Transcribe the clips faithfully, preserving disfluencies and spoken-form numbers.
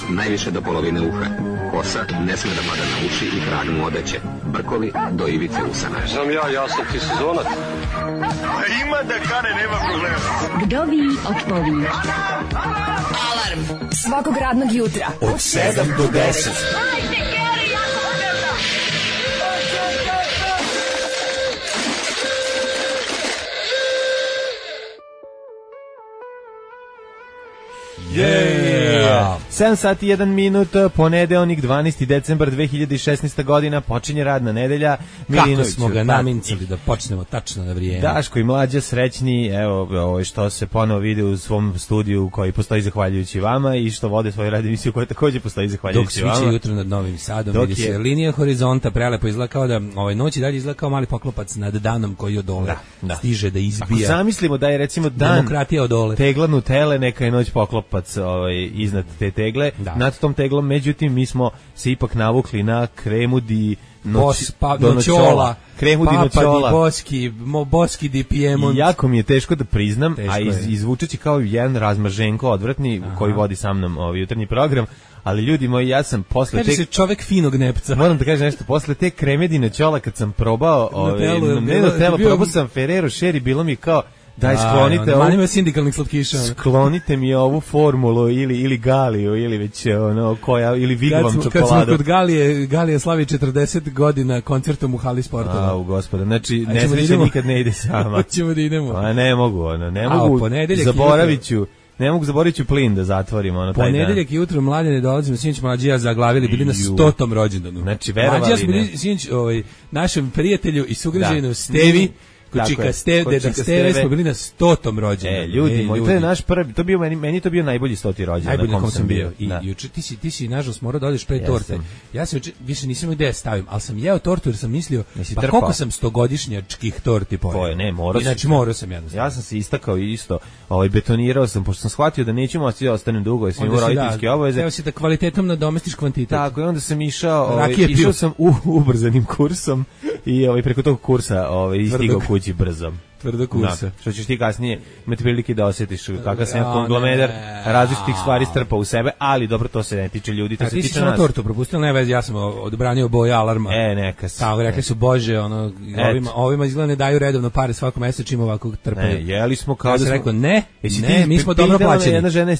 najviše do polovine uha. Kosa ne sme da pada na uši i krag mu odeće. Brkovi do ivice usana. Znam ja, ja sam ti sezonac. A ima da kane, nema problema. Vdovi odpovi. Alarm svakog radnog jutra od sedam do deset. Yeah. sedam sati i jedan minut, ponedeljnik dvanaesti decembar dve hiljade šesnaeste. godina, počinje radna nedelja. Kako smo ga namincali da počnemo tačno na vrijeme. Daško i Mlađa srećni, evo ovo što se ponovo vide u svom studiju koji postoji zahvaljujući vama i što vode svoju radio emisiju koja takođe postoji zahvaljujući vama. Dok sviće jutro nad Novim Sadom, Dok vidi je... se linija horizonta prelepo izgleda kao da ovaj noć i dalje izgleda kao mali poklopac nad danom koji od dole da, da. stiže da izbija. Ako zamislimo da je recimo dan demokratija od dole. Teglanu tele, neka je noć poklopac ovaj, iznad te tegle, da. Nad tom teglom, međutim mi smo se ipak navukli na kremu di noć, Bos, pa, do noćola, kremu di noćola. Papa di boski, mo, boski di Piemont. I jako mi je teško da priznam, teško a iz, izvučeći kao jedan razmaženko odvratni aha. koji vodi sa mnom ovaj jutarnji program, ali ljudi moji, ja sam posle kaže te... se čovek finog nepca. Moram da kažem nešto, posle te kreme di noćola kad sam probao, ovaj, ne do telo, probao sam Ferrero Sher, bilo mi kao daj sklonite ovu, manima sindikalnih slatkiša. Sklonite mi ovu formulu ili ili Galiju ili već ono koja ili Vigvam čokoladu. Kad smo kod Galije, Galija slavi četrdeset godina koncertom u hali sportova. Au gospode, znači nesreća da nikad ne ide sama. Hoćemo da idemo. A ne mogu, ono, ne mogu. Zaboraviću. Ne mogu zaboraviti plin da zatvorimo ono taj dan. Ponedeljak jutro Mlađe ne dolazimo, sinoć Mlađi ja zaglavili, bili na stotom rođendanu. Znači verovali ne. Bili sinoć ovaj našem prijatelju i sugrađaninu Stevi. Kučika Steve, deda Steve, smo bili na stotom rođendanu. E, ljudi, moj, to je naš prvi, to bio meni, meni to bio najbolji stoti rođendan na kom sam bio. I juče ti si ti si nažalost morao da odeš pre torte. Ja se više nisam gde stavim, al sam jeo tortu jer sam mislio pa koliko sam stogodišnjačkih torti pojeo. Poje, ne, morao sam. Znači morao sam jednostavno. Ja sam se istakao isto, ovaj betonirao sam pošto sam shvatio da neću moći da ostanem dugo, jer sam imao roditeljske obaveze. Evo si da kvalitetom nadomestiš kvantitet. Tako, i onda sam išao, ovaj išao sam u ubrzanim kursom i ovaj preko tog kursa ovaj stigao kući brzo. Tvrdo kursa. Da, što ćeš ti kasnije imati prilike da osjetiš kakav sam ja konglomerar različitih stvari strpa u sebe, ali dobro, to se ne tiče ljudi, to a se tiče nas. A ti si tortu propustila, ne vezi, ja sam odbranio boje alarma. E, neka se. Tako, rekli su, bože, ono, ovima, ovima izgleda ne daju redovno pare svako mjeseca čim ovako trpaju. Ne, jeli smo kao ja da sam smo... rekao, ne, jesi ne, ti, mi smo dobro plaćeni. Jedna žena,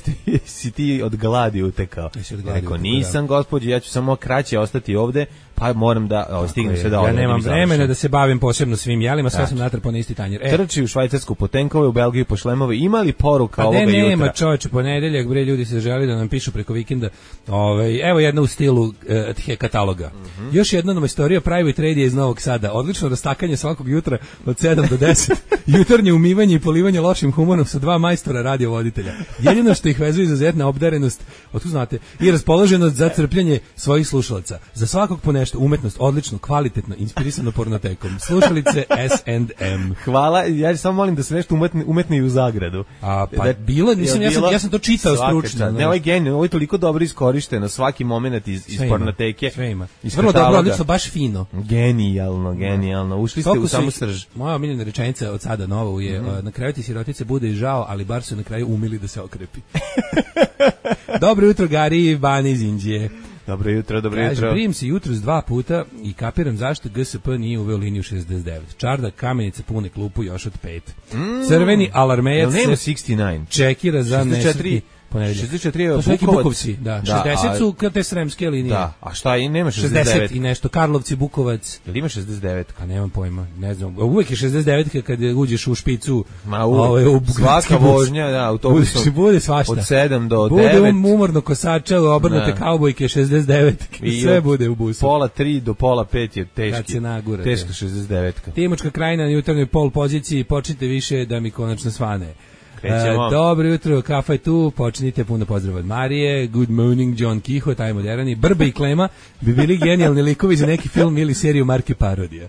si ti od gladi utekao. Rekao, nisam gospođo, ja ću samo kraće ostati ovde, pa moram da o, stignem sve da ja nemam vremena da se bavim posebno svim jelima, sve sam natrpao na isti tanjir. E, trči u Švajcarsku po tenkove, u Belgiju po šlemove, imali poruka pa ovoga ne, jutra? Nema čovječe, ponedeljak, bre, ljudi se želi da nam pišu preko vikenda. Ovaj, evo jedna u stilu uh, tje kataloga. Mm-hmm. Još jedna novostorija Private Radio iz Novog Sada. Odlično rastakanje svakog jutra od sedam do deset. Jutarnje umivanje i polivanje lošim humorom sa dva majstora radiovoditelja. Jedino što ih vezuje izuzetna obdarenost, otkud znate, i raspoloženost za crpljenje svojih slušalaca. Za svakog po nešto, umetnost, odlično, kvalitetno, inspirisano pornotekom. Slušalice S and M. Hvala, ja samo molim da se nešto umetne, umetne i u zagradu. A, pa da, bilo, nisam, ja, sam, ja sam to čitao stručno. Ne, ovo je genij, ovo je toliko dobro iskorišteno, svaki moment iz, iz pornoteke. Sve ima. Vrlo dobro, odlično, baš fino. Genijalno, genijalno. Ušli ste u samu srž. Moja omiljena rečenica od sada novu je, mm-hmm. na kraju ti sirotice bude i žao, ali bar su na kraju umili da se okrepi. Dobro jutro, Gari, Bani iz Indije. Dobro jutro, dobro Kaže, jutro. Prijem se jutros dva puta i kapiram zašto G S P nije uveo liniju šezdeset devet. Čardak, Kamenica, pune klupu još od pet. Mm. Crveni alarmejac se šezdeset devet. Čekira za nesretni ponedeljak. šezdeset četiri je Bukovac. Bukovci, da. da šezdeset su kad te sremske linije. Da, a šta i nema šezdeset devet? šezdeset i nešto, Karlovci, Bukovac. Jel ima šezdeset devet? Pa nemam pojma, ne znam. Uvek je šezdeset devet kad uđeš u špicu. Ma uvek, u svaka vožnja, da, autobusom. Bude, bude svašta. Od sedam do devet. Bude um, umorno kosača, obrnute kaubojke, šezdeset devet. Sve bude u busu. Pola tri do pola pet je teški. Kad se nagura. Teška šezdeset devet. Timočka Krajina na jutarnjoj pol poziciji, počnite više da mi konačno svane. E, dobro jutro, kafa je tu, počnite, puno pozdrav od Marije, good morning John Kiho, taj moderani, Brbe i Klema bi bili genijalni likovi za neki film ili seriju marke parodija.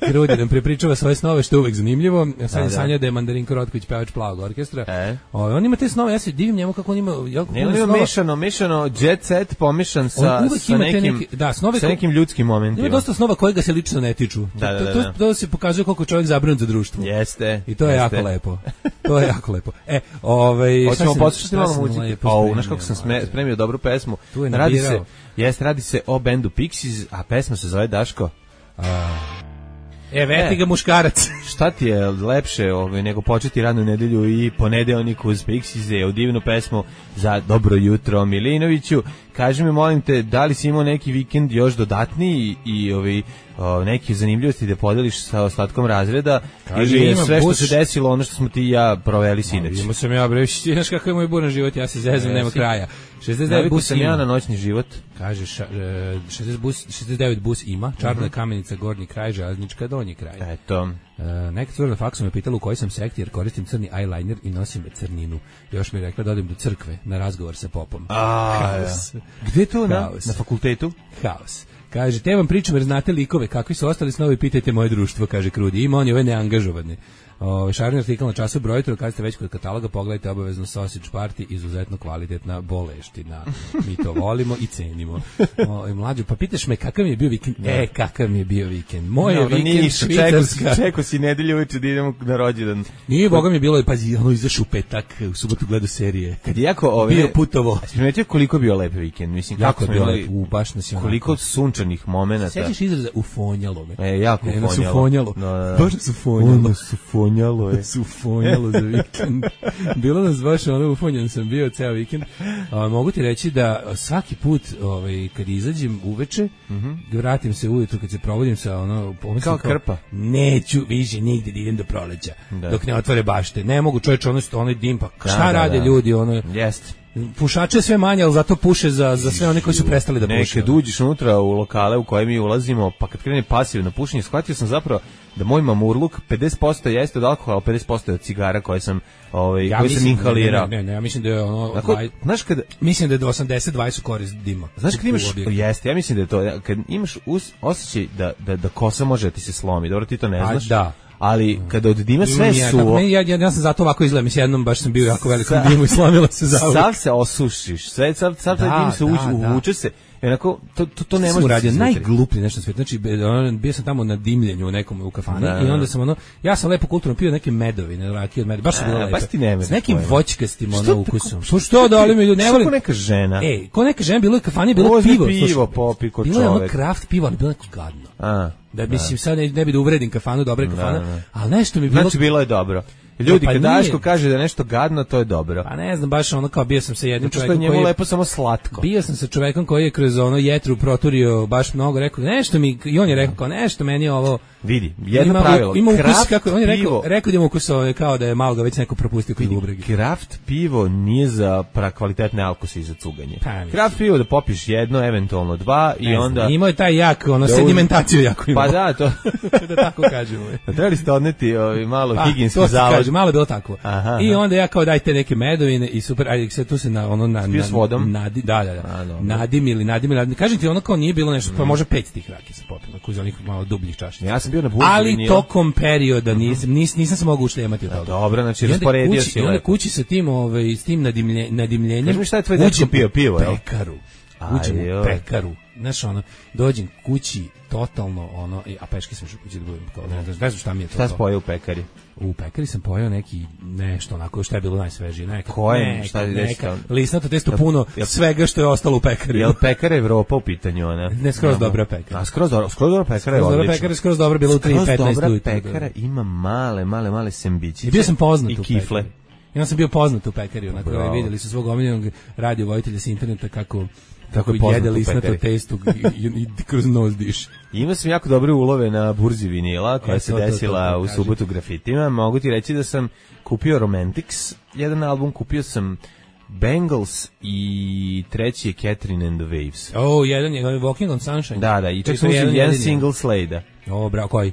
Grudi nam prepričava svoje snove, što je uvek zanimljivo. Ja sad je sanjao da je Mandarinko Rotković pevač Plavog orkestra. E? O, on ima te snove, ja se divim njemu kako on ima... Ja, ne, on ima mešano, mešano jet set pomešan sa, sa, nekim, neke, da, snove sa nekim ljudskim momentima. Ima dosta snova kojega se lično ne tiču. Da, da, da, to, to, to se pokazuje koliko čovjek zabrinut za društvo. Jeste. I to je jeste. jako lepo. To je jako lepo. E, ovaj hoćemo poslušati malo sam muzike. lepo Au, spremio, znaš kako sam sme- mlađe. spremio dobru pesmu. Tu je Radi se, nabirao. jest, radi se o bendu Pixies, a pesma se zove Daško. E, veti ga muškarac. Šta ti je lepše ovaj, nego početi radnu nedelju i ponedeljnik uz Pixies u divnu pesmu za dobro jutro Milinoviću. Kaži mi, molim te, da li si imao neki vikend još dodatniji i ovaj, o, neke zanimljivosti da podeliš sa ostatkom razreda, Kaži, ili je ima sve što Bush. se desilo ono što smo ti i ja proveli sinoć? Imao sam ja, bre, znaš kakav je moj buran život, ja se zezam, nema Jesi. kraja. šezdeset devet Navikao bus sam ja na ima. noćni život. Kaže, ša, e, šezdeset, bus, šezdeset devet bus ima, Čarna Kamenica, gornji kraj, Železnička, donji kraj. Eto. E, neka cura na faksu me pitala u kojoj sam sekti, jer koristim crni eyeliner i nosim crninu. Još mi je rekla da odem do crkve na razgovor sa popom. A, Haos. Gde to na, Haos. na fakultetu? Haos. Kaže, te vam pričam jer znate likove, kakvi su ostali snovi, pitajte moje društvo, kaže Krudi. Ima on je ove neangažovane. O, šarni artikl na času brojitru, kad ste već kod kataloga, pogledajte obavezno Sausage Party, izuzetno kvalitetna boleština. Mi to volimo i cenimo. O, i mlađo, pa pitaš me kakav mi je bio vikend? E, kakav mi je bio vikend? Moj je Dobro, vikend ništa, čekao si, švicarska. čekao si nedelju uveče da idemo na rođendan. Nije, boga mi je bilo, pazi, ono izašao u petak, u subotu gledao serije. Kad je jako ove, Bio putovo. Jesi primetio koliko je bio lep vikend? Mislim, Jako kako je smo bio imali, lep, u, baš nas je onako. koliko sunčanih momenata. Sećaš izraza ufonjalo me? E, jako E, nas ufonjalo. ufonjalo. Da, da. Baš nas ufonjalo. Ono su fonjalo je. Su ufonjalo za vikend. Bilo nas baš ono, ufonjan sam bio ceo vikend. A, mogu ti reći da svaki put ovaj, kad izađem uveče, mm-hmm. vratim se ujutru kad se provodim sa ono... Kao krpa. Neću više nigde da idem do proleća. Da. Dok ne otvore bašte. Ne mogu čovječe ono, onaj dim, pa Da, šta da, rade da. ljudi? Ono, Jeste. pušače sve manje, ali zato puše za, za sve one koji su prestali da puše. Nekad uđeš unutra u lokale u koje mi ulazimo, pa kad krene pasivno pušenje, shvatio sam zapravo da moj mamurluk pedeset posto jeste od alkohola, pedeset posto je od cigara koje sam, ovaj, Ja koje sam mislim, inhalirao. ne, ne, ne, ja mislim da je ono... Dakle, dvaj- znaš kad, mislim da je do osamdeset dvadeset korist dima. znaš kad imaš, U objektu. jeste, ja mislim da je to, kad imaš us, osjećaj da, da, da kosa može da ti se slomi, dobro ti to ne A, znaš, da. ali kada od dima sve Imam ja, tako, suvo, meni, ja, ja, ja sam zato ovako izgledam, mislim, jednom baš sam bio jako velikom Sa- dimu i slomila se za sav se osušiš, sve, sav, sav taj Da, dim se da, uđe, da. uvuče se, i onako, to, to, to ne sam može da se uradio izvetri. najgluplji nešto na svijetu. Znači be- ono, bio sam tamo na dimljenju u nekom u kafani Da, i da. onda sam ono ja sam lepo kulturno pio neke medovine, rakije od meda. Baš su A, bilo lepe. baš ti ne mereš S nekim pojma. voćkastim Što ono tako- ukusom. Što što da li mi ljudi ne Što volim. ko neka žena? Ej, ko neka žena bilo je u kafani, bilo je Uzmi pivo. pivo, slušaj. popi ko Bilo je ono čovek. kraft pivo, ali bilo je neko gadno. A, Da mislim sad ne, ne bi da uvredim kafanu, dobre kafana, da. ali nešto mi bilo znači bilo je dobro. Ljudi, Pa kad nije. Daško kaže da je nešto gadno, to je dobro. Pa ne znam, baš ono kao bio sam sa jednim Zato što je čovekom njemu koji je, lepo samo slatko. bio sam sa čovekom koji je kroz ono jetru proturio baš mnogo, rekao nešto mi, i on je rekao kao nešto meni ovo Vidi, jedno ima, pravilo. ima ukus kraft kako on je rekao, pivo- rekao da ima ukus ovaj, kao da je malo ga već neko propustio kod bubregi. Kraft pivo nije za pra kvalitetne alkose i za cuganje. Pa, mislim. Kraft pivo da popiš jedno, eventualno dva i Ne znam, onda... imao je taj jak, ono, Da uz- sedimentaciju jako imao. Pa da, to... da tako kažemo. Trebali ste odneti ovaj, malo Pa, higijenski to se zavod. kaže, malo je bilo tako. Aha, I aha. onda ja kao dajte neke medovine i super, ajde se tu se na ono na, Spio na s vodom? Nadi, da, da, da. A, dobro. Nadimili, nadimili, nadimili. Kažem ti ono kao nije bilo nešto, pa može pet tih rakija sa popima, uz onih malo dubljih čašica. Ja sam bio na burzi Ali vinila. tokom perioda nisam, nis, nisam se mogao ušljemati od toga. Dobro, znači I onda rasporedio kući- si I onda lepo. kući sa tim, ovaj, s tim nadimlje, nadimljenjem. Kaži mi šta je tvoj dečko uđem pio u pivo, jel? Pekaru. Aj, Uđem u joj. pekaru. Znaš, ono, dođem kući, totalno, ono, i- a peške sam što kući da budem, kao, ne, znam- ne znam šta mi je to. Šta to. si pojeo u pekari? U pekari sam pojeo neki nešto onako šta je bilo najsvežije, neka. Koje? neka, Šta je neka, desilo? lisnato testo Jel- puno jel- svega što je ostalo u pekari. Je li pekara Evropa u pitanju, ona? Ne, skroz dobra pekara. A skroz dobro, skroz dobra pekara je Skroz dobra odlična. pekara, skroz dobra bila u tri Skroz petnaest dobra ujutru. pekara ima male, male, male sembićice. I bio sam poznat i u kifle. pekari. I onda sam bio poznat u pekari, onako, Bravo. ovaj, vidjeli su svog omiljenog radio vojitelja sa interneta kako kako je poznat jede u lisnato pekari. testu i, i, i kroz nos diš. Ima sam jako dobre ulove na burzi vinila koja E, se to, to, to, desila to, u kaži. subotu grafitima. Mogu ti reći da sam kupio Romantics, jedan album, kupio sam Bangles i treći je Catherine and the Waves. O, jedan je Walking on Sunshine. Da, da, i To čak su sam uzeo jedan jedan jedini. single Slade-a. O, bravo, koji? E,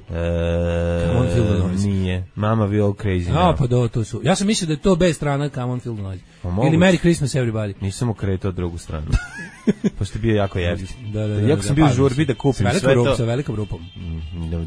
Come on, Feel the Noise. Nije. Mama We All Crazy A, Now. pa do, to su. Ja sam mislio da je to bez strana Come on Feel the Noise. Pa moguće. Ili Merry Christmas Everybody. Nisam okretao drugu stranu. pošto je bio jako jeftin. Da, da, da. Jako sam bio u žurbi da kupim sve to. Sa velikom rupom.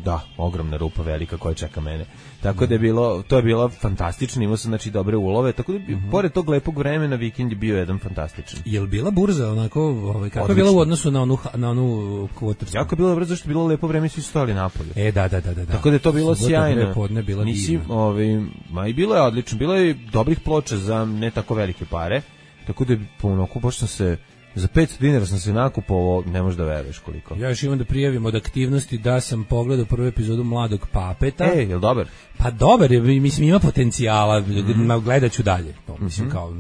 Da, ogromna rupa velika koja čeka mene. Tako da je bilo, to je bilo fantastično, imao sam znači dobre ulove, tako da mm-hmm. pored tog lepog vremena vikend je bio jedan fantastičan. Je li bila burza onako, ovaj kako je bila u odnosu na onu na onu kvotarsku? Jako je bilo brzo što je bilo lepo vreme, svi su stali napolje. E da, da, da, da. Tako da je to bilo sjajno. Podne bila Nisi, ovaj, ma i bilo je odlično, bilo je dobrih ploča za ne tako velike pare. Tako da je puno, baš sam se za petsto dinara sam se nakupovao, ne možeš da veruješ koliko. Ja još imam da prijavim od aktivnosti da sam pogledao prvu epizodu Mladog papeta. E, je li dobar? Pa dobar je, mislim ima potencijala, mm-hmm. gledat ću dalje. To, mislim kao,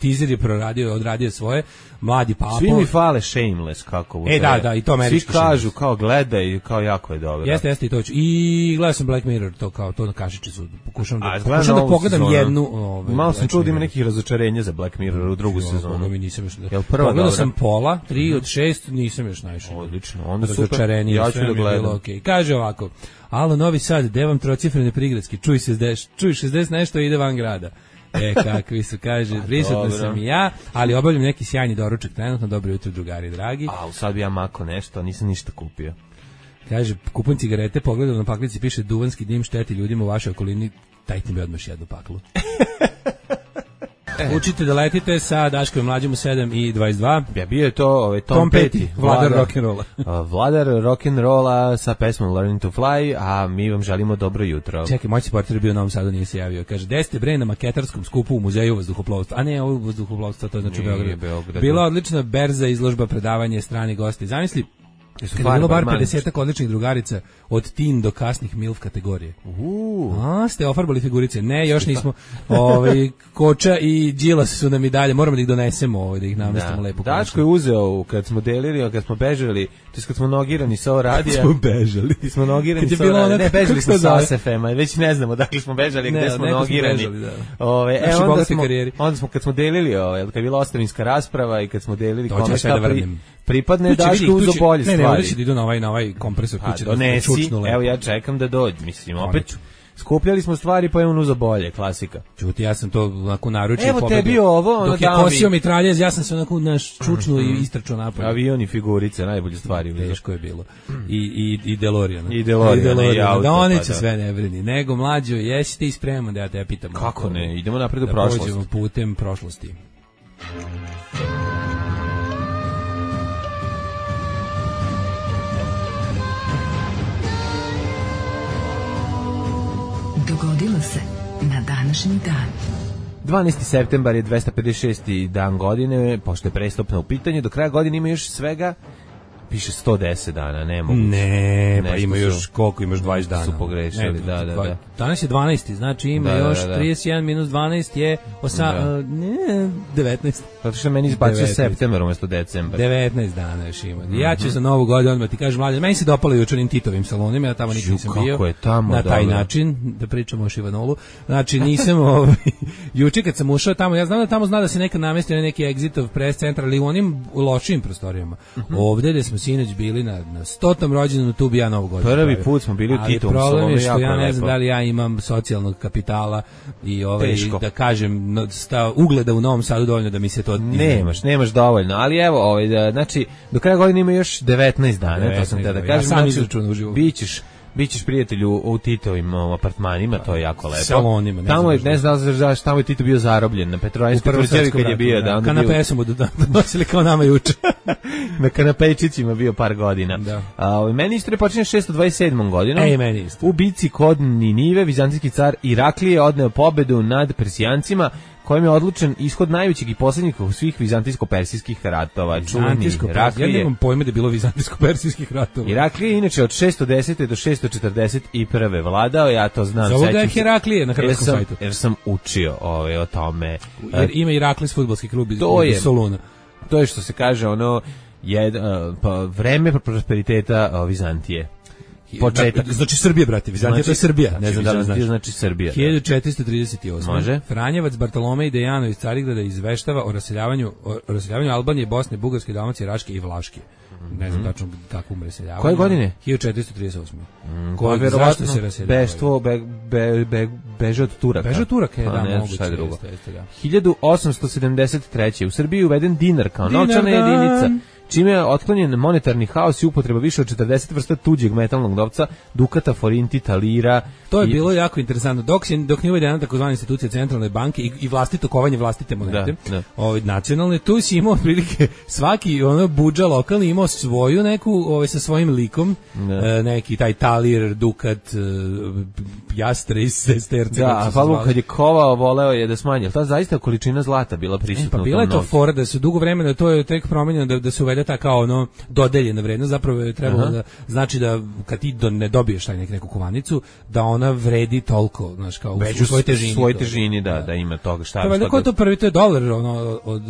teaser je proradio, odradio svoje, Mladi papo. Svi mi fale Shameless, kako u E, da, da, i to američki Svi kažu, kao gledaj, kao jako je dobro. Jeste, jeste i to ću. I gledao sam Black Mirror, to kao, to na kašičicu, pokušam da, pokušam da pogledam sezonu. jednu. Ove, Malo sam čuo da ima nekih razočarenja za Black Mirror u drugu jo, sezonu. Mi nisam još da... Jel prva pogledao sam pola, tri od šest, nisam još naišao. Odlično, onda super, ja ću da gledam. Okay. Kaže ovako, alo, Novi Sad, gde vam trocifrene prigradski, čuj šezdeset, čuj šezdeset nešto i ide van grada. E, kakvi su, kaže, prisutno sam i ja, ali obavljam neki sjajni doručak trenutno, dobro jutro, drugari dragi. A, sad bi ja mako nešto, nisam ništa kupio. Kaže, kupujem cigarete, pogledam na paklici, piše duvanski dim šteti ljudima u vašoj okolini, dajte mi odmah jednu paklu. Učite da letite sa Daškom mlađim u sedam i dvadeset dva. Ja bio je to ovaj Tom, Tom Petty, vladar rock'n'rolla. Vladar rock'n'rolla sa pesmom Learning to Fly, a mi vam želimo dobro jutro. Čekaj, moj supporter je bio u Novom Sadu, nije se javio. Kaže, gde ste bre na maketarskom skupu u muzeju vazduhoplovstva? A ne, ovo vazduhoplovstva, to znači Beograd. Beograd. Bila odlična berza, izložba, predavanje, strani gosti. Zamisli, kada je bilo bar pedesetak odličnih drugarica od teen do kasnih milf kategorije. Uh. A, ste ofarbali figurice? Ne, još nismo. Ovaj Koča i Đilas su nam i dalje. Moramo da ih donesemo, ovaj, da ih namestimo da. lepo. Daško je uzeo kad smo delili, kad smo bežali, to kad smo nogirani sa radija. Smo bežali. Ti smo nogirani sa radija. Ne, bežali smo sa S F M-a. Već ne znamo da li smo bežali, gde smo nogirani. Smo bežali, da. Ove, e, onda smo, onda smo kad smo delili, ovaj, kad je bila ostavinska rasprava i kad smo delili kome šta pri, pripadne, Daško uzo bolje stvari. Ne, ne, ovdje će da idu na ovaj, na ovaj kompresor kuće. Donesi, evo ja čekam da dođe, mislim, opet skupljali smo stvari pa je on uzo bolje, klasika. Čuti, ja sam to onako naručio evo pobedu. Tebi ovo, ono dok je kosio mitraljez, ja sam se onako naš čučnuo mm-hmm. i istračao napolje. Avion i figurice, najbolje stvari. Teško je bilo. I, i, i DeLorean. I DeLorean, i, DeLorean. I auto. Da oni pa, će da. sve ne brini. Nego mlađo, jesi ti spreman da ja te pitam? Kako ne, idemo napred u da prošlost. Da pođemo putem prošlosti. Dogodilo se na današnji dan. dvanaesti septembar je dvesta pedeset šesti dan godine, pošto je prestopno u pitanju, do kraja godine ima još svega, piše sto deset dana, ne mogu. Ne, pa ima još, koliko imaš dvadeset dana. Su pogrešili, ne, da, da, da. Danas je dvanaesti, znači ima da, još da, da. trideset jedan minus dvanaest je osa, da. uh, ne, devetnaest. Zato što meni izbacio septembar umjesto decembar. devetnaest dana još ima. Mm-hmm. Ja ću za novu godinu odmah ti kažem, mlađe, meni se dopalo jučer onim Titovim salonima, ja tamo nikad nisam bio. Kako je tamo, na taj dobro. način, da pričamo o Šivanolu. Znači nisam, ovaj, juče kad sam ušao tamo, ja znam da tamo zna da se neka namesti na neki Exitov press centar, ali u onim lošim prostorijama. Mm-hmm. Ovde gde smo sinoć bili na, na stotom rođendanu, tu bi ja novu godinu. Prvi put smo bili u Titovom salonu, problem je što ja ne znam da li ja imam socijalnog kapitala i ovaj Teško. Da kažem sta ugleda u Novom Sadu dovoljno da mi se to nemaš, nemaš dovoljno, ali evo, ovaj da, znači do kraja godine ima još devetnaest dana, devetnaest, to sam te da kažem, ja sam izračunao uživo. Bićeš Bićeš prijatelju u Titovim um, apartmanima, to je jako lepo. Salonima, ne tamo je, ne znam da znaš, tamo je Tito bio zarobljen na Petrovaradinskoj tvrđavi kad je bio, da, onda kanape su mu donosili kao nama juče. Na kanapejčićima bio par godina. Da. A, meni istorija počinje šesto dvadeset sedmom godinom. Ej, meni isto. U bici kod Ninive vizantijski car Iraklije odneo pobedu nad Persijancima, kojim je odlučen ishod najvećeg i posljednjih svih vizantijsko-persijskih ratova. Vizantijsko Iraklije. Ja nemam pojma da je bilo vizantijsko-persijskih ratova. Iraklije je inače od šesto desete do šesto četrdeset prve vladao, ja to znam. Zove ga je Heraklije na hrvatskom jer sam, sajtu. Jer sam učio ovaj, o tome. Jer ima Iraklis fudbalski klub iz, iz Soluna. To je što se kaže ono, je, uh, pa, vreme prosperiteta uh, Vizantije. Početak. Znači Srbija, brate, Vizantija, znači, to je Srbija. Znači, ne znam da li znaš. Znači Srbija. hiljadu četiristo trideset osme. Može. Franjevac Bartolomej Dejano iz Carigrada izveštava o raseljavanju, o raseljavanju Albanije, Bosne, Bugarske, Dalmacije, Raške i Vlaške. Mm-hmm. Ne znam tačno kakvom raseljavanju. Koje godine? hiljadu četiristo trideset osme. Mm, Koje verovatno se raseljavaju? Beštvo, be, be, be, beže od Turaka. Beže od Turaka, je, da, ne, moguće. Šta je drugo? Jeste, jeste, da. hiljadu osamsto sedamdeset treće. U Srbiji uveden dinar kao dinar, novčana jedinica. čime je otklonjen monetarni haos i upotreba više od četrdeset vrsta tuđeg metalnog novca, dukata, forinti, talira. To je i... bilo jako interesantno. Dok, je, dok nije uvedena takozvana institucija centralne banke i, i vlastito kovanje vlastite monete, da, da. Ovaj, nacionalne, tu si imao prilike svaki ono budža lokalni imao svoju neku ovaj, sa svojim likom, e, neki taj talir, dukat, e, jastre iz sesterce. Da, a Pavluk kad je kovao, voleo je da smanji. Ta zaista količina zlata bila prisutna. E, pa bila je to fora da su dugo vremena, to je tek promenjeno da, da se uvede ta kao ono dodeljena vrednost, zapravo je trebalo Aha. da znači da kad ti do, ne dobiješ taj nek, neku kovanicu, da ona vredi toliko, znaš, kao već u svojoj težini. Svoj težini, da, da, da ima toga šta. To je ko to prvi, to je dolar, ono, od,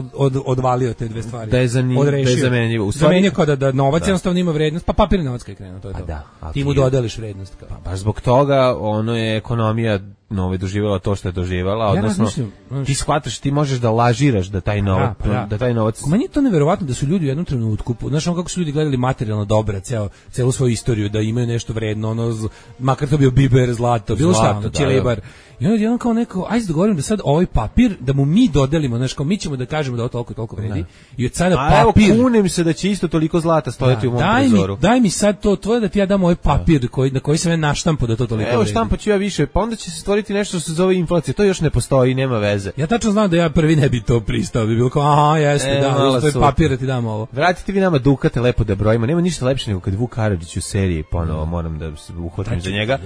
od, od, odvalio te dve stvari. Da je, zanim, da je zamenjivo. U stvari, zamenio kao da, da novac da. jednostavno ima vrednost, pa papirni novac kad je krenuo, to je to. Da, ti mu dodeliš vrednost. Kao. Pa baš zbog toga ono je ekonomija nove doživjela to što je doživjela, odnosno ja ti shvataš, ti možeš da lažiraš da taj novac, da, da. da taj novac. Meni je to neverovatno da su ljudi u jednom trenutku, znaš ono kako su ljudi gledali materijalno dobra, ceo celu svoju istoriju, da imaju nešto vredno, ono makar to bio biber, zlato, bilo šta, ono, ćelebar. I onda jedan kao neko, ajde da govorim da sad ovaj papir, da mu mi dodelimo, znaš, kao mi ćemo da kažemo da ovo toliko i toliko vredi. Da. I od sada a papir... A evo, kunem se da će isto toliko zlata stojati da, u mom daj trezoru. Mi, daj mi sad to tvoje da ti ja dam ovaj papir da. koji, na koji sam ja naštampo da to toliko evo, vredi. Evo štampa ću ja više, pa onda će se stvoriti nešto što se zove inflacija. To još ne postoji, nema veze. Ja tačno znam da ja prvi ne bi to pristao. Bi bilo kao, aha, jeste, e, da, to je papir da ti dam ovo. Vratite vi nama dukate lepo da brojimo. Nema ništa lepše nego kad Vuk Karadžić u seriji, ponovo moram da se uhvatim za njega.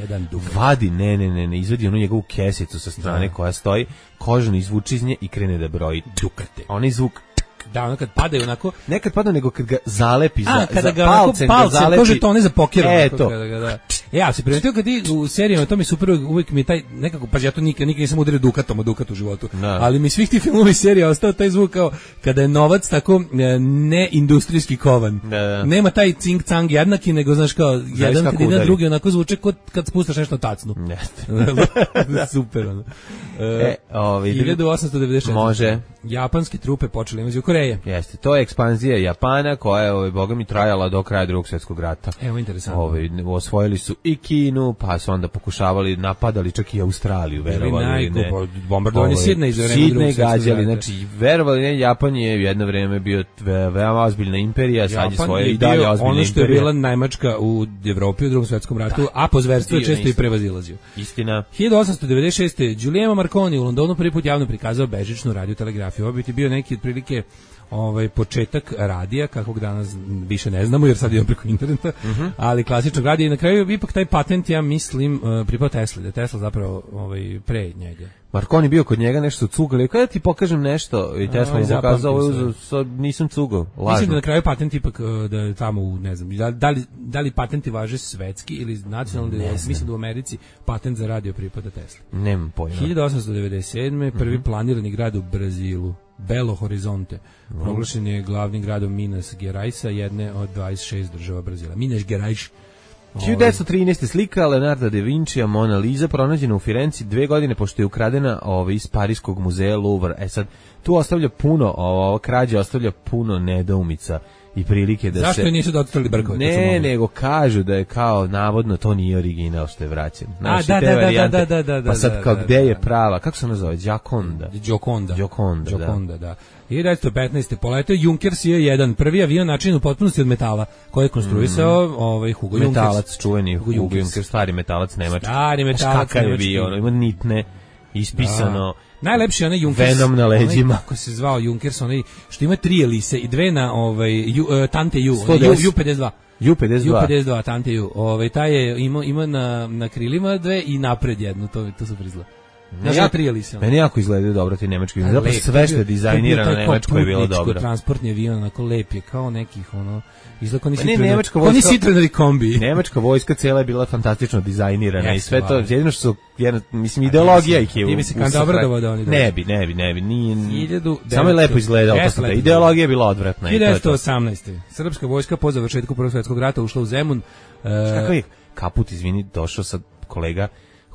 Vadi, ne, ne, ne, ne, izvadi onu njegovu kesicu sa strane koja stoji, kožno izvuči iz nje i krene da broji dukate. Onaj zvuk da, ono kad padaju onako... Nekad pada, nego kad ga zalepi za, A, kada za ga palcem, palcem, zalepi... kože to ne za pokjer. E, to. Kada ga, da. Ja se primetio kad ti u serijama, to mi super, uvijek mi je taj, nekako, pa ja to nikad, nikad nisam udario dukatom o dukatu u životu, da. Ali mi svih tih filmova i serija ostao taj zvuk kao kada je novac tako ne industrijski kovan. Da, da. Nema taj cing-cang jednaki, nego znaš kao, zavis jedan kad ide drugi, onako zvuče kod kad spustaš nešto tacnu. Super, ono. E, ovi, hiljadu osamsto devedeset četvrte. Može. Japanske trupe počele invaziju Koreje. Jeste, to je ekspanzija Japana koja je, ovaj, boga mi, trajala do kraja Drugog svjetskog rata. Evo, interesantno. Ovaj, osvojili su i Kinu, pa su onda pokušavali, napadali čak i Australiju, verovali ne. Bombardovanje Sidneja iz vremena Drugog svjetskog rata. Gađali, znači, verovali ne, Japan je jedno vreme bio ve, veoma ozbiljna imperija, sad je svoje i dalje ozbiljna imperija. Ono što je bila Nemačka u Evropi u Drugom svjetskom ratu, da, a po zverstvu je često i prevazilazio. Istina. hiljadu osamsto devedeset šeste. Giuliano Marconi u Londonu prvi put javno prikazao bežičnu radiotelegrafiju. Ovo bi ti bio neki otprilike ovaj početak radija kakvog danas više ne znamo jer sad idemo preko interneta, uh-huh. ali klasičnog radija i na kraju ipak taj patent ja mislim uh, pripao Tesli, da Tesla zapravo ovaj pre njega. Marconi bio kod njega nešto cugali, kada ti pokažem nešto i Tesla mu pokazao, nisam cugao, lažno. Mislim da na kraju patent ipak da je tamo u, ne znam, da, da, li, da li patenti važe svetski ili nacionalni, da mislim da u Americi patent za radio pripada Tesli. Nemam pojma. hiljadu osamsto devedeset sedme. prvi uh-huh. planirani grad u Brazilu, Belo Horizonte, uh-huh. proglašen je glavnim gradom Minas Geraisa, jedne od dvadeset šest država Brazila. Minas Gerais. hiljadu devetsto trinaeste. slika Leonarda da Vincija Mona Lisa pronađena u Firenci dve godine pošto je ukradena ovaj, iz Parijskog muzeja Louvre. E sad, tu ostavlja puno, ova krađa ostavlja puno nedoumica i prilike da. Zašto se... Zašto nisu dotrali brkove? Ne, nego kažu da je kao navodno to nije original što je vraćen. Znači, A, da, da, da, da, da, da, da. Pa sad kao da, gde da, je prava? Kako se nazove? Gioconda. Gioconda. Gioconda, Gioconda, da. da. hiljadu devetsto petnaeste. poletao Junker S J jedan, prvi avion način u potpunosti od metala, koji je konstruisao mm. ovaj Hugo Junkers. Metalac, čuveni Hugo Junkers, Junkers stari metalac nemački. Stari metalac nemački. Ono, ima nitne, ispisano. Da. Najlepši je onaj Junkers, Venom na leđima. Onaj, kako se zvao Junkers, onaj što ima tri elise i dve na ovaj, ju, uh, Tante U, U pedeset dva. U pedeset dva. U pedeset dva, Tante U. Ovaj, taj je ima, ima na, na krilima dve i napred jednu, to, to su prizla. Znači, ja, tri elise. Meni jako izgledaju dobro ti nemački. Zapravo sve što je dizajnirano na nemačkoj je bilo dobro. Transportni avion, onako lep je, kao nekih, ono, izgleda kao ni Citroenovi kombi. Nemačka vojska cijela je bila fantastično dizajnirana i sve to, jedino što su, jedna, mislim, ideologija ih je. Ti bi se kan dobro da oni. Ne bi, ne bi, ne bi, nije, samo je lepo izgledalo. Ideologija je bila odvratna. hiljadu devetsto osamnaeste. Srpska vojska po završetku Prvog svjetskog rata ušla u Zemun. Kakav je kaput, izvini, došao sad kolega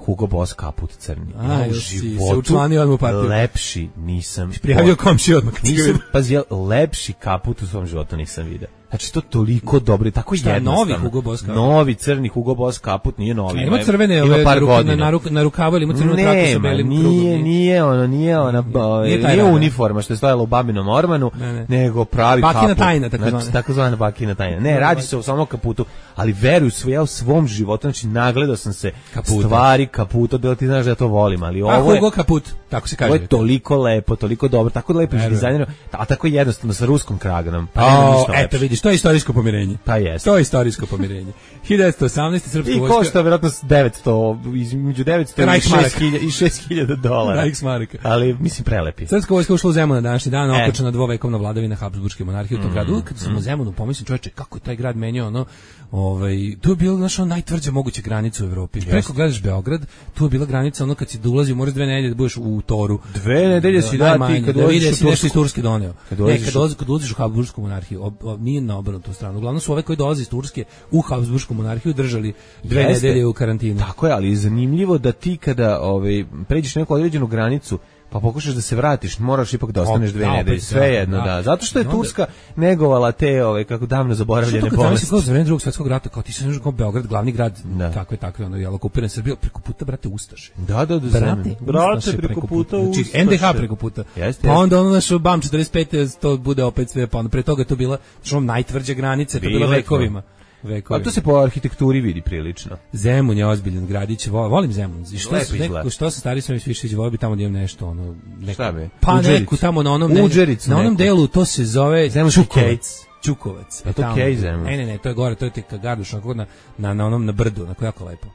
Hugo Boss kaput crni. A, u životu se učlanio odmah u partiju. Lepši nisam. Prijavio komši odmah. Nisam, pazi, lepši kaput u svom životu nisam vidio. Znači to toliko dobro i tako Šta, jednostavno. novi Hugo Boss kaput? Novi crni Hugo Boss kaput, nije novi. Ima crvene ima ove par na, ruka, godina. na, ruk, na rukavu ili ima crvenu traku sa Nema, belim nije, krugom. nije ono, nije ona, Nije nije, taj nije rada. uniforma što je stojala u babinom ormanu, Ne, ne. nego pravi Bakina kaput. tajna, takozvana. Znači, takozvana bakina tajna. Ne, radi se o samom kaputu, ali veruj sve, ja u svom životu, znači nagledao sam se Kaputa. stvari kaputa, da ti znaš da ja to volim, ali A ovo je... Hugo kaput, tako se kaže. Ovo je toliko lepo, toliko dobro, tako lepo Verujem. dizajnirano, a tako jednostavno sa ruskom kraganom. Pa nema O, ništa eto lepše. vidiš, to je istorijsko pomirenje. Pa jeste. To je istorijsko pomirenje. hiljadu devetsto osamnaeste srpska I vojska košta vjerojatno devetsto, između devetsto i Reichsmark. šest hiljada i šest hiljada dolara. Reichsmarka. Ali mislim prelepi. Srpska vojska ušla u Zemun na današnji dan, E. okončana dvovekovna vladavina Habsburške monarhije u tom gradu. Uvijek kad sam u Zemunu pomislim, čoveče, kako je taj grad menjao, ono, ovaj, tu je bila naša najtvrđa moguća granica u Evropi. Preko gledaš Beograd, tu je bila granica, ono kad si da ulazi, moraš dve nedelje da budeš u Toru. Dve nedelje si da najmanje, ti kad da ulaziš vidi u si nešto iz Tursku. Turske doneo. Kad Ne, ulaziš kad u- ulaziš, kad ulaziš u Habsburšku monarhiju, ob, ob, nije na obrnutu stranu. Uglavnom su ove koji dolaze iz Turske u Habsburšku monarhiju držali dve Jeste. nedelje u karantinu. Tako je, ali je zanimljivo da ti kada ovaj, pređeš neku određenu granicu, pa pokušaš da se vratiš, moraš ipak da ostaneš O, dve da, opet, nedelje, da, sve jedno, da. da. Zato što je I onda- Turska negovala te, ovaj, kako davno Što zaboravljene to kad zamisli bolesti. kao za vreme drugog svjetskog rata, kao ti se znaš kao Beograd, glavni grad, Da. takve, takve, ono, jel, okupiran Srbija, preko puta, brate, Ustaše. Da, da, da, Brate, zemlje. Brate, Ustaše preko puta Znači, Ustaše. en de ha preko puta. Jeste, Pa jeste. onda ono naš BAM četrdeset pete to bude opet sve, pa onda pre toga je to bila što najtvrđa granica, to je bila Bile vekovima. A Vekovima. to se po arhitekturi vidi prilično. Zemun je ozbiljan gradić, vo- volim Zemun. I što Lepo se izgleda. nekako što se stari sve više volio bi tamo da imam nešto ono neko. Šta bi? Pa Udžericu. neku tamo na onom ne- Udžericu na onom neku. delu to se zove Zemunski kej. Čukovac. Čukovac. Je to tamo. kej Zemun? Ne, ne, ne, to je gore, to je tek Garduš, onako na, na, na onom na brdu, onako jako lepo.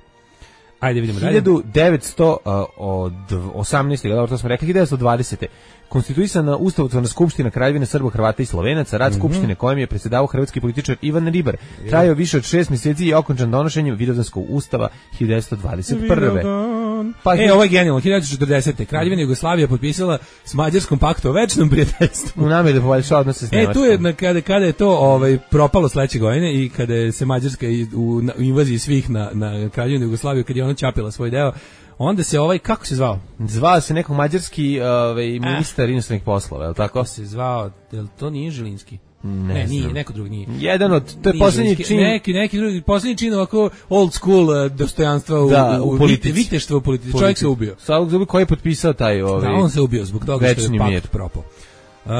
Ajde vidimo dalje. hiljadu devetsto osamnaeste. Dobro, to smo rekli, hiljadu devetsto dvadesete. Konstituisana Ustavotvorna skupština Kraljevine Srba, Hrvata i Slovenaca, rad skupštine kojem je predsjedavao hrvatski političar Ivan Ribar. Trajao više od šest mjeseci i okončan donošenjem Vidovdanskog ustava hiljadu devetsto dvadeset prve. Pa, E, ovo je genijalno. hiljadu devetsto četrdesete. Kraljevina Jugoslavija potpisala s Mađarskom pakt o večnom prijateljstvu. u nameri da poboljša odnose s E, Nemačkom. tu je na- kada, kada je to ovaj propalo sledeće godine i kada je se Mađarska i- u, na- u invaziji svih na, na Kraljevinu Jugoslaviju, kad je ona ćapila svoj deo, onda se ovaj, kako se zvao? Zvao se nekog mađarski ovaj, ministar inostranih poslova, je li tako? Kako se zvao? Jel to nije Žilinski? Ne Ne, nije, znam. neko drugi nije. Jedan od, to je Nije posljednji Žilinski, čin. Neki, neki drugi, posljednji čin ovako old school uh, dostojanstva u, Da, u u, politici. vite- viteštvo u politici. Čovjek se ubio. Savog Zubi koji je potpisao taj ovaj. Da, on se ubio zbog toga što je večni mir. pakt propao. Uh,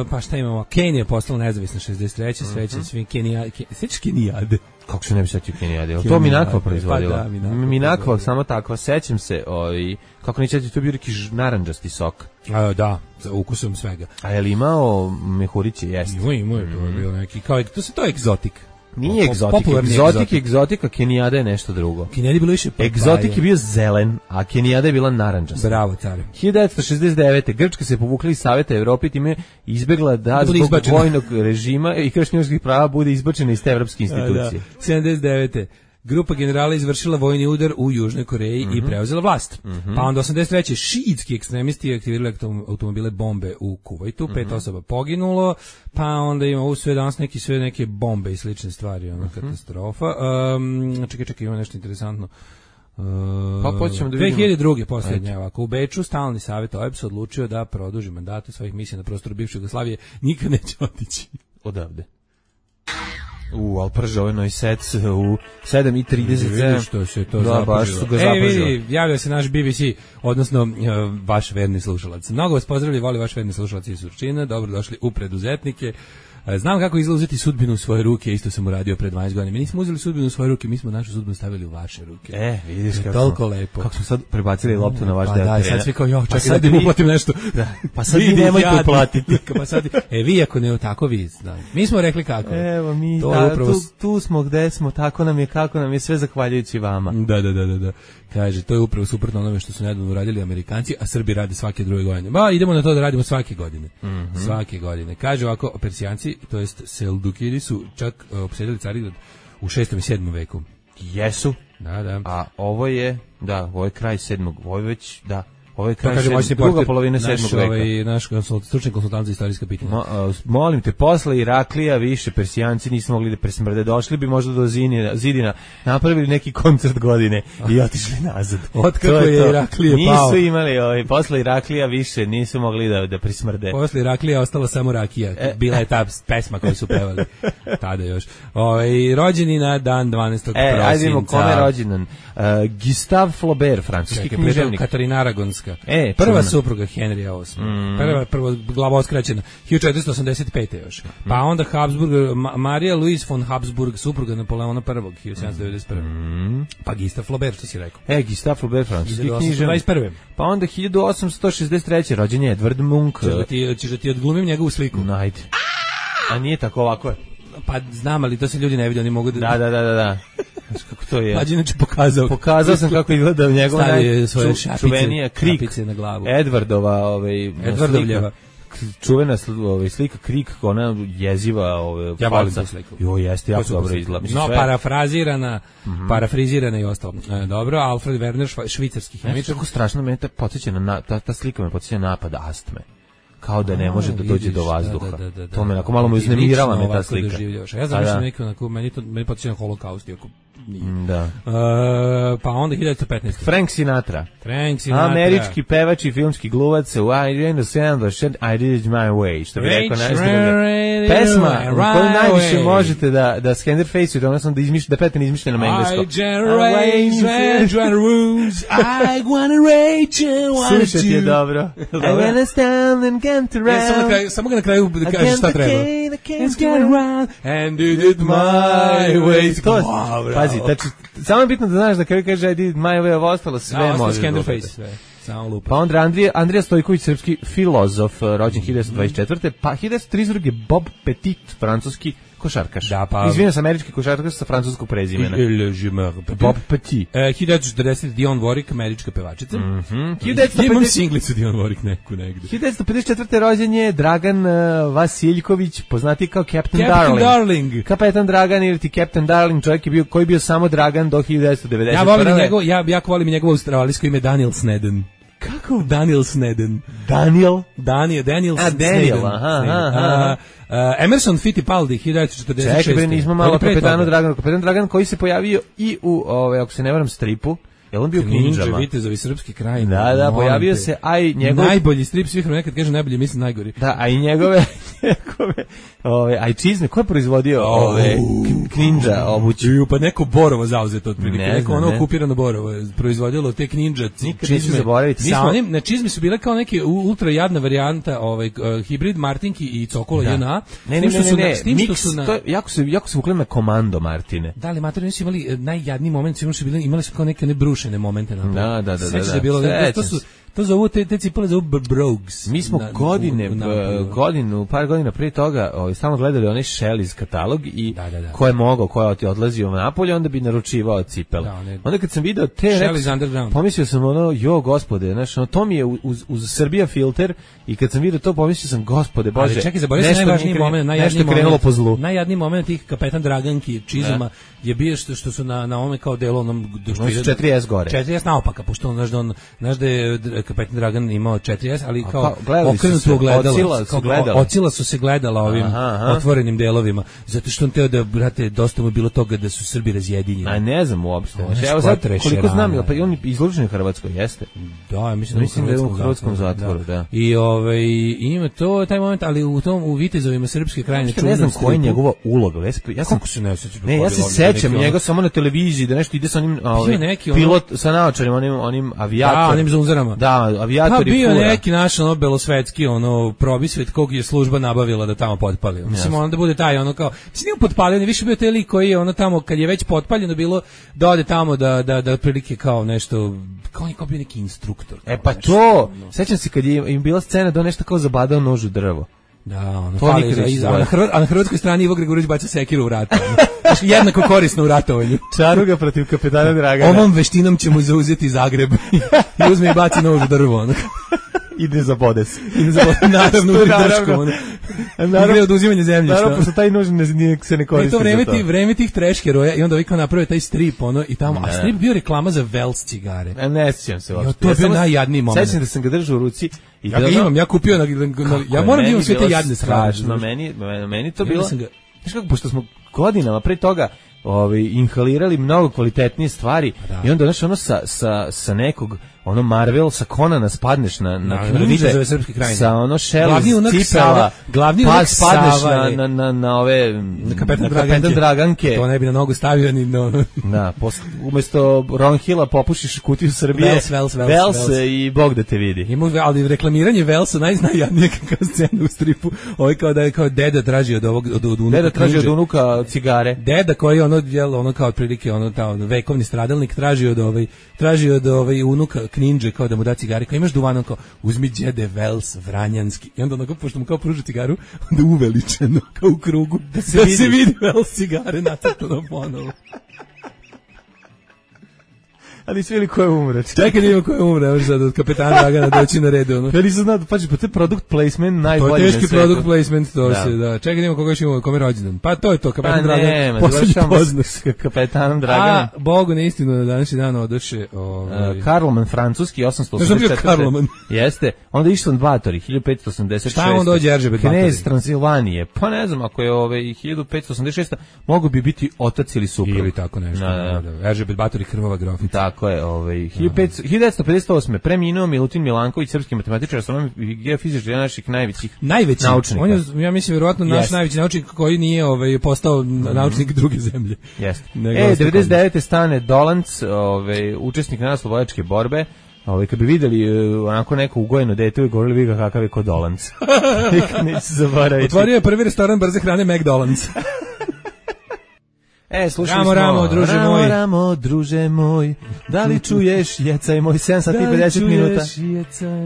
pa šta imamo? Kenija je postala nezavisna šezdeset treće Sreće svi Kenija, Ke, sećaš Kenijade? Kako se ne bi setio Kenijade? To Kenijade, Minakva pa proizvodila. da, Minakva Minakva proizvodila. samo takva, sećam se, ovaj, kako neće to je bio neki ž- narandžasti sok. Uh, da, za ukusom svega. A je li imao mehuriće, jeste? Ima, ima, je, to je bilo neki, kao, to se to je egzotik. Nije Po- egzotik, popularni egzotik, egzotik. egzotika, Kenijada je nešto drugo. Kenijadi je bilo više papaje. Egzotik je bio zelen, a Kenijada je bila narandžasta. Bravo, care. hiljadu devetsto šezdeset devete. Grčka se povukla iz Saveta Evrope i time izbegla da, Da bude zbog izbačena. vojnog režima i kršenja ljudskih prava bude izbačena iz te evropske institucije. Da. sedamdeset devete Grupa generala izvršila vojni udar u Južnoj Koreji Mhm. i preuzela vlast. Pa onda osamdeset treće šiitski ekstremisti aktivirali autom- automobile bombe u Kuvajtu, Mhm. pet osoba poginulo, pa onda ima ovo sve danas neki sve neke bombe i slične stvari, Mhm. ona katastrofa. Um, čekaj, čekaj, ima nešto interesantno. Uh, Pa počnemo da vidimo. dve hiljade druge posljednje, ovako, u Beču stalni savjet O E B S odlučio da produži mandate svojih misija na prostoru bivše Jugoslavije, nikad neće otići. Odavde. U, ali prže ovaj Novi Sad u sedam i trideset sedam. Vidi što se to Da, zapržilo. baš su ga E, zapržili. vidi, javio se naš B B C, odnosno uh, vaš verni slušalac. Mnogo vas pozdravlja i voli vaš verni slušalac iz Surčina. Dobro došli u preduzetnike. E, Znam kako izgleda uzeti sudbinu u svoje ruke, isto sam uradio pre dvanaest godina. Mi nismo uzeli sudbinu u svoje ruke, mi smo našu sudbinu stavili u vaše ruke. E, vidiš To je kako toliko smo, lepo. kako smo sad prebacili loptu na vaš Pa deo da, terena. sad svi kao, jo, čekaj sad da ti vi- uplatim nešto. Da, pa sad vi Vidi, nemojte jadni. uplatiti. Pa sad, e, vi ako ne, tako vi, da. Mi smo rekli kako. Evo mi, To je da, upravo tu, tu smo gde smo, tako nam je, kako nam je, sve zahvaljujući vama. Da, da, da, da, da. Kaže, to je upravo suprotno onome što su nedavno uradili Amerikanci, a Srbi rade svake druge godine. Ba, idemo na to da radimo svake godine. Mhm. Svake godine. Kaže ovako, Persijanci, to jest Seldukidi su čak uh, opsedili Carigrad u šestom i sedmom veku. Jesu, Da, da. a ovo je, da, ovo je kraj sedmog, ovo je već, da, Ovo je kraj kaže moćni druga portir, polovina sedmog naš, veka. ovaj, naš konsult, stručni konsultant za istorijska pitanja. Mo, a, molim te, posle Iraklija više Persijanci nisu mogli da presmrde. Došli bi možda do Zidina, Zidina napravili neki koncert godine i otišli nazad. Otkako To je to. Iraklije nisu pao. imali, ovaj, posle Iraklija više nisu mogli da, da presmrde. Posle Iraklija ostala samo rakija. E. Bila je ta pesma koju su pevali tada još. Ovaj, rođeni na dan dvanaestog E, prosinca. ajde imamo kome je rođendan. Uh, Gustave Flaubert, francuski Čekaj, književnik. Katarina Aragonska. E, prva čuvena. supruga Henrija osmog. Mm. Prva, prvo glava oskraćena. hiljadu četiristo osamdeset pete još. Pa onda Habsburg, Ma, Marija Louise von Habsburg, supruga Napoleona prvog. hiljadu sedamsto devedeset prve. Mm. Pa Gustave Flaubert, što si rekao. E, Gustave Flaubert, francuski hiljadu osamsto književnik. dvadeset prve. Pa onda hiljadu osamsto šezdeset treće rođen je Edvard Munch. Češ da ti, ćeš da ti odglumim njegovu sliku? Najde. A nije tako ovako. Pa znam, ali to se ljudi ne vidi, oni mogu da... Da, da, da, da, da. Znaš kako to je? Mlađe inače pokazao. Pokazao sam kako izgleda njegova Stavio svoje najču- šapice, čuvenija Krik. šapice na glavu. Edvardova, ovaj, Edvardovljeva. slika, čuvena sl, ovaj, slika Krik, ona jeziva, ovaj, Ja volim falca. tu sliku. Jo, jeste, jako To su dobro super. izgleda. Mislim, No, sve- parafrazirana, mm-hmm. parafrizirana i ostalo. E, dobro, Alfred Werner, šva, švicarski Znaš hemičar. kako strašno me ta podsjeća na, na ta, ta slika me podsjeća na napad astme. Kao da ne A, može da dođe vidiš, do vazduha. da, da, da, da. To me onako malo me I uznemirala lično me ta ovako slika. doživljavaš. Ja Pa zamišljam da. neko onako, meni to meni podsjeća na holokaust, iako nije. Da. E, pa onda hiljadu petnaeste. Frank Sinatra. Frank Sinatra. Američki pevač i filmski gluvac u I understand the shit I did it my way, što bi rekao najstroge. Pesma u kojoj najviše možete da, da Skenderface-ujete, odnosno da, izmiš, da pete neizmišljeno na engleskom. I generate rules, I wanna rage and wanna Slušajte je dobro. I wanna stand and get around. Ja, samo, na kraju, samo ga na kraju da kažeš šta treba. Let's get around and did it my way. To, Wow, pazi, znači, samo je bitno da znaš da kada kaže I did it my way, ovo ostalo sve da, može. Skenderface, sve. Samo lupa. Pa onda Andrija, Andrija Stojković, srpski filozof, rođen hiljadu dvadeset četvrte Pa hiljadu trideset druge Bob Petit, francuski košarkaš. Da, pa- Izvinjam se, američki košarkaš sa francuskog prezimena. Bob Petit. E, hiljadu četrdeset Dionne Warwick, američka pevačica. Mhm. Ja hiljadu imam devetsto singlicu Dionne Warwick neku negde. pedeset četvrte rođen je Dragan uh, Vasiljković, poznati kao Captain, Captain Darling. Darling. Kapetan Dragan ili ti Captain Darling, čovjek je bio, koji je bio samo Dragan do hiljadu devetsto devedeset prve Ja volim njegov, ja jako volim njegovo australijsko ime Daniel Sneden. Kako? Daniel Sneden. Daniel? Daniel, Daniel A, Daniel, Sneden. aha, Sneden. aha, A, a, Emerson Fittipaldi, hiljadu četrdeset šeste. Čekaj, bre, nismo malo Ali pre kapetanu toga. Draganu. Kapetan Dragan koji se pojavio i u, ove, ako se ne varam, stripu. Je on bio Ninja, Ninjama? Vitezovi srpski kraj. Da, da, pojavio se, a i njegov... Najbolji strip svih vremena, kad kaže najbolji, mislim najgori. Da, a i njegove, njegove, ove, a i čizme, ko je proizvodio ove, k- Ninja obući? Ju, pa neko Borovo zauzeto otprilike, Ne neko znam, ono ne. okupirano Borovo je proizvodilo te Ninja Nikad neću zaboraviti. Mi Sa smo- onim, na čizme su bile kao neke u- ultra jadna varijanta, ovaj uh, hibrid Martinki i Cokola Da. J N A. Ne, S ne, tim što ne, su ne, na- ne, s tim što miks, su na- to je, jako se, jako se vukle na komando, Martine. Da li matori nisu imali eh, najjadniji moment, sigurno su bili, imali su kao neke ne brušene momente na to. Da, da, da, Sećaš da, je bilo, da. to su Sećam se. to zovu te te cipele zovu b- brogues. Mi smo Na- godine, u- u b- napolju. godinu, par godina prije toga, ovaj, stalno gledali onaj Shelley's katalog i Da, da, da. ko je mogao, ko je odlazio na napolje, onda bi naručivao cipele. Da, one- Onda kad sam video te, Shelley's rekao sam- Underground. pomislio sam ono, jo gospode, znaš, ono, to mi je uz, uz Srbija filter i kad sam video to, pomislio sam, gospode, bože, Ali čekaj, zaboravio sam nešto najvažniji mi je kre- moment, nešto najjadniji je krenulo moment, po zlu. najjadniji moment tih kapetan Draganki čizama je bio što, što su na na ovome kao delu onom do što Oni su ide- četiri S gore. četiri S naopaka, pošto on znaš da on znaš da je Dr- kapetan Dragan imao četiri S, ali A kao kao, gledali su okrenuto se, ogledalo, ocila su kao- gledala. ocila su se gledala ovim Aha, aha. otvorenim delovima, zato što on teo da, brate, dosta mu je bilo toga da su Srbi razjedinjeni. A ne znam uopšte. Ono Znači, evo sad, skvotre, koliko znam, šerana. pa i on je izložen u Hrvatskoj, jeste. Da, ja mislim, Mislim da je u hrvatskom zatvoru, da. I ovaj ima to taj moment, ali u tom u Vitezovima srpske krajine Ja ne znam koja je njegova uloga. Ja, se- ja sam, Kako se ne sećaš? ne, ja se sećam njega samo na televiziji, da nešto ide sa onim ovaj, neki ono- pilot sa naočarima, onim, onim Da, avijator. onim zunzerama. Da, Pa avijator i bio fura. neki naš ono belosvetski ono probisvet kog je služba nabavila da tamo potpali. Mislim onda bude taj ono kao, mislim nije potpalio, ne više bio taj lik koji je ono tamo kad je već potpaljeno bilo da ode tamo da da da otprilike kao nešto kao on je kao bio neki instruktor. E kao pa nešto, to, ono. sećam se kad je im bila scena da on nešto kao zabadao nož u drvo. Da, ono, To fali nikad za- neće iza- a, na zaboraviti. Hrvat, a na hrvatskoj strani Ivo Gregorović baca sekiru u rat. ono. Znaš, jednako korisno u ratovanju. Čaruga protiv kapetana Dragana. Ovom veštinom ćemo zauzeti Zagreb. I uzme i baci nož u drvo. Ono. Ide za bodes. I ne zaboravim, naravno, u Naravno. dršku. Ono. Igre oduzimanje zemljišta. Naravno, pošto taj nož ne, nije, se ne koristi. I to vreme, za ti, vreme tih trash heroja i onda ovi kao naprave taj strip, ono, i tamo, ne. A strip bio reklama za Vels cigare. A ne sjećam se uopšte. Jo, to je bio ja najjadniji moment. Sećam da sam ga držao u ruci. I Ja ga imam, ja kupio na, na ja moram da imam sve te jadne strašno, meni, meni to bilo. Ga... Znaš kako, pošto smo godinama pre toga ovaj, inhalirali mnogo kvalitetnije stvari da. I onda znaš, ono sa, sa, sa nekog ono Marvel sa Conana spadneš na na knjiže sa ono Shell cipela glavni pa unak spadneš Sava, na, na, na, na ove na kapetan, na Draganke. kapetan Draganke to ne bi na nogu stavio ni no. Da, posle, umesto Ron Hilla popušiš kutiju Srbije Vels, Vels, Vels, Vels, Vels. I Bog da te vidi. Ima, ali reklamiranje Velsa najznajjadnije kao scena u stripu. Ovo kao da je kao deda traži od ovog od, od unuka. Deda traži od unuka cigare. Deda koji ono jel ono kao otprilike ono tamo vekovni stradalnik traži od ovaj traži od ovaj unuka Kninđe kao da mu da cigare. Kao imaš duvan, kao uzmi đede Vels vranjanski. I onda onako pošto mu kao pruža cigaru, onda uveličeno kao u krugu da se, da vidi. se vidi Vels cigare nacrtano ponovo. Ali svi ili ko je umre. Čekaj da ima ko je umre, evo sad od kapetana Dragana doći na redu. Ono. Ja nisam znao, pađi, pa to je product placement najbolji na svijetu. To je teški product placement, to da. se, da. Čekaj da ima koga još ima, kome rođendan. Pa to je to, kapetan pa Dragan. Pa ne, posljednji s kapetanom Draganom. A, Bogu na istinu, na današnji dan odoše... Ovaj... Uh, Karloman, francuski, osamsto osamdeset četvrte. Ne sam bio Karloman. Jeste. Onda Išlan Batori, hiljadu petsto osamdeset šeste. Šta on dođe Eržebet Batori? Knez Transilvanije. Pa ne znam, ako je ove, hiljadu petsto osamdeset šeste. mogu bi biti otac ili suprug. Ili tako nešto. Da, da. Eržebet Batori, krvava grofica. Tako je, ovaj hiljadu devetsto pedeset osme. preminuo Milutin Milanković, srpski matematičar, astronom i geofizičar, jedan naših najvećih najveći naučnika. On je, ja mislim, vjerovatno naš yes. najveći naučnik koji nije ovaj, postao mm-hmm. naučnik druge zemlje. Jeste. E, devedeset devete stane Dolanc, ovaj, učesnik narodnooslobodilačke borbe. Ovaj, kad bi videli uh, onako neko ugojeno dete i govorili vi ga kakav je kod Dolanc. Nikad neće se zaboraviti. Otvorio je prvi restoran brze hrane McDonald's. E, slušali ramo, smo, ramo, druže ramo, moj. Ramo, druže moj, da li čuješ jecaj moj, sedam sati i pedeset minuta.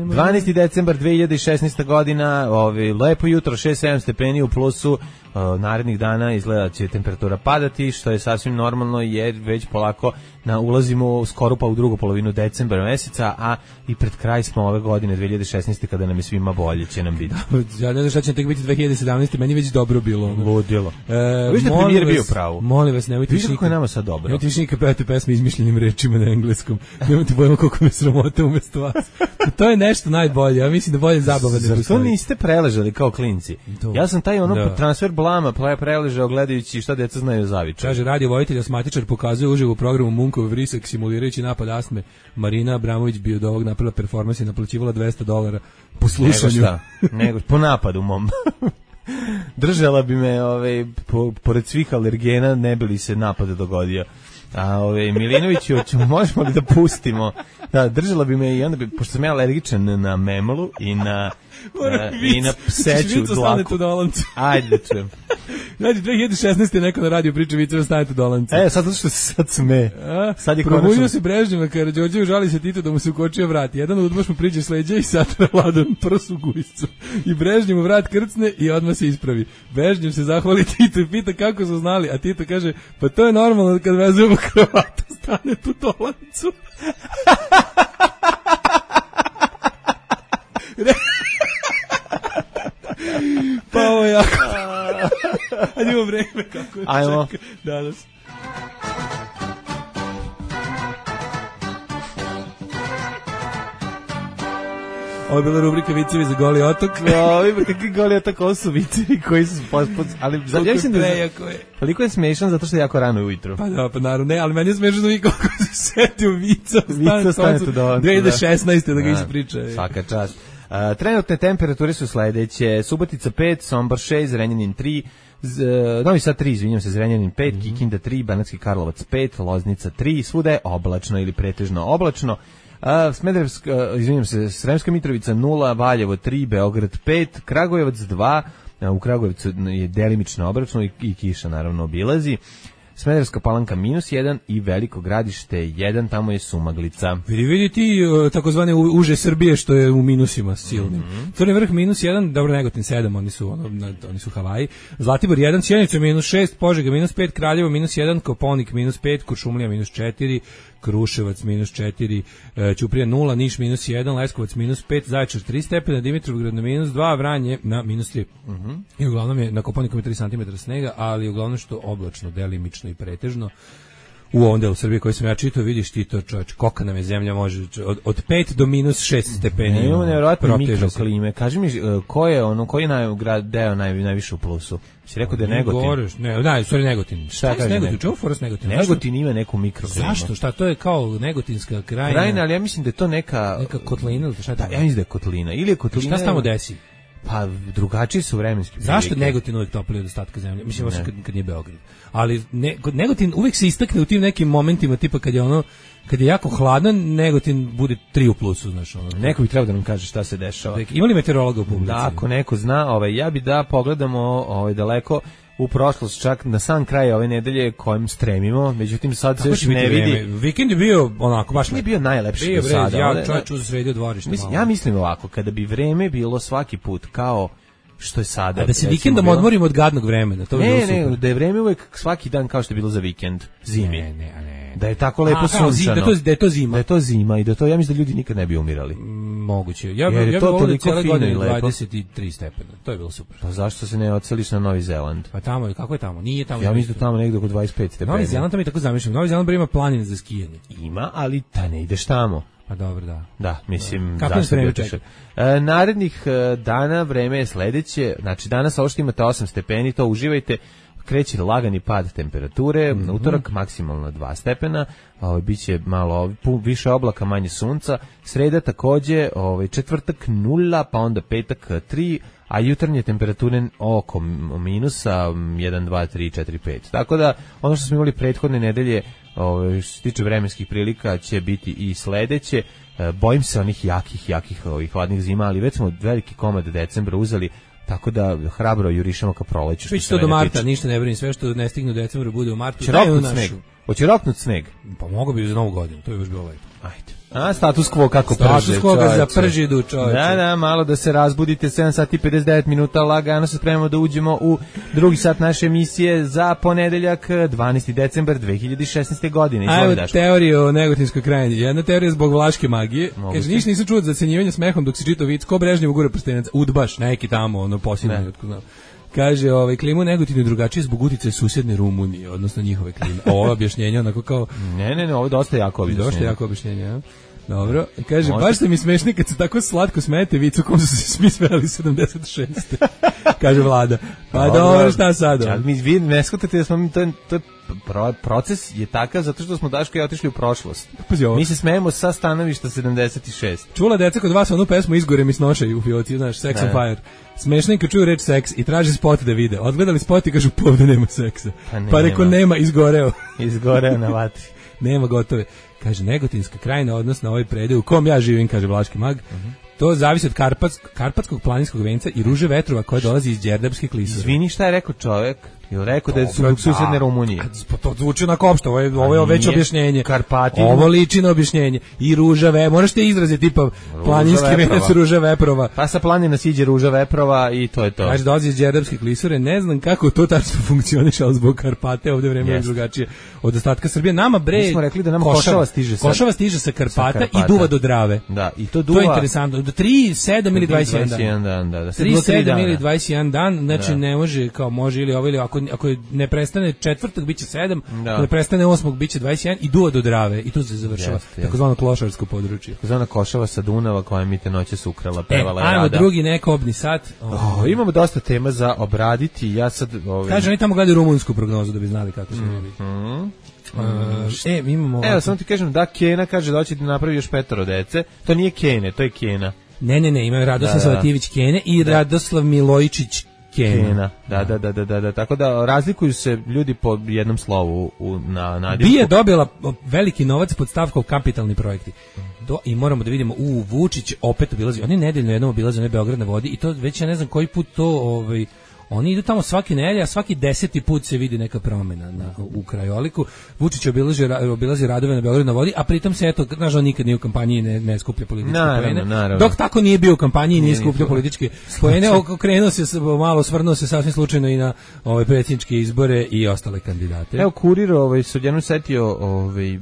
dvanaesti decembar dve hiljade šesnaeste godina, ovi, lepo jutro, šest sedam stepeni u plusu, o, narednih dana izgleda će temperatura padati, što je sasvim normalno jer već polako na, ulazimo skoro pa u drugu polovinu decembra meseca, a i pred kraj smo ove godine dve hiljade šesnaeste kada nam je svima bolje, će nam biti. Ja ne znam šta će tek biti dve hiljade sedamnaeste. Meni već dobro bilo. Ludilo. E, vi ste premijer bio pravo. Molim vas, nemojte više kako je nama sad dobro. Nemojte više nikad pevati pesme izmišljenim rečima na engleskom. Nemojte bojimo koliko me sramote umjesto vas. To je nešto najbolje. Ja mislim da bolje zabava ne postoji. Zar to niste preležali kao klinci? To. Ja sam taj ono da. transfer blama preležao gledajući šta deca znaju zavičaj. Kaže, radio vojitelj asmatičar pokazuje uživo u programu Munkov vrisak simulirajući napad astme. Marina Abramović bi od ovog napravila performans i naplaćivala dvesta dolara po slušanju. Nego šta? Nego, po napadu mom. Držala bi me, ovaj, po, pored svih alergena, ne bi li se napad dogodio. A ovaj Milinoviću, ćemo, možemo li da pustimo? Da, držala bi me i onda bi, pošto sam ja alergičan na memolu i na, na i na pseću dlaku. Ajde da čujem. Znači, dve hiljade šesnaeste je neko na radio priča viceva stanete Dolanci. E, sad zato što se sad sme. Sad je probudio konačno... se Brežnjeva, Karađorđević žali se Tito da mu se ukočio vrat. Jedan od udbaš mu priđe s leđa i satra Vladan prsu gujscu. I Brežnjev mu vrat krcne i odmah se ispravi. Brežnjev se zahvali Tito i pita kako su znali, a Tito kaže, pa to je normalno kad vezujemo kravatu, stane tu Dolancu. Pa ovo je jako. Ajde imamo vreme kako je. Ajmo. Čeka danas. Ovo je bila rubrika Vicevi za Goli otok. No, kakvi Goli otok, ovo su vicevi koji su pospod... Ali ja mislim da je... Toliko je smešan zato što je jako rano ujutro. Pa da, pa naravno, ne, ali meni je smešano i kako se setio Vica. Vica stane tu Dolancu. dve hiljade šesnaeste da ga ispriča. Svaka čast. Uh, trenutne temperature su sledeće: Subotica pet, Sombor šest, Zrenjanin tri, Z, uh, Novi Sad tri, izvinjam se, Zrenjanin pet, mm-hmm. Kikinda tri, Banatski Karlovac pet, Loznica tri, svuda je oblačno ili pretežno oblačno. Uh, Smederevska, uh, izvinjam se, Sremska Mitrovica nula, Valjevo tri, Beograd pet, Kragujevac dva, uh, u Kragujevcu je delimično oblačno i, i kiša naravno obilazi. Smederevska Palanka minus jedan i Veliko Gradište jedan, tamo je sumaglica. Vidi, vidi ti takozvane uže Srbije što je u minusima silnim. Mm-hmm. Crni Vrh minus jedan, dobro, Negotin sedam, oni su, ono, oni su Havaji. Zlatibor jedan, Sjenica minus šest, Požega minus pet, Kraljevo minus jedan, Koponik minus pet, Kuršumlija minus četiri, Kruševac minus četiri, Ćuprija nula, Niš minus jedan, Leskovac minus pet, Zaječar tri stepena, Dimitrovgrad na minus dva, Vranje na minus tri. Mm-hmm. I uglavnom je na Koponiku je tri centimetra snega, ali uglavnom što oblačno, delimično i pretežno. U ovom delu Srbije koji sam ja čitao, vidiš ti to, čovječ, koka nam je zemlja može od, od pet do minus šest stepeni. Ne, imamo nevjerojatno mikroklime. Kaži mi, ko je ono, koji je naj, deo naj, najviše u plusu? Si rekao da je Negotin? Govoreš, ne, da, sorry, Negotin. Šta kaže Negotin? Čemu foras Negotin? Negotin ima neku mikroklimu. Zašto? Šta, to je kao Negotinska krajina? Krajina, ali ja mislim da je to neka... Neka kotlina ili šta je to? Da, ja mislim da je kotlina. Ili je kotlina... Šta se tamo desi? Pa drugačiji su vremenski prilike. Zašto Negotin uvek topliji od ostatka zemlje? Mislim, osim kad, kad nije Beograd. Ali ne, Negotin uvek se istakne u tim nekim momentima, tipa kad je ono, kad je jako hladno, Negotin bude tri u plusu, znaš. Ono. Neko bi trebao da nam kaže šta se dešava. Ima li meteorologa u publici? Da, ako neko zna, ovaj, ja bi da pogledamo ovaj, daleko u prošlost, čak na sam kraj ove nedelje kojim stremimo, međutim sad se još ne vidi. Vreme? Vikend je bio onako baš nije bio najlepši do sada. Ja čovjek uzsredio dvorište. Mislim, ja mislim ovako, kada bi vreme bilo svaki put kao što je sada. A da se vikendom bilo... odmorimo od gadnog vremena, to bi bilo super. Ne, ne, da je vreme uvek svaki dan kao što je bilo za vikend, zimi. Ne, ne, ne. Da je tako lepo A, sunčano. Da, to, da je to zima. Da je to zima i da to, ja mislim da ljudi nikad ne bi umirali. Moguće. Ja, ja bih volio cijele godine dvadeset tri stepena. To je bilo super. Pa zašto se ne odseliš na Novi Zeland? Pa tamo je, kako je tamo? Nije tamo. Ja mislim da tamo negde oko dvadeset pet stepena. Novi Zeland tamo je tako zamišljeno. Novi Zeland ima planine za skijanje. Ima, ali ta ne ideš tamo. Pa dobro, da. Da, mislim, kako je vreme čeka? E, narednih e, dana vreme je sledeće, znači danas ovo što imate osam stepeni, to uživajte, kreće lagani pad temperature, mm-hmm. utorak maksimalno dva stepena, ovaj biće malo više oblaka, manje sunca, sreda takođe, ovaj četvrtak nula, pa onda petak tri, a jutarnje temperature oko minusa jedan, dva, tri, četiri, pet. Tako da ono što smo imali prethodne nedelje, ovaj što se tiče vremenskih prilika, će biti i sledeće. E, bojim se onih jakih, jakih ovih hladnih zima, ali već smo veliki komad decembra uzeli. Tako da hrabro jurišamo ka proleću. Biće to do marta, tiče. Ništa ne brini, sve što ne stigne u decembru bude u martu. Će roknut sneg. Hoće roknut sneg. Pa mogu bi za novu godinu, to je još bilo lepo. Ajde. A status quo kako prže. Status quo ga zapržidu, čoveče. Da, da, malo da se razbudite, sedam sati i pedeset devet minuta, lagano se spremamo da uđemo u drugi sat naše emisije za ponedeljak, dvanaesti decembar dve hiljade šesnaeste. godine. Ajmo teoriju o Negotinskoj krajini. Jedna teorija zbog vlaške magije. Kaže, ništa nisam čuo za cenjivanje smehom dok si čitao vic, ko Brežnjev gure prstenac, udbaš, neki tamo, ono, posljednji, otko znam. Kaže, ovaj, klimu Negotinu je drugačije zbog uticaja susedne Rumunije, odnosno njihove klime. Ovo objašnjenje, onako kao... Ne, ne, ne, ovo je dosta jako objašnjenje. Dosta jako objašnjenje, ja. Dobro, kaže, možda. Baš ste mi smešni kad se tako slatko smete vicu kom su se svi smeli sedamdeset šeste. Kaže Vlada. Pa dobro, dobro šta sad? Ali mi vi ne shvatate da smo mi, to, to proces je takav zato što smo Daško i otišli u prošlost. Mi se smejemo sa stanovišta sedamdeset šest. Čula deca kod vas onu pesmu Izgore mi snošaju u fioci, znaš, Sex ne. on Fire. Smešno je kad čuju reč seks i traže spot da vide. Odgledali spot i kažu povde nema seksa. Pa, ne, pa reko nema, izgoreo. Izgoreo na vatri. Nema, gotove. Kaže, Negotinska krajina, odnosno ovaj predeo u kom ja živim, kaže Vlaški mag, uh-huh. To zavisi od Karpats, Karpatskog planinskog venca i ruže vetrova koje dolazi iz Đerdapske klisure. Izvini, šta je rekao čovjek? Ili rekao da je su susedne Rumunije? Pa to zvuči onako opšto, ovo je, ovo je već objašnjenje. Karpati. Ovo liči na objašnjenje. I ruža ve, moraš te izraze tipa planinski venac ruža veprova. Pa sa planina siđe ruža veprova i to je to. Kaže, dolazi iz Đerdapske klisure, ne znam kako to tačno funkcioniše, ali zbog Karpate ovdje vreme je drugačije od ostatka Srbije. Nama bre, mi smo rekli da nama Košava stiže sa Košava stiže sa Karpata, sa Karpata i duva do Drave. Da, i to duva. To je interesantno. Do tri, sedam ili dvadeset jedan dan. Da, da. tri, sedam ili dvadeset jedan dan, znači ne može kao može ili ovo ili ako ako ne prestane četvrtak biće sedam, da. Ako ne prestane osmog biće dvadeset jedan i duva do Drave i tu se završava takozvano klošarsko područje. Takozvana Košava sa Dunava koja mi te noće sukrala, pevala e, rada. Ajmo drugi nekobni sat. Oh, imamo dosta tema za obraditi. Ja sad ovaj kaže oni tamo gledaju rumunsku prognozu da bi znali kako se mm, biti. Mm. Uh, e, mi imamo Evo, samo ti kažem da Kena kaže da hoće da napravi još petoro dece. To nije Kene, to je Kena. Ne, ne, ne, imaju Radoslav da, Savatijević Kene i da. Radoslav Milojičić Kena. Kena. Da, da, da, da, da, da. Tako da razlikuju se ljudi po jednom slovu u, na nadimku. Bi je dobila veliki novac pod stavkom kapitalni projekti. Do, i moramo da vidimo, u Vučić opet obilazi, oni nedeljno jednom obilaze onaj Beograd na vodi i to već ja ne znam koji put to ovaj Oni idu tamo svaki nedelja, a svaki deseti put se vidi neka promjena na, u krajoliku. Vučić obilazi, obilazi radove na Beogradu na vodi, a pritom se, eto, nažalost, nikad nije u kampanji ne, ne skuplja političke poene. Dok tako nije bio u kampanji i nije skupljao političke poene, okrenuo se, malo svrnuo se sasvim slučajno i na ove predsjedničke izbore i ostale kandidate. Evo, Kurir ovaj, se odjednom setio ovaj,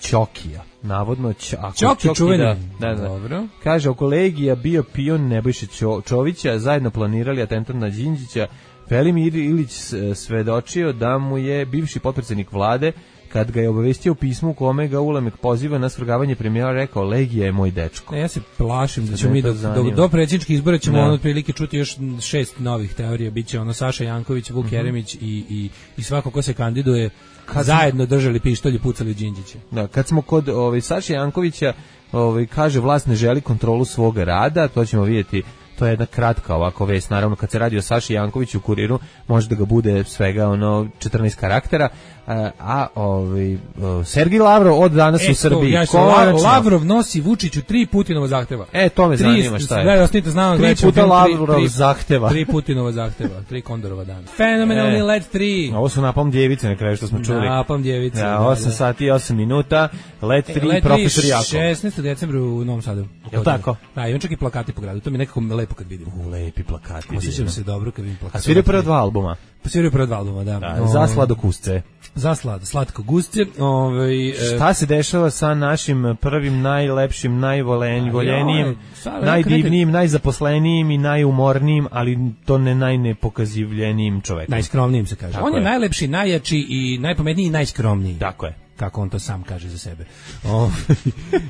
Ćokija. Navodno Ćoki, Ćoki čuveni. Da, da, da. Dobro. Kaže, oko Legija bio pion Nebojše Čovića, zajedno planirali atentat na Đinđića. Velimir Ilić svedočio da mu je bivši potpredsjednik vlade, kad ga je obavestio u pismu u kome ga Ulemek poziva na svrgavanje premijera, rekao, Legija je moj dečko. Ne, ja se plašim da ćemo mi do, do, do predsjedničkih izbora ćemo ono otprilike čuti još šest novih teorija. Biće ono Saša Janković, Vuk mm-hmm. Jeremić i, i, i svako ko se kandiduje kad zajedno držali pištolj i pucali Đinđića. Da, kad smo kod ovaj, Saša Jankovića, ovaj, kaže vlast ne želi kontrolu svog rada, to ćemo vidjeti. To je jedna kratka ovako vest, naravno kad se radi o Saši Jankoviću u Kuriru, može da ga bude svega ono četrnaest karaktera, a, a ovaj Sergij Lavrov od danas e, u Srbiji. Ja Konačno, Lavrov nosi Vučiću tri Putinova zahteva. E, to me tri, zanima šta je. Da, ostanite znamo, tri puta Lavrov tri, zahteva. Tri Putinova zahteva, tri Kondorova dana. Fenomenalni e, Let tri. Ovo su napam djevice na kraju što smo čuli. Napam djevice. Ja, osam da, sati i osam minuta, Let tri, e, profesor Jakov. šesnaestog decembra u Novom Sadu. Je tako? Da, imam čak i plakati po gradu, to mi nekako lepo kad vidim. U, lepi plakati. Osjećam se dobro kad vidim plakati. A sviraju prva dva albuma? Pa sviraju prva dva albuma, da. da za sladokusce. Za slad, slatko gusce. Ovaj, e, šta se dešava sa našim prvim, najlepšim, najvoljenijim, najdivnijim, najzaposlenijim i najumornijim, ali to ne najnepokazivljenijim čovekom? Najskromnijim se kaže. Tako on je, je najlepši, najjači i najpametniji i najskromniji. Tako je. Kako on to sam kaže za sebe. O,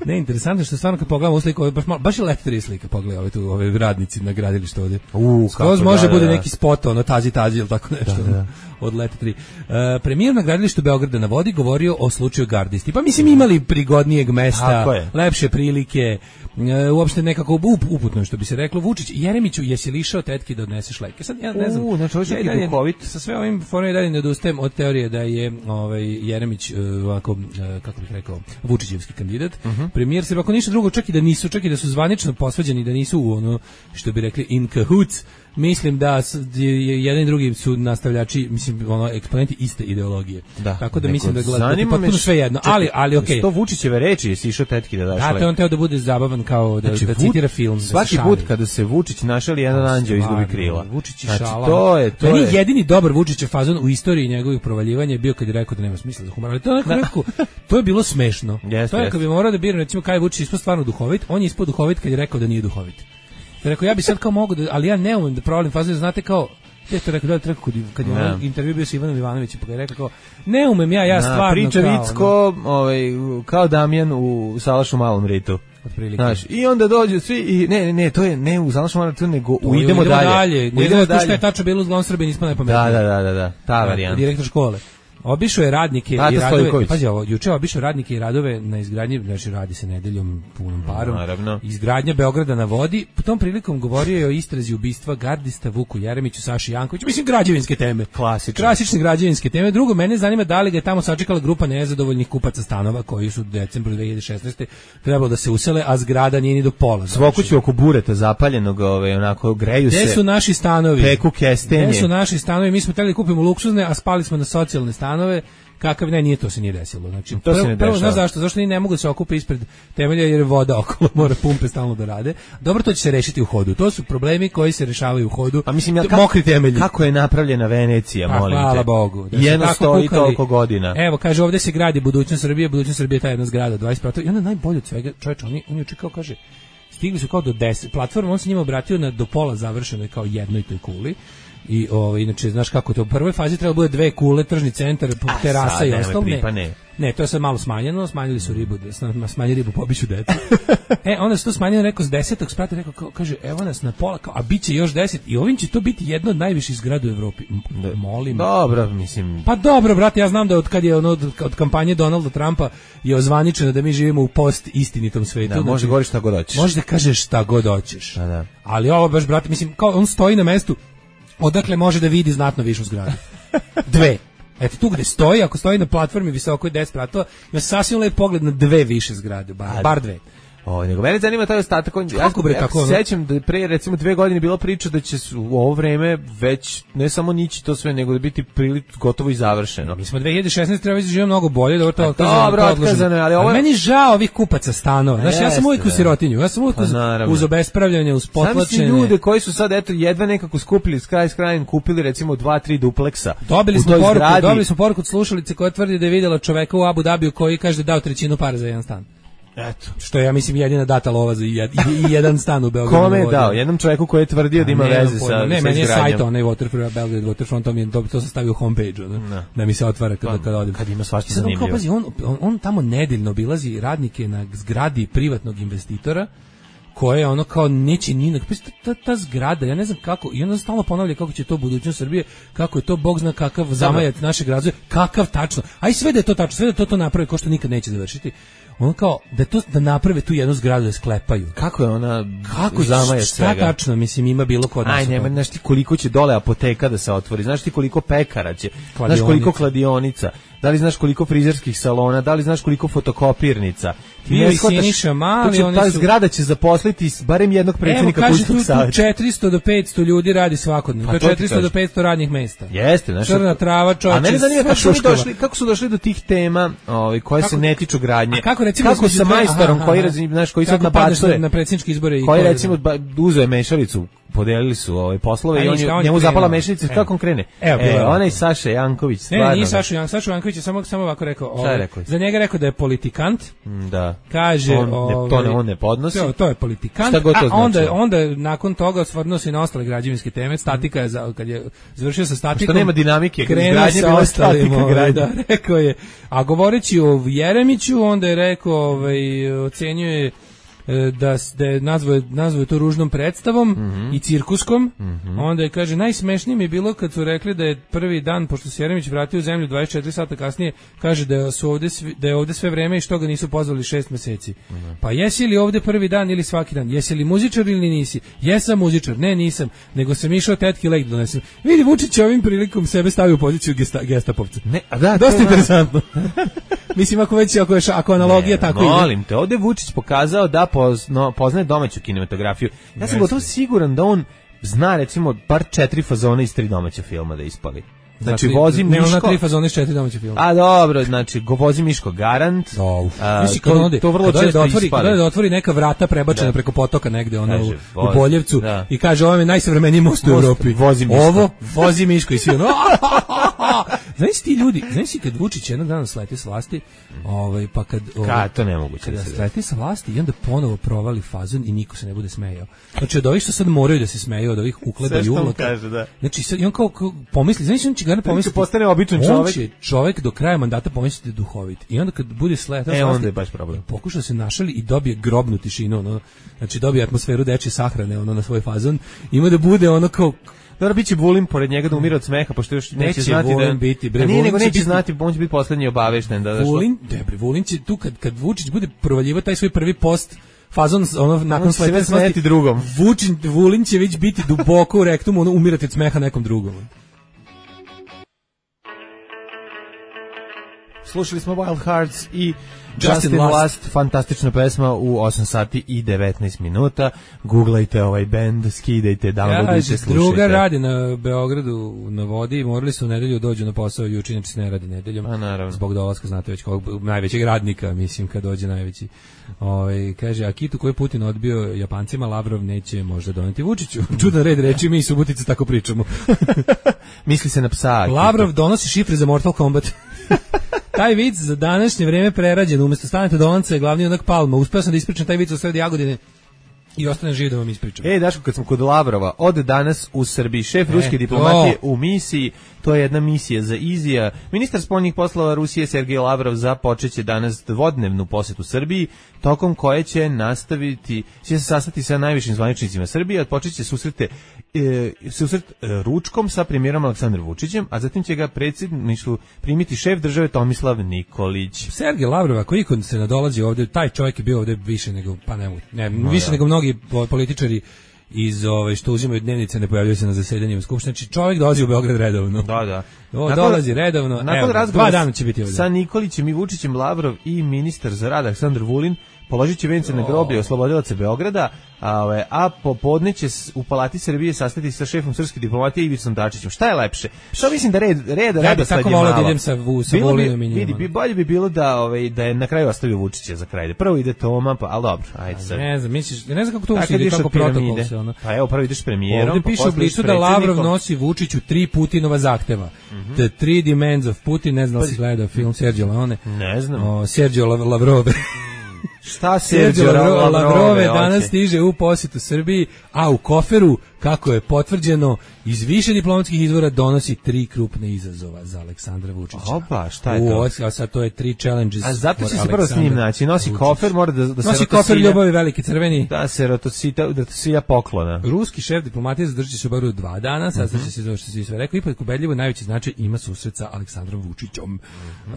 ne, interesantno što stvarno kad pogledamo sliku, baš, baš je Let tri slika, pogledaj ove, tu, ove radnici na gradilištu ovdje. U, kako da, može da, bude da. Neki spot, ono, tazi, tazi, ili tako nešto, da, da. Od Let tri. Uh, premijer na gradilištu Beograda na vodi govorio o slučaju gardisti. Pa mislim imali prigodnijeg mesta, lepše prilike, uh, uopšte nekako up, uputno, što bi se reklo. Vučić, Jeremiću, jesi li išao tetki da odneseš leke? Sad, ja ne znam, U, znači, ja, ja, ja, sa sve ovim forom i dalje ne odustajem od teorije da je ovaj, Jeremić, uh, ovako, uh, kako bih rekao, Vučićevski kandidat. Uh-huh. Premijer se, ako ništa drugo, čak i da nisu, čak i da su zvanično posvađani, da nisu u ono, što bi rekli, in cahoots, mislim da jedan i drugi su nastavljači, mislim, ono, eksponenti iste ideologije. Da, tako da mislim da gledate potpuno sve jedno, ali, ali okej. Okay. To Vučićeve reči, jesi išao tetki da daš lek. Da, to on teo da bude zabavan kao da, znači, da citira film. Svaki da put kada se Vučić našali, jedan anđeo izgubi krila. Vučić i znači, šala. To je, to Meni je. jedini dobar Vučićev fazon u istoriji njegovih provaljivanja je bio kad je rekao da nema smisla za humor, ali to je nekako, to je bilo smešno. Yes, to je yes. kad bi morao da biram, recimo, kaj Vučić ispod stvarno duhovit, on je ispod duhovit kad je rekao da nije duhovit. Ja rekao, ja bi sad kao mogu da, ali ja ne umem da problem faze, znate kao, te to rekao, da rekao kad, kad je no. intervju bio sa Ivanom Ivanovićem, pa ga je rekao kao, ne umem ja, ja no, stvarno priča kao. Priča Vicko, no. ovaj, kao Damjan u Salašu malom ritu. Znaš, i onda dođu svi i ne ne ne to je ne u Salašu malom ritu, nego u idemo, idemo dalje. dalje. Ne idemo dalje. Što je tačno bilo u Zlom Srbiji, nismo najpametniji. Da, da, da, da, da, ta varijanta. Direktor škole. Obišao je radnike Tata i radove, pazi ovo, juče obišao radnike i radove na izgradnji, znači radi se nedeljom punom parom, naravno. Izgradnja Beograda na vodi, po tom prilikom govorio je o istrazi ubistva gardista Vuku Jeremiću, Saši Jankoviću, mislim građevinske teme. Klasične. Klasične građevinske teme. Drugo, mene zanima da li ga je tamo sačekala grupa nezadovoljnih kupaca stanova koji su u decembru dve hiljade šesnaeste trebalo da se usele, a zgrada nije ni do pola. Svokuću oko bureta zapaljenog, ove, onako, greju se. Gde su naši stanovi? Peku kestenje. Gde su naši stanovi? Mi smo hteli da kupimo luksuzne, a spali smo na socijalne stanove. Kakav ne, nije to se nije desilo. Znači, to prvo, se ne prvo znaš zašto? Zašto ni ne mogu da se okupe ispred temelja jer je voda okolo, mora pumpe stalno da rade. Dobro, to će se rešiti u hodu. To su problemi koji se rešavaju u hodu. Pa mislim, ja, kako, mokri temelji. Kako je napravljena Venecija, pa, molim te. Hvala Bogu. Da jedno stoji kukali, toliko godina. Evo, kaže, ovde se gradi budućnost Srbije, budućnost Srbije je ta jedna zgrada, dvadeset prostora. I onda najbolje od svega, čovječ, oni, oni očekao, kaže, stigli su kao do deset platforma, on se njima obratio na do pola završenoj kao jednoj toj kuli. I ovo, inače, znaš kako to, u prvoj fazi treba bude dve kule, tržni centar, terasa sad, i ostalo. Ne, ne. ne, to je sad malo smanjeno, smanjili su ribu, smanjili ribu, pobiću decu. E, onda se to smanjeno, rekao, s desetog sprata, rekao, kao, kaže, evo nas na pola, kao, a bit će još deset, i ovim će to biti jedno od najviših zgrada u Evropi. M- molim. Dobro, mislim. Pa dobro, brate, ja znam da od kad je ono, od, od kampanje Donalda Trumpa je ozvaničeno da mi živimo u post istinitom svetu. Da, može govoriš šta god hoćeš. Može da kažeš šta god hoćeš. Da, da. Ali ovo baš, brate, mislim, kao on stoji na mestu odakle može da vidi znatno višu zgradu. Dve. Eto tu gde stoji, ako stoji na platformi visoko deset spratova, ima sasvim lep pogled na dve više zgrade, bar, bar dve. O, nego mene zanima taj ostatak. Kako bre, ja, tako, ja se sećam da pre recimo dve godine bila priča da će u ovo vreme već ne samo nići to sve, nego da biti prilično gotovo i završeno. Mi smo dve hiljade šesnaeste treba živimo mnogo bolje, da to otkazano. Dobro, otkazano, ali ovo je... meni žao ovih kupaca stanova. Znaš, ja sam uvijek u sirotinju, ja sam uvijek uz, uz obespravljanje, uz potlačenje. Sami ljude koji su sad eto jedva nekako skupili s kraj s krajem, kupili recimo dva tri dupleksa. Dobili smo poruku, dobili smo poruku od slušalice koja tvrdi da je videla čoveka u Abu Dabiju koji kaže da dao trećinu para za jedan stan. Eto. Što je, ja mislim, jedina data lova za jed, i jedan stan u Beogradu. Kome je dao? Jednom čovjeku koji je tvrdio da ima ne, veze sa Ne, sa meni je sajt, onaj Waterfront, Belgrade Waterfront, to, mi je, to, to sam stavio homepage, da, no. da mi se otvara kada, kada odim. Kad ima svašta zanimljivo. On, pazi, on, on, on tamo nedeljno obilazi radnike na zgradi privatnog investitora, koje je ono kao neće ni ta, ta, ta zgrada, ja ne znam kako, i onda stalno ponavlja kako će to budućnost Srbije, kako je to bog zna kakav zamajac našeg razvoja, kakav tačno, aj sve da je to tačno, sve da to to napravi, ko što nikad neće završiti. Ono kao da to da naprave tu jednu zgradu da sklepaju. Kako je ona kako zamajac svega? Šta tačno, mislim, ima bilo kod nas. Aj, nema, znaš ti koliko će dole apoteka da se otvori, znaš ti koliko pekara će, kladionica. Znaš koliko kladionica, da li znaš koliko frizerskih salona, da li znaš koliko fotokopirnica. Ti ne shvataš, mali, oni ta su... zgrada će zaposliti barem jednog predsjednika kućnog savjeta. Evo, kaže, tu četiristo do petsto ljudi radi svakodnevno, pa to je četiristo do petsto radnih mesta. Jeste, znaš. Crna trava, čovječe, a mene zanima kako su došli, kako su došli do tih tema, ovaj, koje kako, se ne tiču gradnje. A kako recimo kako sa majstorom aha, koji, znaš, koji sad nabacuje na predsjedničke izbore i koji recimo uzeo mešalicu, podelili su ove poslove a i on je, njemu zapala mešalica, kako on krene? Evo, e, onaj Saša Janković, stvarno. Ne, nije Saša Janković, Saša Janković je samo samo ovako rekao, ovaj, rekao za njega rekao da je politikant. Da. Kaže, on ne, to ne on ne podnosi. To, to je politikant. To a onda onda nakon toga osvrnuo se na ostale građevinske teme, statika je za, kad je završio sa statikom. Što nema dinamike, izgradnje bila statika gradnje. Da, rekao je. A govoreći o Jeremiću, onda je rekao, ovaj ocenjuje da da je nazvao nazvao to ružnom predstavom mm-hmm. i cirkuskom. Mm-hmm. Onda je kaže najsmešnije mi je bilo kad su rekli da je prvi dan pošto se Jeremić vratio u zemlju dvadeset četiri sata kasnije, kaže da su ovde svi, da je ovde sve vreme i što ga nisu pozvali šest meseci. Mm-hmm. Pa jesi li ovde prvi dan ili svaki dan? Jesi li muzičar ili nisi? Jesam muzičar. Ne, nisam, nego sam išao tetki lek donesem. Vidi, Vučić ovim prilikom sebe stavio u poziciju gesta, gestapovca. Ne, a da, dosta interesantno. Mislim ako već ako je ako analogija ne, tako ide. Molim te, ovde Vučić pokazao da pozno, poznaje domaću kinematografiju. Ja sam gotovo siguran da on zna recimo bar četiri fazona iz tri domaća filma da ispali. Znači dakle, vozi Miško. Ne, ona tri fazona iz četiri domaća filma. A dobro, znači go vozi Miško Garant. Oh, a, to, onde, to vrlo često da otvori, ispali. Da otvori neka vrata prebačena da. preko potoka negde ono kaže, u, u Boljevcu da. I kaže ovo je najsavremeniji most u Evropi. Vozi Miško. Ovo vozi Miško i svi ono. Znaš ti ljudi, znaš ti kad Vučić jednog dana sleti s vlasti, ovaj pa kad ovaj, to nemoguće kada sleti sa vlasti i onda ponovo provali fazon i niko se ne bude smejao. Znači od ovih što sad moraju da se smeju, od ovih ukleba i uvlaka. Da. Znači sad i on kao, kao pomisli, znači on će ga pomisli postane običan čovjek. On će čovjek do kraja mandata pomisliti da je duhovit. I onda kad bude sletao e, onda je baš problem. Pokuša se našali i dobije grobnu tišinu, ono, znači dobije atmosferu dečje sahrane ono na svoj fazon. Ima da bude ono kao dobro, biće Vulin pored njega da umire od smeha, pošto još neće, neće znati da biti, bre, nije, nego neće biti, znati, on će biti poslednji obavešten da da Vulin, debre, Vulin će tu kad kad Vučić bude provaljivo taj svoj prvi post fazon ono nakon slete smeti drugom. Vučić Vulin će već biti duboko u rektumu, ono umirati od smeha nekom drugom. Slušali smo Wild Hearts i Justin Last. Last, fantastična pesma u osam sati i devetnaest minuta. Googlajte ovaj bend, skidajte, downloadujte, ja, slušajte. Druga radi na Beogradu na vodi i morali su u nedelju dođu na posao, juče inače se ne radi nedeljom. A naravno. Zbog dolaska, znate već kog najvećeg radnika, mislim, kad dođe najveći. Ovaj kaže, a kitu koji Putin odbio Japancima, Lavrov neće možda doneti Vučiću. Čudan red reči, mi i Subotice tako pričamo. Misli se na psa. Lavrov donosi šifre za Mortal Kombat. Taj vic za današnje vreme prerađen, umjesto stanete do lanca je glavni onak Palma. Uspeo sam da ispričam taj vic u sredi Jagodine i ostane živ da vam ispričam. Ej, Daško, kad smo kod Lavrova, od danas u Srbiji šef e, ruske diplomatije u misiji, to je jedna misija za Izija. Ministar spoljnih poslova Rusije Sergej Lavrov započeće danas dvodnevnu posetu Srbiji, tokom koje će nastaviti, će se sastati sa najvišim zvaničnicima Srbije, odpočeće susrete e, susret e, ručkom sa premijerom Aleksandrom Vučićem, a zatim će ga predsjedništvu primiti šef države Tomislav Nikolić. Sergej Lavrov, ako ikon se nadolazi ovdje, taj čovjek je bio ovdje više nego, pa ne, ne no, više ja. nego mnogi političari iz ove što uzimaju dnevnice, ne pojavljaju se na zasedanjima skupštine. Znači čovjek dolazi u Beograd redovno. Da, da. O, nakon, dolazi redovno. Nakon evo, razgovora dva dana će biti ovdje. Sa Nikolićem i Vučićem, Lavrov i ministar za rad Aleksandar Vulin položit će vence na groblje oslobodilaca Beograda, a, a popodne će u Palati Srbije sastati sa šefom srpske diplomatije Ivicom Dačićem. Šta je lepše? Što mislim da red red ja reda sad je malo. Ja bih tako volao da idem sa, sa Volinom i njima. Vidi, bi, bolje bi bilo da, ovaj, da je na kraju ostavio Vučića za kraj. Prvo ide Toma, pa, ali dobro, ajde sad. Ne znam, misliš, ne znam kako to uopšte ide, kako protokol se ono. Pa evo, prvo ideš premijerom. Ovdje piše u Blicu da Lavrov nosi Vučiću tri Putinova zahteva. Mm -hmm. The Three Demands of Putin, ne znam da si gledao film Sergio Leone. Ne znam. O, Sergio Lavrove. Šta Sergio Lavrove, Lavrove okay. danas stiže u posjetu Srbiji, a u koferu, kako je potvrđeno, iz više diplomatskih izvora donosi tri krupne izazova za Aleksandra Vučića. Opa, šta je to? U, a sad to je tri challenges. A zato će se prvo s njim naći. Nosi Vučić. Kofer, mora da, da se nosi kofer ljubavi veliki crveni. Da se rotosita, da to sija poklona. Ruski šef diplomatije zadržat će se u Beogradu dva dana, sad mm -hmm. će se zove što se sve rekao, ipak ubedljivo najveći značaj ima susret sa Aleksandrom Vučićom. Mm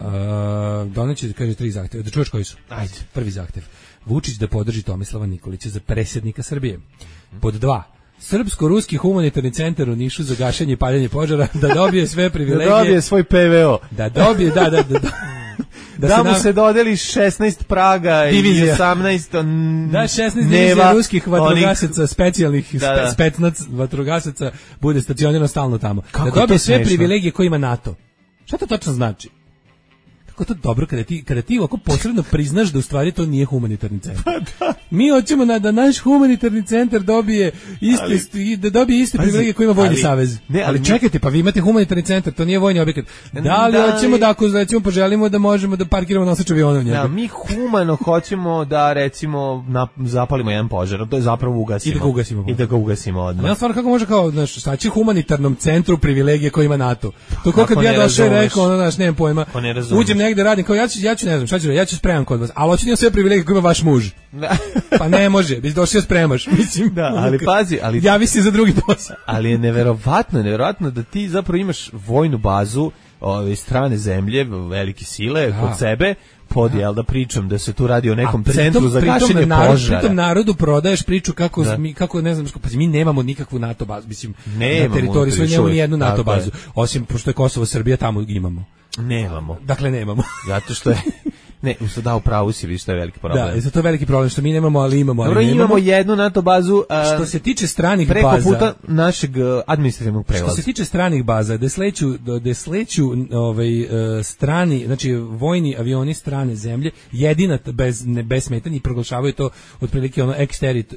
-hmm. uh, Doneće, kaže, tri zahtjeva. Da čuješ koji su? Ajde. Prvi zahtjev. Vučić da podrži Tomislava Nikolića za predsjednika Srbije. Pod dva. Srpsko-ruski humanitarni centar u Nišu za gašenje i paljenje požara da dobije sve privilegije. Da dobije svoj P V O. Da dobije, da, da, da. Da, da, da mu nam... se dodeli šesnaest praga divizija. I osamnaest on... Da, šesnaest divizija ruskih vatrogasaca, onih... specijalnih da, da. specnac vatrogasaca bude stacionirano stalno tamo. Kako da dobije sve privilegije koje ima NATO. Šta to tačno znači? Kako to dobro kada ti kada ti ovako posredno priznaš da u stvari to nije humanitarni centar. Pa da. Mi hoćemo na, da naš humanitarni centar dobije iste ali, da dobije iste privilegije koje ima Vojni ali, savez. Ne, ali, ali čekajte, pa vi imate humanitarni centar, to nije vojni objekat. Da li da, hoćemo da ako recimo poželimo da možemo da parkiramo nosač aviona u njega? Da, mi humano hoćemo da recimo na, zapalimo jedan požar, to je zapravo ugasimo. I da ga ugasimo. I da ga ugasimo odmah. Ja stvarno kako može kao znaš, šta će humanitarnom centru privilegije koje ima NATO. To kako kad ja došao i rekao, ono naš nemam pojma. Uđem negde radim kao ja ću ja ću ne znam šta ću ja ću spremam kod vas, al hoću da sve privilegije koje ima vaš muž. Pa ne može, bi došao spremaš, mislim. Da, ali pazi, ali javi se za drugi posao. Ali je neverovatno, neverovatno da ti zapravo imaš vojnu bazu ove strane zemlje, velike sile da. Kod sebe. Pod jel da pričam da se tu radi o nekom pritom, centru za gašenje narod, požara. Pritom narodu prodaješ priču kako da. mi kako ne znam pa mi nemamo nikakvu NATO bazu, mislim nemamo, na teritoriji svoje nemamo ni jednu NATO bazu, je. Osim pošto je Kosovo Srbija tamo imamo. Nemamo. Dakle nemamo. Zato što je ne, usto da u pravu si, vidiš što je veliki problem. Da, zato je veliki problem što mi nemamo, ali imamo, ali Dobro, nemamo. Imamo jednu NATO bazu, a, što se tiče stranih preko baza, preko puta našeg administrativnog prelaza. Što se tiče stranih baza, da sleću da sleću ovaj strani, znači vojni avioni strane zemlje, jedina bez ne bez smetanja i proglašavaju to otprilike ono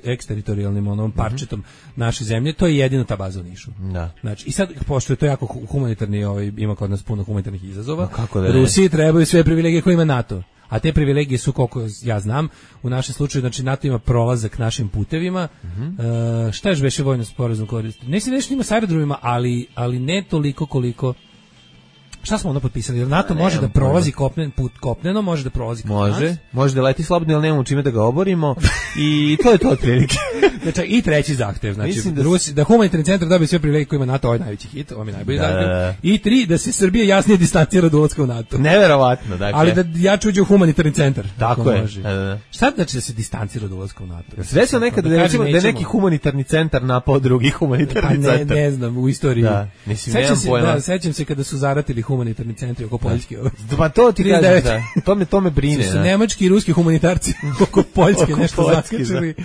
eksteritorijalnim onom parčetom mm-hmm. naše zemlje, to je jedina ta baza u Nišu. Da. Znači i sad pošto je to jako humanitarni, ovaj ima kod nas puno humanitarnih izazova. No, kako da Rusiji trebaju sve privilegije koje ima NATO. A te privilegije su, koliko ja znam, u našem slučaju, znači NATO ima prolazak našim putevima. Mm-hmm. uh, šta još beše vojno sporazum koristi? Ne se nešto ima s aerodromima, ali, ali ne toliko koliko... Šta smo onda potpisali? Jer NATO ne, može da prolazi kopnen, put kopneno, može da prolazi kod nas. Može, može da leti slobodno, ali nemamo čime da ga oborimo. I to je to otprilike. Znači, i treći zahtev, znači da, Rusi, da humanitarni centar dobije sve privilegije koje ima NATO, ovo je najveći hit, ovo je najbolji da, zahtev. I tri, da se Srbija jasnije distancira od ulaska u NATO. Neverovatno, dakle. Ali da jače uđe u humanitarni centar. Tako je. Da, da. Šta znači da se distancira od ulaska u NATO? Sve se nekada da, da, da je neki humanitarni centar napao drugi humanitarni pa ne, centar. Ne znam, u istoriji. Da, mislim, sećam se, da, sećam se kada su zaratili humanitarni centri oko Poljske. Pa to ti kažem, da. To me, to me brine. Su, su nemački i ruski humanitarci oko Poljske oko nešto zakačili.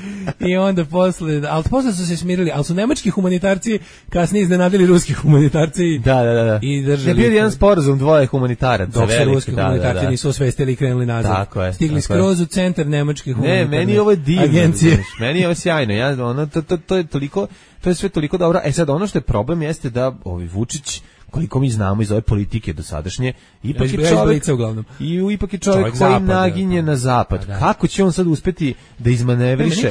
I onda posle, ali posle su se smirili, ali su nemački humanitarci kasnije iznenadili ruski humanitarci. Da, da, da. I držali. Je bio jedan sporazum dvoje humanitaraca. Dok se ruski da, humanitarci da, da. nisu osvestili i krenuli nazad. Tako je. Stigli tako skroz je. U centar nemačke humanitarne agencije. Ne, meni ovo je divno. Agencije. Meni je ovo sjajno. Ja, ono, to, to, to je toliko, to je sve toliko dobro. E sad, ono što je problem jeste da ovi Vučić, koliko mi znamo iz ove politike dosadašnje, ipak je čovjek, i ipak je čovjek, čovjek koji zapada, naginje na zapad. Da. Kako će on sad uspeti da izmanevriše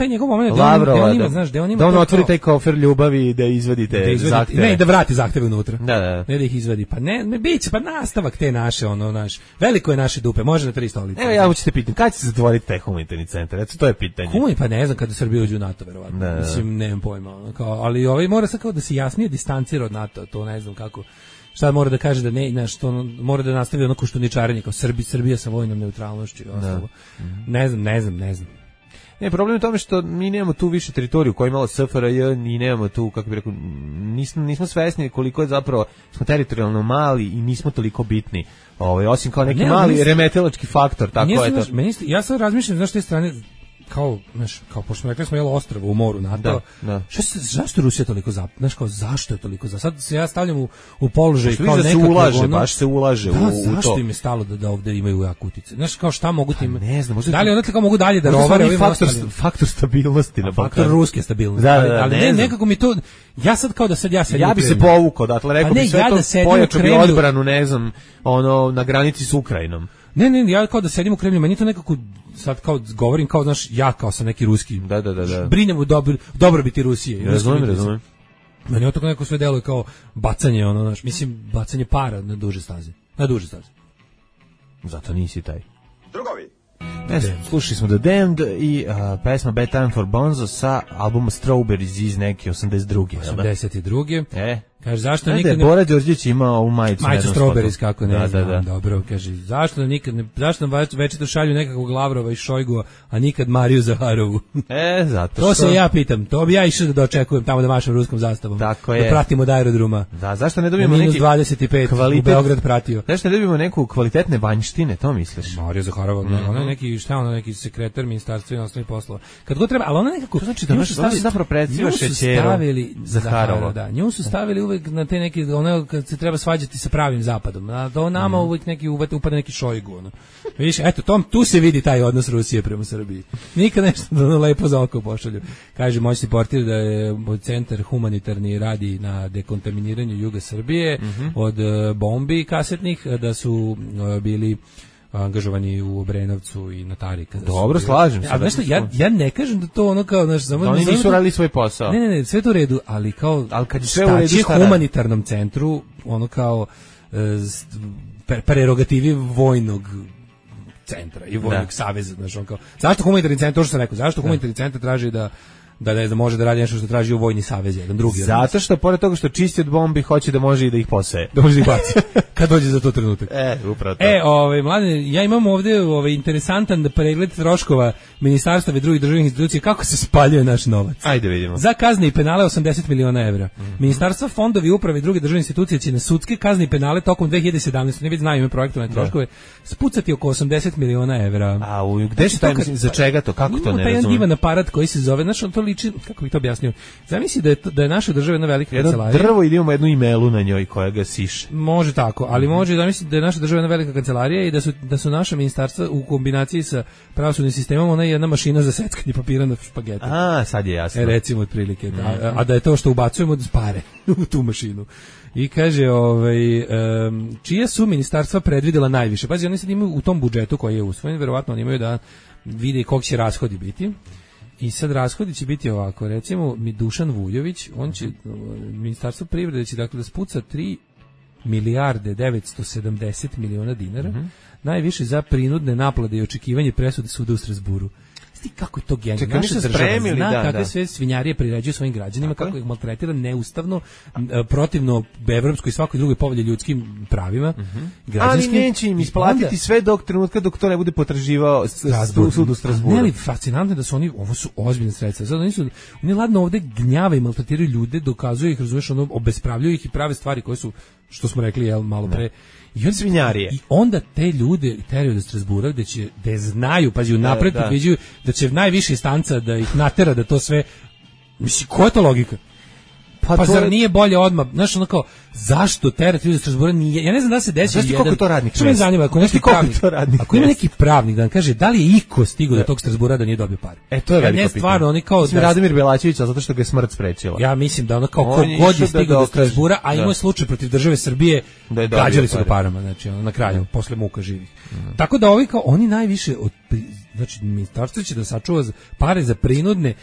Lavrova, da, znaš, da on, da on otvori taj kofer ljubavi i da izvadite da izvadi, zahteve. Ne, da vrati zahteve unutra. Da, da. Ne da ih izvadi. Pa ne, ne biće, pa nastavak te naše, ono, naš, veliko je naše dupe, može na tri stolice. Evo ja hoćete pitati, kad će se zatvoriti taj humanitarni centar? Eto, to je pitanje. Humani, pa ne znam kada Srbija uđe u NATO, verovatno. Da, da. Mislim, nemam pojma. Ono, kao, ali ovaj mora sad kao da se jasnije distancira od NATO, to ne znam kako. Šta mora da kaže da ne, na što mora da nastavi ono koštuničarenje kao Srbi, Srbija sa vojnom neutralnošću i ostalo. Mm. Ne znam, ne znam, ne znam. Ne, problem je u tome što mi nemamo tu više teritoriju koja je imala S F R J i nemamo tu, kako bih rekao, nismo, nismo svesni koliko je zapravo, smo teritorijalno mali i nismo toliko bitni. Ovaj, osim kao neki ne, mali mislim, remetilački faktor, tako je to. Znaš, meni, ja sad razmišljam, znaš, te strane, kao, znaš, kao pošto smo rekli smo jelo ostrvo u moru NATO. Da, da. Šta se, zašto je Rusija toliko za, znaš, kao zašto je toliko za? Sad se ja stavljam u, u položaj kao kao da nekako se ulaže, ono, baš se ulaže da, u, u to. Zašto im je stalo da, da ovde imaju jak utice? Znaš, kao šta mogu tim? Ne znam, možda da li to, onda kao mogu dalje da rovare ovim faktor, ostalim? faktor stabilnosti na Faktor Balkanu. ruske stabilnosti. Da, da, ali, da, ali ne ne, znam. nekako mi to, ja sad kao da sad ja sedim Ja u bi se Kremlju. povukao, dakle, rekao Pa ne, bi sve ja to, da sedim u pojačao bi Kremlju. odbranu, ne znam, ono, na granici s Ukrajinom. Ne, ne, ja kao da sedim u Kremlju, meni to nekako sad kao govorim kao znaš ja kao sam neki ruski. Da, da, da, da. Brinem u dobro dobrobiti Rusije. i Razumem, ruskih razumem. interesa. Meni to neko sve deluje kao bacanje ono, znaš, mislim bacanje para na duže staze. Na duže staze. Zato nisi taj. Drugovi. Ne znam, slušali smo The Damned i uh, pesma Bad Time for Bonzo sa albuma Strawberries iz neke osamdeset druge. osamdeset druge. E. Kaže, zašto Ajde, nikad ne... Bora Đorđević ima ovu majicu. Majicu Strawberries, kako ne da, znam, da, da. dobro, kaže, zašto nam nikad ne, zašto nam večito šalju nekakvog Lavrova i Šojgua, a nikad Mariju Zaharovu? E, zato To što... se ja pitam, to bi ja išao da dočekujem tamo da mašam ruskom zastavom. Tako da je. pratimo od aerodroma. Da, zašto ne Na dobijemo minus neki dvadeset pet kvalitet... u Beograd pratio. Zašto ne dobijemo neku kvalitetne vanjštine, to misliš? Marija Zaharova, mm-hmm. ona je neki, šta ona, neki sekretar ministarstva inostranih poslova. Kad god treba, ali ona nekako... To znači da ona se zapravo predsjedniva Šećerom Zaharova. Da, nju su stavili uvek na te neke, ona kad se treba svađati sa pravim zapadom. A do nama mm. uvek neki uvate upada neki Šojgu, ono. Vidiš, eto, tom, tu se vidi taj odnos Rusije prema Srbiji. Nikad nešto da ono lepo za oko pošalju. Kaže, moćni portir da je centar humanitarni radi na dekontaminiranju juga Srbije mm-hmm. od uh, bombi kasetnih, da su uh, bili angažovani u Obrenovcu i na Tarika. Dobro, su, slažem se. A znaš što, ja, ja ne kažem da to ono kao... Znaš, samo, da oni nisu radili svoj posao. Ne, ne, ne, sve to u redu, ali kao... Ali kad je sve u redu, šta humanitarnom centru, ono kao e, prerogativi vojnog centra i vojnog da. saveza. Znaš, on kao, zašto humanitarni centar, to što sam rekao, zašto da. humanitarni centar traži da da ne znam, može da radi nešto što traži u vojni savez, jedan drugi. Zato što pored toga što čisti od bombi, hoće da može i da ih poseje. Da može da ih baci. Kad dođe za to trenutak. E, upravo to. E, ovaj mlade, ja imam ovde ovaj interesantan pregled troškova ministarstva i drugih državnih institucija kako se spaljuje naš novac. Ajde vidimo. Za kazne i penale osamdeset miliona evra. Mm-hmm. Ministarstva, fondovi, uprave i druge državne institucije će na sudske kazne i penale tokom dve hiljade sedamnaeste. Ne već znaju ime projektovane troškove. Spucati oko osamdeset miliona evra. A u gde će taj, za čega to, kako to ne razumem? Taj divan aparat koji se zove, znači on to liči, kako bih to objasnio. Zamisli da je to, da je naša država jedna velika jedno kancelarija. Drvo ili imamo jednu imelu na njoj koja ga siše. Može tako, ali mm-hmm. može da misli da je naša država jedna velika kancelarija i da su da su naša ministarstva u kombinaciji sa pravosudnim sistemom ona je jedna mašina za seckanje papira na špagete. A, sad je jasno. E, recimo otprilike, mm-hmm. a, a da je to što ubacujemo da pare u tu mašinu. I kaže, ovaj, um, čija su ministarstva predvidela najviše? Pazi, oni sad imaju u tom budžetu koji je usvojen, verovatno oni imaju da vide koliko će rashodi biti. I sad rashodi će biti ovako, recimo mi Dušan Vujović, on će, ministarstvo privrede će dakle da spuca tri milijarde devetsto sedamdeset miliona dinara, mm-hmm. najviše za prinudne naplate i očekivanje presude suda u Strasburu. Sti kako je to genijalno. Naša država zna da, kakve da. sve svinjarije priređuju svojim građanima, tako kako ih maltretira neustavno, protivno evropskoj i svakoj drugoj povelji ljudskim pravima. Mm-hmm. Ali neće im isplatiti onda, sve dok trenutka dok to ne bude potraživao sud u Strasburu. Ne, ali fascinantno da su oni, ovo su ozbiljne sredstva. Zato oni su, oni ladno ovde gnjave i maltretiraju ljude, dokazuju ih, razumeš, ono, obespravljuju ih i prave stvari koje su, što smo rekli, jel, malo pre, I on svinjarije. I onda te ljude teraju do Strasbura gde će da znaju, pazi, unapred predviđaju da će najviša instanca da ih natera da to sve, mislim, koja je to logika? Pa, pa zar je... nije bolje odmah, znaš, ono kao, zašto terati ljudi iz Strasbura nije, ja ne znam da se desi jedan... Znaš ti to radnik? Što me zanima, ako, neki pravnik, ako ima neki pravnik da nam kaže, da li je iko stigao do tog Strasbura da nije dobio pare? E, to je veliko pitanje. Ne, stvarno, oni kao... Mislim, da... Radimir Belačević, zato što ga je smrt sprečila. Ja mislim da ono kao, ko god je stigao do Strasbura, a imao je slučaj protiv države Srbije, da gađali su ga parama, znači, ono, na kraju, no. posle muka živih. No. Tako da ovi kao, oni najviše, od, znači, ministarstvo će da sačuva pare za prinudne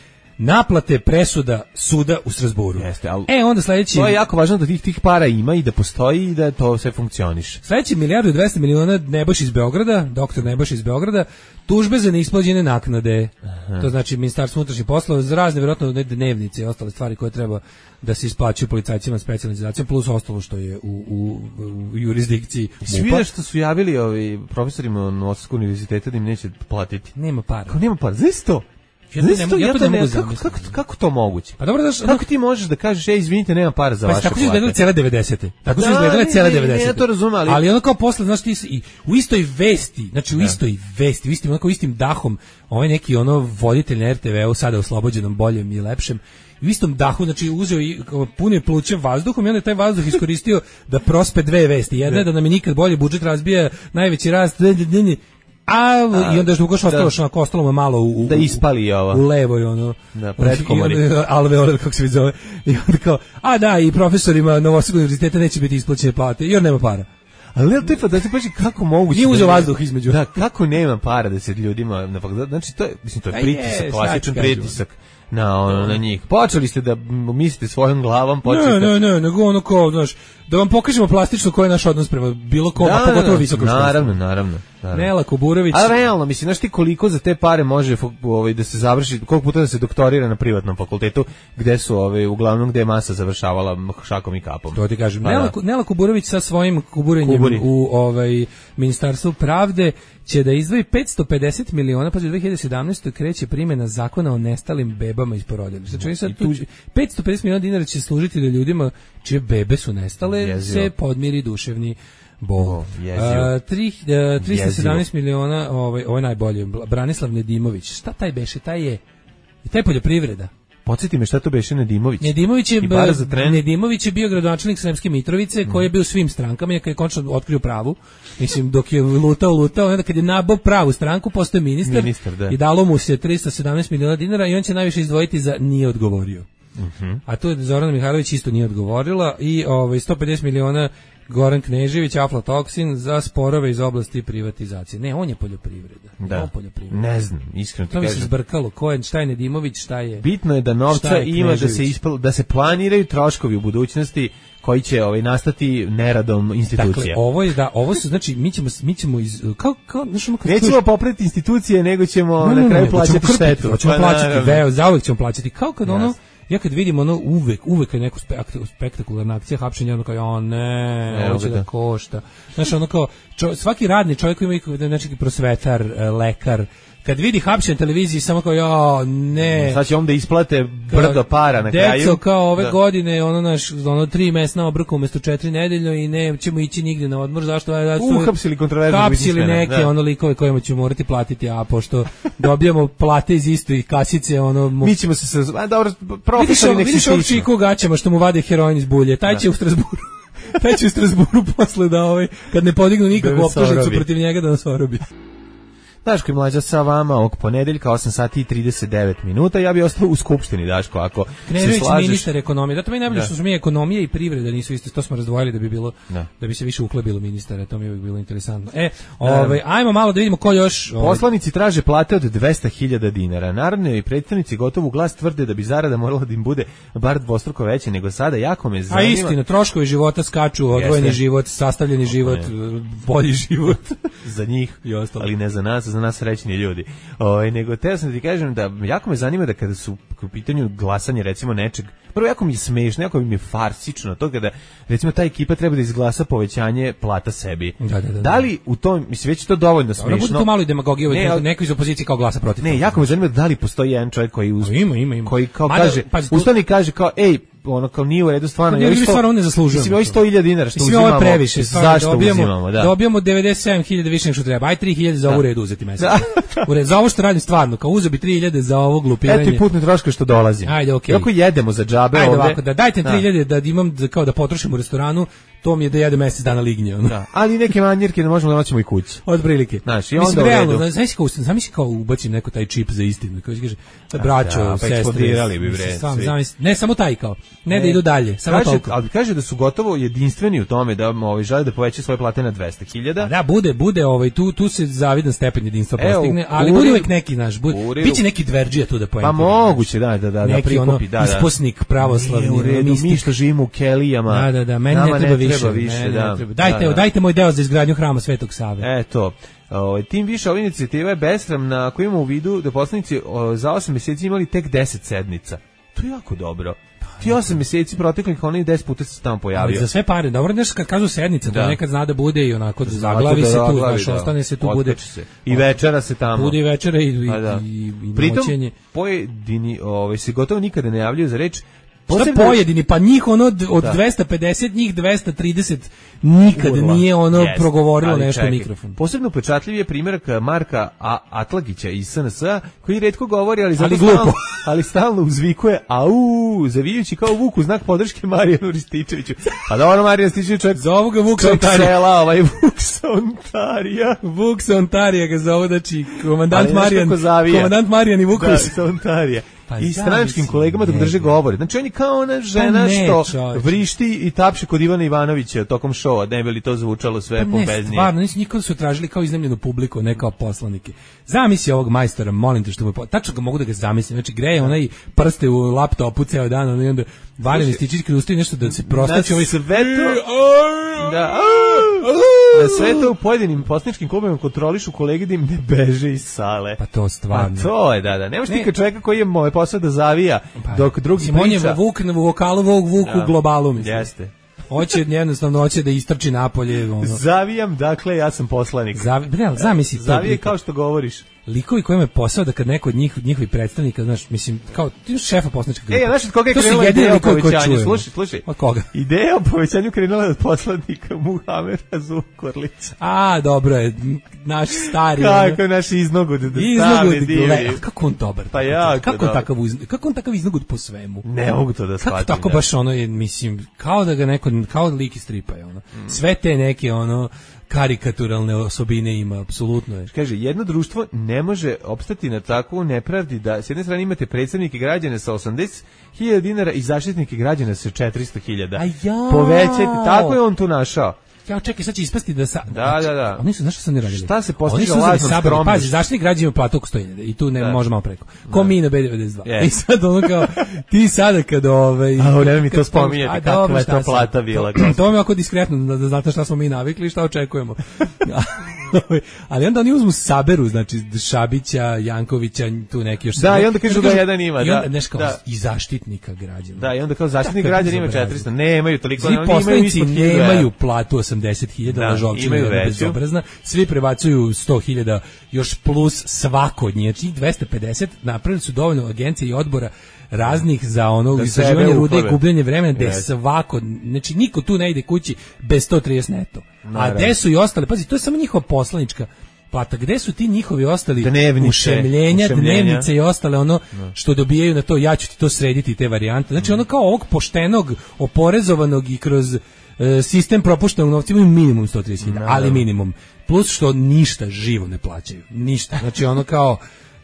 naplate presuda suda u Strasburu. Jeste, ali e, onda sledeći... To je jako važno da tih, tih para ima i da postoji i da to sve funkcioniše. Sledeći milijardu i dvesta miliona Nebojša iz Beograda, doktor Nebojša iz Beograda, tužbe za neisplaćene naknade. Aha. To znači Ministarstvo unutrašnjih poslova za razne, vjerojatno, dnevnice i ostale stvari koje treba da se isplaćuju policajcima specijalizacijom, plus ostalo što je u, u, u jurisdikciji M U P-a. Svi što su javili ovi profesorima Novosadskog univerziteta da im neće platiti. Nema para. Kao nema para, znaš to? Ja, ne, ne, ja to ne mogu kako, zamisliti. kako, kako to moguće? Pa dobro, znaš, kako ti možeš da kažeš, ej, izvinite, nema para za pa vaše tako su plate? izgledale cijele devedesete. Tako su Da, izgledale ne, cijele ne, ne, devedesete. ja to razumem, ali- ali ono kao posle, znaš, ti si, i u istoj vesti, znači u Da. istoj vesti, u istim, onako istim dahom, ovaj neki ono voditelj na er te ve u sada oslobođenom, boljem i lepšem, u istom dahu, znači uzeo i kao, punio pluće vazduhom i onda je taj vazduh iskoristio da prospe dve vesti. Jedna je da nam je nikad bolje budžet razbija, najveći rast, a, i onda je što ugoš ostalo što onako ostalo mu malo u, u, Da ispali ovo. u levoj ono Da, predkomori. i onda alveolar kako se zove i onda kao a da i profesorima Novosadskog univerziteta neće biti isplaćene plate jer nema para. Ali ne, to je pa da ti paži kako moguće. Nije da uzeo ne- vazduh između. Da, kako nema para da se ljudima na fakultetu. Znači to je, mislim to Pa je je, pritisak, šta klasičan ti kažem? pritisak na ono, na njih. Počeli ste da m- mislite svojom glavom, počeli Ne, ste. ne, ne, nego ono kao, znaš, da vam pokažemo plastično koji je naš odnos prema bilo kom, a pogotovo visokom školstvu. Naravno, naravno. naravno. Nela Kuburović. A realno, mislim, znaš ti koliko za te pare može fo- ovaj, da se završi, koliko puta da se doktorira na privatnom fakultetu, gde su, ovaj, uglavnom, gde je masa završavala šakom i kapom. To ti kažem. Pa Nela, da. Nela Kuburović sa svojim kuburenjem Kuburi. u ovaj Ministarstvu pravde će da izdvoji petsto pedeset miliona, pa za dve hiljade sedamnaeste. kreće primjena zakona o nestalim bebama iz porodilišta. Znači oni sad tu petsto pedeset miliona dinara će služiti da ljudima čije bebe su nestale Jezivo. se podmiri duševni bol. O, jezivo. A, tri- a, trista sedamnaest miliona, ovaj ovo je najbolje. Branislav Nedimović. Šta taj beše? Taj je taj poljoprivreda. Podsjeti me šta to beše Nedimović. Nedimović je, I bara za tren. Nedimović je bio gradonačelnik Sremske Mitrovice, koji je bio u svim strankama, i kad je konačno otkrio pravu, mislim, dok je lutao, lutao, onda kad je nabao pravu stranku, postoje ministar, Ministar, da. i dalo mu se trista sedamnaest miliona dinara i on će najviše izdvojiti za nije odgovorio. A tu je Zorana Mihajlović isto nije odgovorila i ovaj, sto pedeset miliona Goran Knežević, aflatoksin za sporove iz oblasti privatizacije. Ne, on je poljoprivreda. Da. On poljoprivreda. Ne znam, iskreno ti To mi se kažem. zbrkalo. Ko je, šta je Nedimović, šta je... Bitno je da novca Šta je ima da se Knežević? ispal, da se planiraju troškovi u budućnosti koji će ovaj nastati neradom institucija. Dakle, ovo je da ovo su znači mi ćemo mi ćemo iz kao kao znaš ono kad Nećemo čuješ- popraviti institucije, nego ćemo Ne, ne, na kraju ne, plaćati hoćemo krpiti, štetu. Hoćemo Pa, plaćati, naravno. veo, zauvek ćemo plaćati. Kao kad ono, Jasno. ja kad vidim ono uvek, uvek je neko spekt- spektakularna akcija hapšenja, ono kao, o ne, Evo ovo će ga, da da. košta. Znaš, ono kao, čo, svaki radni čovjek koji ima znači prosvetar, e, lekar, kad vidi hapšenje na televiziji, samo kao, jo, ne. Sad će onda isplate brdo para na kraju. Deco, kao ove Da. godine, ono naš, ono tri mesna obroka umesto četiri nedeljno i ne ćemo ići nigde na odmor, zašto? A, da su- Uhapsili kontroverznog Hapsili biznismena, neke, da. ono likove kojima ćemo morati platiti, a pošto dobijamo plate iz istih kasice, ono... mu- Mi ćemo se sa... A, dobro, vidiš profesori ovo, nek se vidiš ovog stiču. čiku u gaćama što mu vade heroin iz bulje, taj će u Strasburu. Taj će u Strasburu posle da ovaj, kad ne podignu nikakvu Da nas optužnicu orobi. protiv njega da nas orobi. Daško i Mlađa sa vama ovog ponedeljka, osam sati i trideset devet minuta. Ja bi ostao u skupštini, Daško, ako se Knežević slažeš. ministar ekonomije. Da to mi je najbolje Da. što su mi ekonomija i privreda nisu iste, to smo razdvojili da bi bilo Da. da bi se više uhlebilo ministara, to mi je uvijek bilo interesantno. E, ovaj ajmo malo da vidimo ko još ovaj, Poslanici traže plate od dvesta hiljada dinara. Narodni i predstavnici gotovo u glas tvrde da bi zarada morala da im bude bar dvostruko veća nego sada. Jako me a zanima. istina, troškovi života skaču, odvojeni Jeste. život, sastavljeni život, bolji život. za njih, I ostalo. ali ne za nas, za nas srećni ljudi. Ovaj nego teo sam da ti kažem da jako me zanima da kada su u pitanju glasanje recimo nečeg, prvo jako mi je smešno, jako mi je farsično to kada recimo ta ekipa treba da izglasa povećanje plata sebi. Da, da, da, da. Da li u tom, mislim već je to dovoljno Ono bude smešno. to malo i demagogije, Ne, neko, ali- neko iz opozicije kao glasa protiv. Ne, toga. jako me zanima da li postoji jedan čovjek koji uz, A ima, ima, ima. koji kao Mada, kaže, pazi, tu- ustani i kaže kao ej, ono kao nije u redu stvarno. Ne, ja mi isto- stvarno ne zaslužujemo Mislim, ovo to. sto hiljada dinara što Mislim, uzimamo. ovo je previše, stvarno, Zašto dobijamo, uzimamo, da. dobijamo devedeset sedam hiljada više nego što treba, aj tri hiljade za ovu redu uzeti mesečno. Da. U redu, za ovo što radim stvarno, kao uzeo bi tri hiljade za ovo glupiranje. Eto i putne troškove što dolazim. Ajde, okej. Kako jedemo za džabe Ajde ovde. ovako, da dajte Da. tri hiljade da imam da, kao da potrošim u restoranu, to mi je da jedem mesec dana lignje. Ono. Da, ali neke manjerke da možemo da noćemo i kući. Od prilike. Znaš, i Mislim, onda u realno, redu. znaš kao, zamisli kao ubacim neko taj čip za istinu, kao kaže, braćo, da, pa sestre, eksplodirali bi, bre, mislim, sam, svi. zamisli- ne samo taj kao, ne, da idu dalje, samo kaže, toliko. ali kaže da su gotovo jedinstveni u tome da ovaj žele da povećaju svoje plate na dvesta hiljada. A da, bude, bude, ovaj, tu, tu se zavidan stepen jedinstva Evo, postigne, u ali kuriru- bude uvek neki naš, bude, u kuriru- biće neki dverđija tu da Pa poentira. moguće, da, da, da, da neki ono prikupi, da, da. isposnik pravoslavni, Nije u redu, mistik. mi što živimo u kelijama. Da, da, da, meni nama ne treba više, treba više, meni da. ne treba. Dajte, Da, da. dajte moj deo za izgradnju hrama Svetog Save. E, to. O, tim više ova inicijativa je besramna ako imamo u vidu da poslanici o, za osam mjeseci imali tek deset sednica. To je jako dobro. Ti osam meseci proteklih, oni deset puta se tamo pojavio. Ali za sve pare, dobro, nešto kad kažu sednica, Da. to nekad zna da bude i onako zaglavi se tu, znaš, da. ostane se tu, Otkači bude. Se. I večera se tamo. Bude i večera i, i, A da. i, i Pritom, noćenje. pojedini ovaj, se gotovo nikada ne javljaju za reč. Šta Posebno- pojedini, pa njih ono od, od Da. dvesta pedeset, njih dvesta trideset nikad Urla. nije ono Jeste, progovorilo ali nešto u čekaj, mikrofon. Posebno upečatljiv je primjerak Marka A. Atlagića iz S N S-a, koji retko govori, ali, zato Ali stalno, glupo. ali stalno uzvikuje au, zavijući kao Vuk u znak podrške Marijanu Rističeviću. Pa dobro, Marijan Rističević čovjek, Zovu ga Vuk čovjek Sontarija. sela, ovaj Vuk Sontarija. Vuk Sontarija ga zove, znači Ali komandant znaš Marijan, kako zavija? komandant Marijan i Vuković. Da, Sontarija. Pa I zamisli stranačkim kolegama dok njega. drže govore. Znači on je kao ona žena Pa ne, što čoveče. vrišti i tapše kod Ivana Ivanovića tokom šova, ne bi li to zvučalo sve Pa ne, pompeznije. stvarno, nisi nikada su tražili kao iznajmljenu publiku, ne kao poslanike. Zamisli ovog majstora, molim te što mu... Tačno ga mogu da ga zamislim. Znači, greje onaj prste u laptopu ceo dan, ono, i onda Valjan Rističević kad ustaje nešto da se prostaće ovaj... sve to... Da, da sve to u pojedinim poslaničkim klubima kontrolišu kolege da im ne beže iz sale. Pa to stvarno. Pa to je, da, da. Nemaš Ne. ti kad čovjeka koji je moj posao da zavija, Pa, dok drugi mislim, on je priča. Vuk na vokalu, Vuk, Vuk Da. u globalu, mislim. Jeste. Hoće jednostavno, hoće da istrči napolje. Ono. Zavijam, dakle, ja sam poslanik. Zavi, ne, ali zamisli to. Zavije lika. kao što govoriš. Likovi kojima je posao da kad neko od njih, njihovih predstavnika, znaš, mislim, kao, ti imaš šefa poslanička grupa. E, znaš od koga je To su krenula jedini ideja o likovi koje povećanju? čujemo. Slušaj, slušaj. Od koga? Ideja o povećanju krenula je od poslanika Muhameda Zukorlića. A, dobro je, naš stari. Kako je naš iznogud, da Iznogud, stavi divni. gle, kako on dobar. Pa jako kako on dobar. takav, uz- kako on takav iznogud po svemu. Ne mogu to da Kako shvatim. tako da. baš ono je, mislim, kao da ga neko, kao lik iz stripa je ono. Sve te neke ono karikaturalne osobine ima, apsolutno je. Kaže, jedno društvo ne može opstati na takvu nepravdi da s jedne strane imate predstavnike građana sa osamdeset hiljada dinara i zaštitnike građana sa četiristo hiljada. A jao! Povećajte, tako je on tu našao. Ja čekaj, sad će ispasti da sa... Da, da, da. Oni su, znaš što su oni radili? Šta se postiže Oni su uzeli lažnom sabor- skromnošću? Pazi, zaštitnik građana ima platu oko sto hiljada i tu ne Da. može malo preko. Ko mi na B devedeset dva. Je. I sad ono kao, ti sada kad ovaj... A, ne mi to kad- spominjete, a, kakva dobro, je šta to sad? plata bila, To, to mi je oko diskretno, da, da znate šta smo mi navikli i šta očekujemo. Ali onda oni uzmu saberu, znači Šabića, Jankovića, tu neki još... Da, i onda kažu da jedan ima, I da. onda, znaš kao, Da. i zaštitnika građana. Da, i onda kao zaštitnik Kakav građana ima bezobrazluk. četiristo. Nemaju toliko, Svi oni imaju poslanici ispod hiljadu evra. nemaju platu osamdeset hiljada, Da, lažovčina imaju jedna veću. bezobrazna. Svi prebacuju sto hiljada još plus svako od njih. Znači dvesta pedeset napravili su dovoljno agencija i odbora raznih za ono Da istraživanje sebe rude i uplove. gubljenje vremena, gde Jeste. svako, znači niko tu ne ide kući bez sto trideset neto. A Naravno. gde su i ostale, pazi, to je samo njihova poslanička plata. Gde su ti njihovi ostali Dnevnice, ušemljenja, ušemljenja. dnevnice i ostale ono što dobijaju na to, ja ću ti to srediti, te varijante. Znači ono kao ovog poštenog, oporezovanog i kroz e, sistem propuštenog novca imaju minimum sto trideset hiljada, ali minimum. Plus što ništa živo ne plaćaju. Ništa. Znači ono kao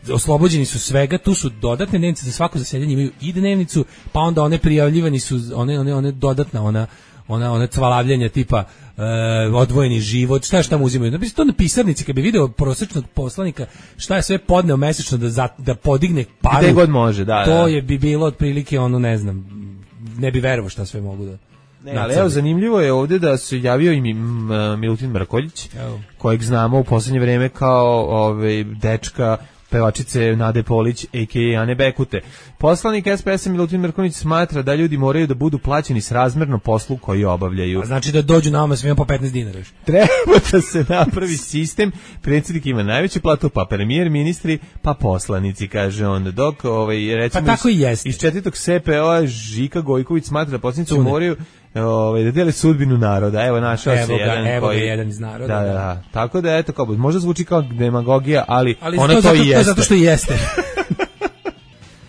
oslobođeni su svega, tu su dodatne dnevnice za svako zasedanje, imaju i dnevnicu, pa onda one prijavljivani su, one, one, one dodatna, ona ona ona cvalavljenja tipa e, odvojeni život, šta je šta mu uzimaju. Da bi to na pisarnici, kad bi video prosječnog poslanika šta je sve podneo mesečno da, za, da podigne paru, Gde god može, da, to da. je bi bilo otprilike ono, ne znam, ne bi verovao šta sve mogu da... Ne, ali nacrte. evo, zanimljivo je ovdje da se javio i mi- m, Milutin Mrkoljić, Evo. kojeg znamo u posljednje vreme kao ovaj, dečka pevačice Nade Polić, a k a. Ane Bekute. Poslanik S P S-a Milutin Mrkonjić smatra da ljudi moraju da budu plaćeni srazmerno poslu koji obavljaju. A znači da dođu nama svima po petnaest dinara još. Treba da se napravi sistem, predsjednik ima najveću platu, pa premijer, ministri, pa poslanici, kaže on. Dok, ovaj, recimo, Pa tako iz, i jeste. iz četvrtog S P O-a Žika Gojković smatra da poslanici Tune. moraju ovaj, da dele sudbinu naroda. Evo, našao Evo se ga, jedan evo ga koji... jedan iz naroda, Da, da, da. da. Tako da, eto, kao, možda zvuči kao demagogija, ali, Ali ona to, to, zato, i to je jeste. zato što i jeste.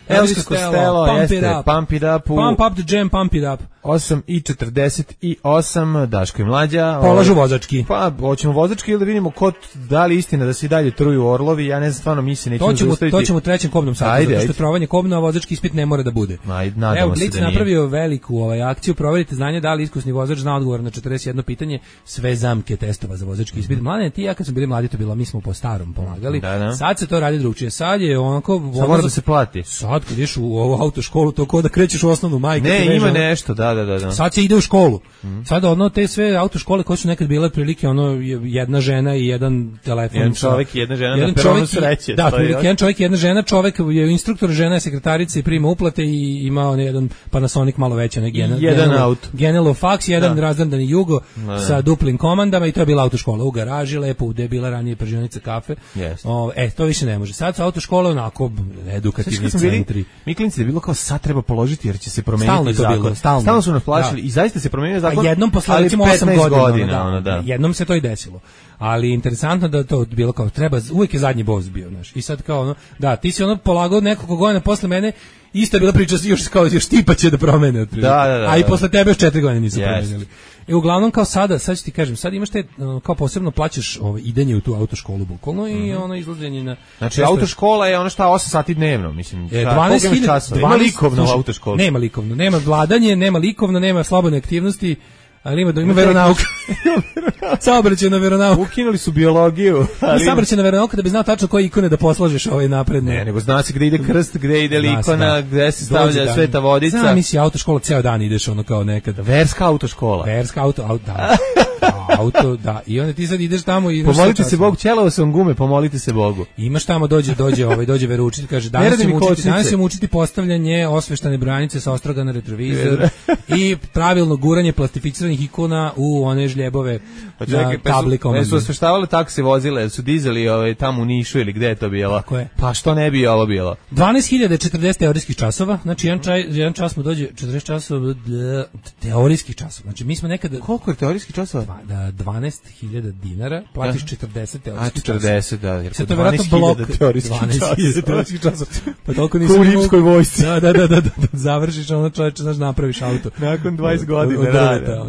Elsko Costello, pump it jeste, up. Pump It Up u Pump up the jam, pump it up. osam i četrdeset osam, Daško i Mlađa. Polažu Ovaj, vozački. Pa, hoćemo vozački ili da vidimo ko, da li istina da se i dalje truju orlovi, ja ne znam, stvarno mi se nećemo To ćemo, zaustaviti. to ćemo u trećem kobnom satu, Ajde, zato što ajde. je trovanje kobna, a vozački ispit ne mora da bude. Ajde, nadamo Evo, se Blic da nije. napravio veliku ovaj, akciju, proverite znanje da li iskusni vozač zna odgovor na četrdeset jedno pitanje, sve zamke testova za vozački ispit. Mladene, ti i ja kad smo bili mladi, to bilo, mi smo po starom pomagali. Da, da. Sad se to radi drugčije. Sad je onako... Sad mora da se plati. Sad kad ideš u ovu autoškolu, to ko da krećeš u osnovnu majku. ti Ne, veže ima ono- nešto, da, da, da, da. Sad se ide u školu. Mm. Sada ono te sve autoškole koje su nekad bile otprilike ono jedna žena i jedan telefon. Jedan čovjek i jedna žena jedan na peronu sreće. Da, otprilike jedan čovjek i jedna žena, čovjek je instruktor, žena je sekretarica i prima uplate i ima on jedan Panasonic malo veći, ne Genelo, jedan auto. Genelo fax, jedan da. razdandani Jugo da. sa duplim komandama i to je bila autoškola u garaži, lepo, gde je bila ranije pržionica kafe. Yes. O, e, to više ne može. Sad su autoškole onako edukativni centri. Mi klinci da je bilo kao sad treba položiti jer će se promeniti stalno zakon. Bilo, stalno. stalno su nas plašili da. i zaista se promenio zakon. A jednom posle recimo osam godina, godina da, ono, da. jednom se to i desilo. Ali interesantno da to bilo kao treba, uvijek je zadnji boss bio, znaš. I sad kao ono, da, ti si ono polagao nekoliko godina posle mene, isto je bila priča još kao još tipa će da promene otprilike. Da, da, da, a i posle tebe još četiri godine nisu yes. promenili. I uglavnom kao sada, sad ću ti kažem, sad imaš te kao posebno plaćaš ovaj idenje u tu autoškolu bukvalno mm-hmm. i ono izlaženje na. Znači autoškola je ono šta osam sati dnevno, mislim. E, dvanaest hiljada Ima likovno u autoškoli. Nema likovno, nema vladanje, nema likovno, nema slobodne aktivnosti. Ali ima da ima veronauka. Saobraćajna veronauka. Ukinuli su biologiju. Ali saobraćajna veronauka da bi znao tačno koje ikone da poslažeš ovaj napredno. Ne, nego zna se gde ide krst, gde ide ikona, gde se stavlja Dođe sveta vodica. Znam, misli autoškola ceo dan ideš ono kao nekada. Verska autoškola. Verska auto, auto, da. auto, da. I onda ti sad ideš tamo i pomolite se Bogu, ćelao sam gume, pomolite se Bogu. Imaš tamo dođe dođe ovaj dođe veroučitelj kaže danas ćemo učiti, danas ćemo učiti postavljanje osveštane brojanice sa ostroga na retrovizor i pravilno guranje plastificiranih ikona u one žljebove pa čekaj, pa tablikom. Pa su osveštavali taksi vozile, su dizeli ovaj tamo u Nišu ili gde je to bilo? Pa što ne bi ovo bilo? dvanaest hiljada četrdeset teorijskih časova, znači jedan, čaj, jedan čas mu dođe četrdeset časova teorijskih časova. Znači mi smo nekada koliko je teorijskih časova? Da, dvanaest hiljada dinara, platiš četrdeset teorijskih časova. A četrdeset, da, jer to je verovatno blok teorijskih časova. Pa toliko nisi u rimskoj vojsci. Da, da, da, da, da, završiš ono čoveče, znaš, napraviš auto. Nakon dvadeset godina rada.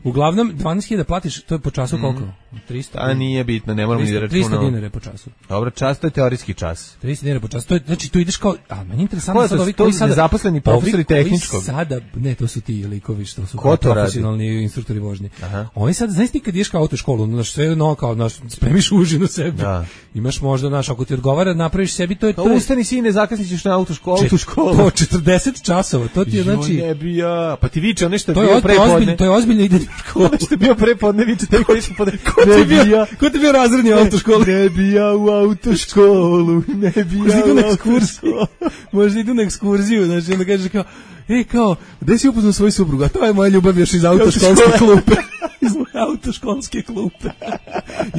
Uglavnom dvanaest hiljada platiš, to je po času koliko? trista. A nije bitno, ne moramo ni da računamo. trista dinara po času. Dobro, čas to je teorijski čas. trista dinara po času. To je, znači tu ideš kao, a meni je interesantno sad ovi koji sada zaposleni profesori tehničkog. Sada, ne, to su ti likovi što su profesionalni instruktori vožnje. Aha. Oni sad, znaš ti kad ideš kao autoškolu, znaš sve no kao, znaš, spremiš užinu sebi. Da. Imaš možda, znaš, ako ti odgovara, napraviš sebi, to je to. Ustani sine, zakasnićeš na autoškolu, autoškolu. To četrdeset časova, to ti je znači. Ne bi ja. Pa ti viče nešto je bio prepodne. To je ozbiljno ide u školu. Što je bio prepodne, viče te koji su podne. Ko ti bio? Ko ti bio razredni u autoškolu? Ne bi ja u autoškolu, ne bi ja u autoškolu. Možda idu na ekskurziju, znači onda kažeš kao, ej kao, gde si upoznao svoju suprugu? A to je moja ljubav još iz autoškolske klupe. Iz moje autoškolske klupe.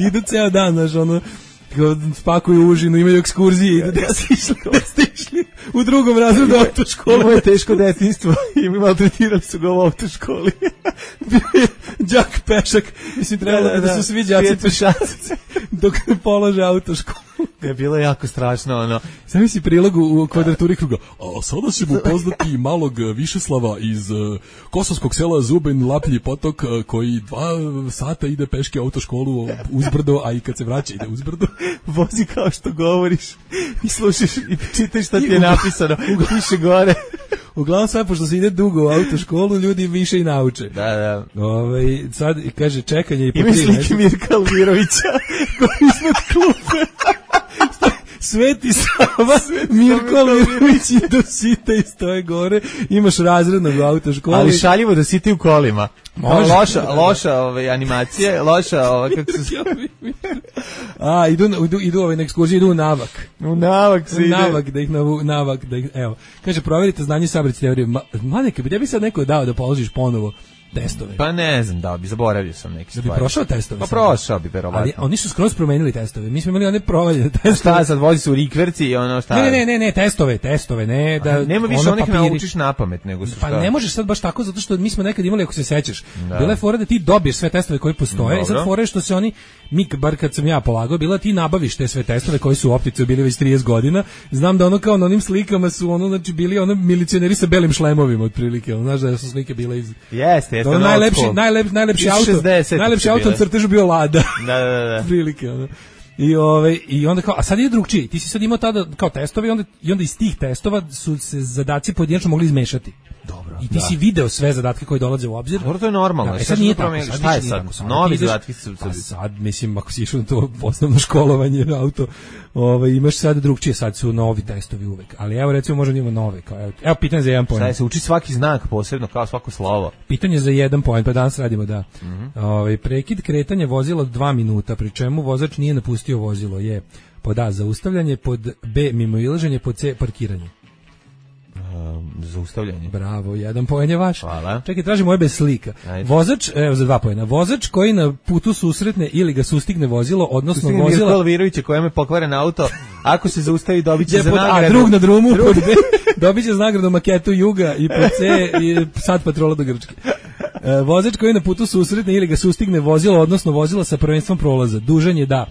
Idu ceo dan, znaš, ono, spakuju užinu, imaju ekskurzije, idu gde ste išli, gde ste išli u drugom razredu autoškolu. Imao je teško detinjstvo i maltretirali su ga u autoškoli. Bio je đak pešak, mislim trebalo da, da, da su svi đaci pešaci dok ne polože autoškolu. Je bilo jako strašno, ono. Sam misli prilogu u kvadraturi kruga. A sada ćemo upoznati malog Višeslava iz uh, kosovskog sela Zubin Laplji potok uh, koji dva sata ide peške autoškolu uzbrdo, a i kad se vraća ide uzbrdo. Vozi kao što govoriš i slušaš i čitaš šta ti je napisano. Piše gore. Uglavnom sve, pošto se ide dugo u autoškolu, ljudi više i nauče. Da, da. Ove, sad, kaže, čekanje i po tri. Ima slike Mirka Almirovića koji iznad klupe. Sveti Sava, Mirko Almirović i do sita i stoje gore. Imaš razrednog u autoškoli. Ali šaljivo da siti u kolima. Može. Loša, loša ove animacije, loša ove, kako se... A, idu, idu, idu ove na ekskurziju, idu u navak. U navak se u ide. Navak, da ih navu, navak, da ih, evo. Kaže, proverite znanje saobraćajne teorije. Ma, mladeke, bi bi sad neko dao da položiš ponovo testove. Pa ne znam, da bi zaboravio sam neke stvari. Da bi prošao testove. Pa prošao bi verovatno. Ali oni su skroz promenili testove. Mi smo imali one provaljene testove. Šta sad vozi se u rikverci i ono šta? Ne, ne, ne, ne, testove, testove, ne, da. A, nema više onih naučiš napamet, nego su pa šta? Ne možeš sad baš tako zato što mi smo nekad imali, ako se sećaš, da. Bila je fora da ti dobiješ sve testove koji postoje. I sad fora je što se oni mi bar kad sam ja polagao, bila ti nabaviš te sve testove koji su u optici bili već trideset godina. Znam da ono kao na onim slikama su ono znači bili ono milicioneri sa belim šlemovima otprilike. Ono, znaš da su slike bile iz. Jeste, jeste. Najlepši, najlepši, najlepši auto. Najlepši auto na crtežu bio Lada. Da, da, da. Prilike, ono. I ovaj i onda kao a sad je drugčije. Ti si sad imao tada kao testovi i onda i onda iz tih testova su se zadaci pojedinačno mogli izmešati. Dobro. I ti da. si video sve zadatke koji dolaze u obzir. Dobro, to je normalno. Da, e sad nije tako. Sad šta je sad? Novi zadatki su pa sad, mislim, ako si išao na to osnovno školovanje auto, ovaj, imaš sad drugčije, sad su novi testovi uvek. Ali evo, recimo, možda imamo nove. Kao, evo, evo, pitanje za jedan poen. Šta je, se uči svaki znak posebno, kao svako slovo? Pitanje za jedan poen, pa danas radimo, da. Mm-hmm. Ovaj, prekid kretanja vozila dva minuta, pri čemu vozač nije napustio vozilo, je pod A, zaustavljanje, pod B, mimoilaženje, pod C, parkiranje. Um, zaustavljanje. Bravo, jedan poen je vaš. Hvala. Čekaj, tražimo ove bez slika. Ajde. Vozač, evo za dva poena. Vozač koji na putu susretne ili ga sustigne vozilo, odnosno sustigne vozila... Mirko Alvirović koja me pokvaren auto, ako se zaustavi dobit će za nagradu. A drug na drumu, drug. Pod B, dobit će za nagradu maketu Juga i pod C i sad patrola do Grčke. E, vozač koji na putu susretne ili ga sustigne vozilo, odnosno vozilo sa prvenstvom prolaza, dužan je da...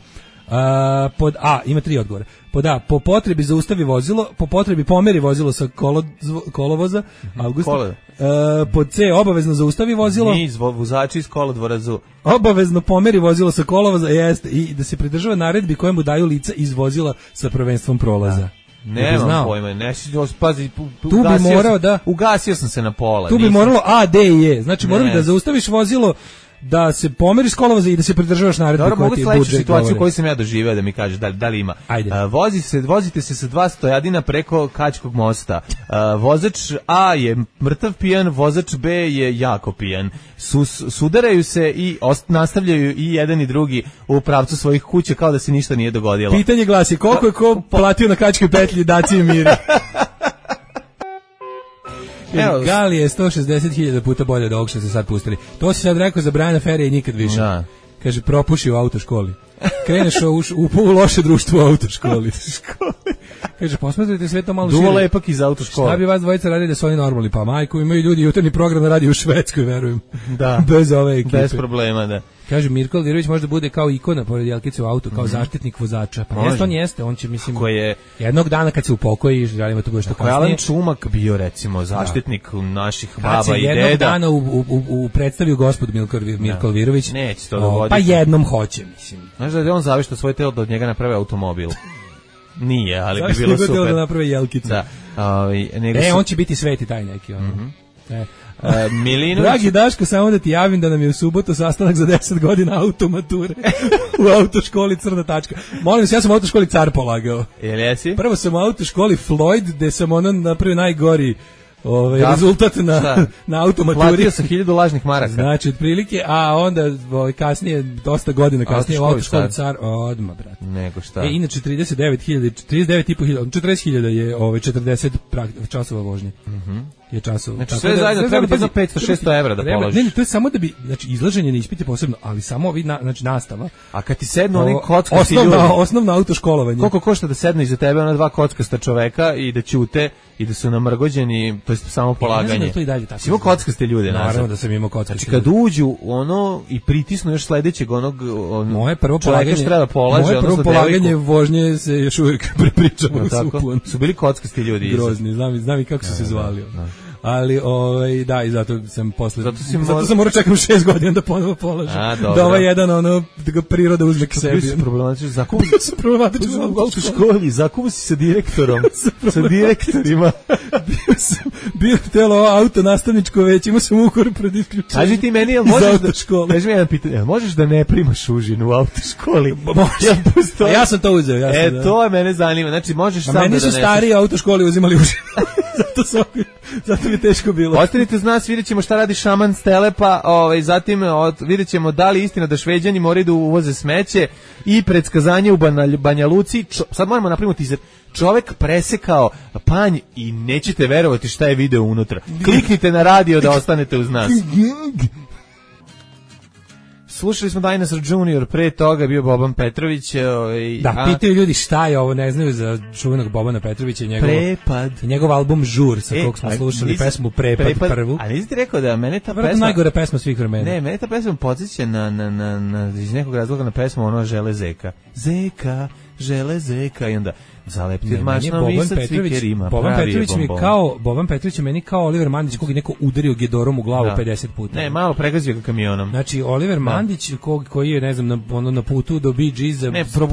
A, pod A, ima tri odgovora. Pod A, po potrebi zaustavi vozilo, po potrebi pomeri vozilo sa kolo, kolovoza, Augusta. A, pod C, obavezno zaustavi vozilo. Niz vozači iz kolodvora zu. Obavezno pomeri vozilo sa kolovoza, jeste, i da se pridržava naredbi koje mu daju lica iz vozila sa prvenstvom prolaza. Da. Nemam pojma, ne pazi, tu bi morao da ugasio sam se na pola. Tu bi moralo A, D i E. Znači morali da zaustaviš vozilo, da se pomeriš s kolovoza i da se pridržavaš naredbe koje ti budžet govori. Dobro, situaciju koju sam ja doživeo da mi kažeš da, da li ima. Uh, vozi se, vozite se sa dva stojadina preko Kačkog mosta. Uh, vozač A je mrtav pijan, vozač B je jako pijan. Sus, sudaraju se i ost, nastavljaju i jedan i drugi u pravcu svojih kuća kao da se ništa nije dogodilo. Pitanje glasi, koliko je ko platio na Kačkoj petlji Daci i Miri? Evo, Gali je sto šezdeset hiljada puta bolje od ovog što se sad pustili. To si sad rekao za Briana Ferija i nikad više. Da. Kaže, propuši u autoškoli. Kreneš u, u, u loše društvo u autoškoli. Kaže, posmatrajte sve to malo šire. Duvo lepak iz autoškole. Šta bi vas dvojica radili da su oni normalni? Pa majko, imaju ljudi jutarnji program da radi u Švedskoj, verujem. Da. Bez ove ekipe. Bez problema, da. Kaže, Mirko Alvirović može da bude kao ikona pored Jelkice u autu, kao mm-hmm. zaštitnik vozača. Pa jeste, on jeste, on će, mislim, je, jednog dana kad se upokoji, želimo to bude što kasnije. Alan Čumak bio, recimo, zaštitnik da. naših baba i deda. Kad se jednog dana u, u, u, u predstavio gospod Milko, Mirko Alvirović, neće to dogoditi. Pa jednom hoće, mislim. Znaš da je on zavišto svoje telo da od njega naprave automobil? Nije, ali bi bilo super. Zašto da naprave Jelkicu? Da. Ovaj, nego e, su... on će biti sveti taj neki, ono. Mm-hmm. E. Uh, Milinović... Dragi Daško, samo da ti javim da nam je u subotu sastanak za deset godina automature u autoškoli Crna tačka. Molim se, ja sam u autoškoli Car polagao. Jel jesi? Prvo sam u autoškoli Floyd, gde sam ono napravio najgori ovaj, da, rezultat na, na automaturi. Platio sam hiljadu lažnih maraka. Znači, otprilike, a onda ovaj, kasnije, dosta godina kasnije, u autoškoli Car, odma, brate. Nego šta? E, inače, trideset devet hiljada, trideset devet i po hiljada, četrdeset hiljada je ovaj, četrdeset časova vožnje. Mhm. Je časova. Znači sve da, zajedno treba ti za petsto šesto evra da položiš. Ne, ne, to je samo da bi, znači izlaženje na ispite posebno, ali samo ovi na, znači nastava. A kad ti sednu oni kockasti ljudi. Osnovno, osnovno autoškolovanje. Koliko košta da sednu iza tebe ona dva kockasta čoveka i da ćute i da su namrgođeni, to je samo polaganje. Ne, ne, to i dalje tako. Simo kockaste ljude, naravno da sam imao kockaste. Znači kad uđu ono i pritisnu još sledećeg onog on, moje prvo polaganje treba polaže, moje prvo polaganje vožnje se još uvijek prepričava no, su bili kockasti ljudi. Grozni, znam, znam i kako su se zvali. Da. Ali ovaj da i zato sam posle zato, zato mor... sam morao čekam šest godina da ponovo polažem. Da ovaj jedan ono da ga priroda uzme k sebi. Bio problematičan zakon. Bio sam problematičan u autoškoli, zakon si sa direktorom, sa direktorima. bio sam bio telo auto nastavničko veće, imao sam ukor pred isključenjem. Kaži ti meni, jel možeš da kaži mi jedan pitanje, jel možeš da ne primaš užinu u autoškoli? Može. Ja sam to uzeo, ja sam. E, to je mene zanima. Znači možeš sam da meni su stari autoškoli uzimali užinu. Zato sam zato mi teško bilo. Ostanite uz nas, vidjet ćemo šta radi šaman Stelepa, ovaj, zatim od, vidjet ćemo da li istina da Šveđani moraju da uvoze smeće i predskazanje u Banja, Banja Luci. Čo, sad moramo napraviti teaser. Čovek presekao panj i nećete verovati šta je video unutra. Kliknite na radio da ostanete uz nas. Slušali smo Dinosaur Junior, pre toga bio Boban Petrović. Ovaj, da, a... pitaju ljudi šta je ovo, ne znaju za čuvenog Bobana Petrovića i njegov, Prepad. I njegov album Žur, sa e, kog smo slušali nis, pesmu Prepad, prepad prvu. A nisi ti rekao da mene ta Vrlo pesma... najgore pesma svih vremena. Ne, mene ta pesma podsjeća na, na, na, na, iz nekog razloga na pesmu ono Žele Zeka. Zeka, Žele Zeka i onda... Za leptir mašno visac Viker ima. Boban Petrović mi kao, Boban Petrović je meni kao Oliver Mandić kog je neko udario gedorom u glavu da. pedeset puta. Ne, malo pregazio ga kamionom. Znači Oliver da. Mandić kog, koji je, ne znam, na, ono, na putu do Bee Geesa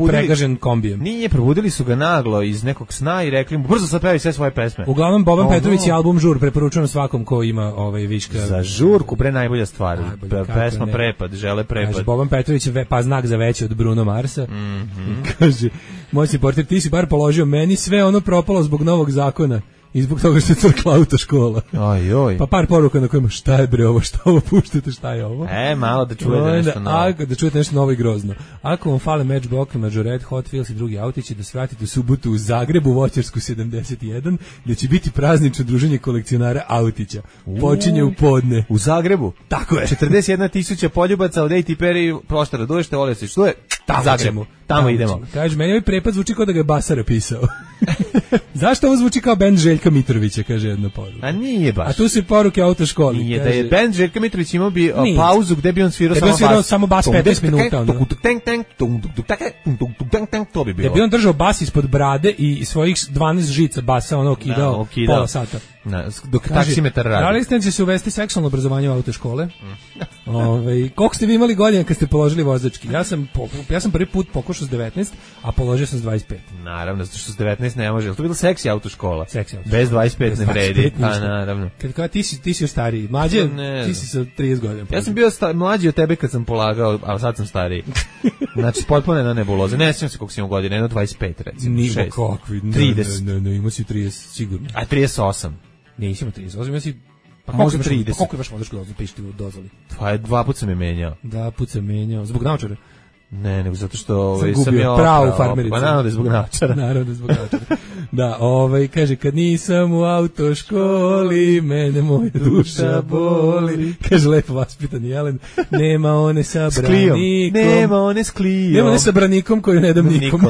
pregažen kombijem. Nije, probudili su ga naglo iz nekog sna i rekli mu, brzo sad pevaj sve svoje pesme. Uglavnom, Boban ono... Petrović je album Žur, preporučujem svakom ko ima ovaj viška. Za žurku, pre najbolja stvar. Najbolja, pesma ne. Prepad, žele prepad. Kaže, Boban Petrović je pa znak za veći od Bruno Marsa. Mm-hmm. Kaže, moćni portir, ti si bar položio meni sve ono propalo zbog novog zakona. I zbog toga što je crkla autoškola. Oj, oj. Pa par poruka na kojima šta je bre ovo, šta ovo puštate, šta je ovo. E, malo da čujete nešto novo. A, da čujete nešto novo i grozno. Ako vam fale Matchbox, Majorette, Hot Wheels i drugi autići, da se vratite u subotu u Zagrebu, Voćarsku sedamdeset jedan, gdje će biti praznično druženje kolekcionara autića. Počinje u podne. U Zagrebu? Tako je. četrdeset jedna tisuća poljubaca od A T P R proštara. Duješte, volio se, što je? Tamo Zagrebu. Tamo, tamo idemo. Kaže, meni ovaj prepad zvuči kao da ga je Basara pisao. Zašto ovo zvuči kao bend Željka Mitrovića, kaže jedna poruka. A nije baš. A tu su poruke autoškoli. Nije, kaže, da je bend Željka Mitrović imao bi nije. pauzu gde bi on svirao samo bas. Da bi on svirao samo bas petnaest minuta. To bi bilo. Da bi on držao bas ispod brade i svojih dvanaest žica basa ono okidao, no, okidao. pola sata. Na, dok taksimetar radi. Da li ste će se uvesti seksualno obrazovanje u autoškole? Mm. Ove, koliko ste vi imali godina kad ste položili vozački? Ja sam, ja sam prvi put pokušao s devetnaest, a položio sam s dvadeset pet. Naravno, zato što s devetnaest ne može. To je bilo seksi autoškola. Seksi autoškola. Bez dvadeset pet ne vredi. Pa naravno. Kad kao ti si ti si stariji, mlađe, ne, ti si sa trideset godina. Ja sam bio sta, mlađi od tebe kad sam polagao, a sad sam stariji. Znači potpuno jedna nebuloza. Ne sjećam se koliko si imao godina, jedno dvadeset pet recimo. Nimo kakvi, trideset. Ne, ne, ne, imao si trideset sigurno. A trideset osam. Nisam trideset osam, ja si pa može trideset. Pa koliko imaš vozačku dozvolu, pišti u dozvoli? Pa je dva puta sam je menjao. Dva puta sam menjao, zbog naočara? Ne, nego zato što ovaj, sam, sam je pravu farmericu. Pa naravno da je zbog naočara. Naravno da je zbog naočara. Da, ovaj, kaže, kad nisam u autoškoli, mene moja duša boli. Kaže, lepo vaspitan Jelen, nema one sa branikom. Nema one s Klijom. Nema one sa branikom koju ne dam nikom.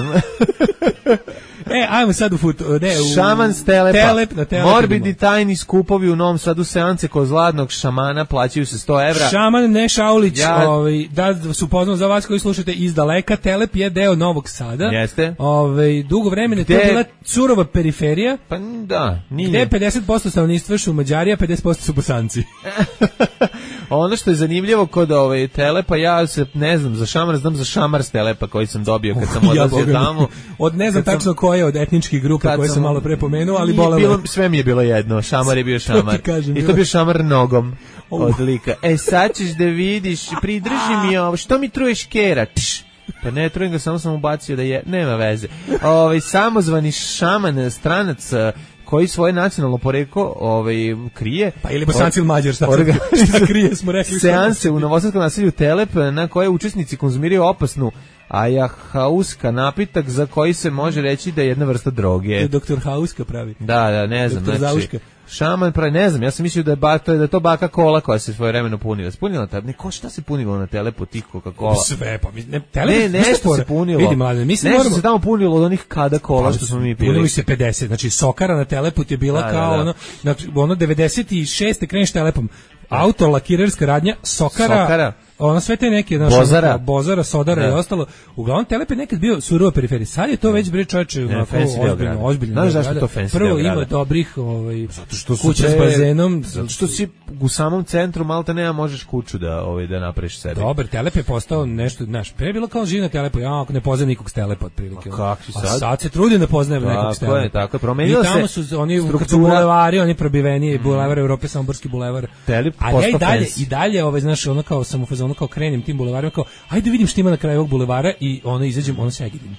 E, ajmo sad u fut, ne, u Šaman s Telepa. Telep, na Telep Morbidni tajni skupovi u Novom Sadu, seance kod zladnog šamana plaćaju se sto evra. Šaman ne Šaulić, ja... ovaj, da su poznao za vas koji slušate iz daleka, Telep je deo Novog Sada. Jeste. Ovaj, dugo vremena Gde... to je bila surova periferija. Pa da, nije. Gde pedeset posto stanovništva su Mađari, a pedeset posto su Bosanci. Ono što je zanimljivo kod ove Telepa, ja se ne znam za šamar, znam za šamar s Telepa koji sam dobio kad sam odlazio ja, tamo. Od ne znam tačno sam, koje od etničkih grupa koje sam, sam malo pre pomenuo, ali bolelo. Bilo, sve mi je bilo jedno, šamar je bio šamar. Kažem, I to bio šamar nogom od lika. E sad ćeš da vidiš, pridrži mi ovo, što mi truješ kera? Tš. Pa ne trujem ga, samo sam ubacio da je, nema veze. Ove, samozvani šaman, stranac, koji svoje nacionalno poreklo ovaj, krije. Pa ili Bosanci ili Mađar, šta, orga, šta krije, smo rekli. Seanse u novosadskom naselju Telep, na koje učesnici konzumiraju opasnu ajahauska napitak za koji se može reći da je jedna vrsta droge. To je doktor Hauska pravi. Da, da, ne znam. Doktor znači, Zauška. Šaman pravi, ne znam, ja sam mislio da je, ba, to je, da je to baka kola koja se svoje vremeno punila. Spunila ta, ne, ko šta se punilo na Telepu tih Coca-Cola? Sve, pa mi, ne, telep, ne, nešto se punilo. Vidi, mlade, mi se nešto moramo... se tamo punilo od onih kada kola pa, što smo mi pili. Punili se pedeset, znači Sokara na Telepu je bila da, kao da, da. ono, znači, ono devedeset šeste kreneš Telepom. Auto, lakirerska radnja, Sokara, Sokara. Ono sve te neke naš, Bozara, Bozara, Sodara da. I ostalo. Uglavnom Telep je nekad bio surova periferija. Sad je to već bre čoveče, onako ozbiljno, ozbiljno. Znaš zašto to fancy? Prvo ima dobrih, ovaj, zato što kuća s bazenom, zato što si u samom centru malta nema možeš kuću da ovaj da napraviš sebi. Dobar, Telep je postao nešto, znaš, pre je bilo kao živna Telepa, ja ako ne poznajem nikog s Telepa otprilike. Kakvi sad? A sad se trudim da poznajem nekog s Telepa. Tako je, tako je, promenilo se. I tamo su oni bulevari, oni probiveni, bulevar Evrope, Samoborski bulevar. Telep a ja i dalje i dalje ovaj znaš ono kao samo fazonu kao krenem tim bulevarima kao ajde vidim šta ima na kraju ovog bulevara i ono izađem ono se agidim.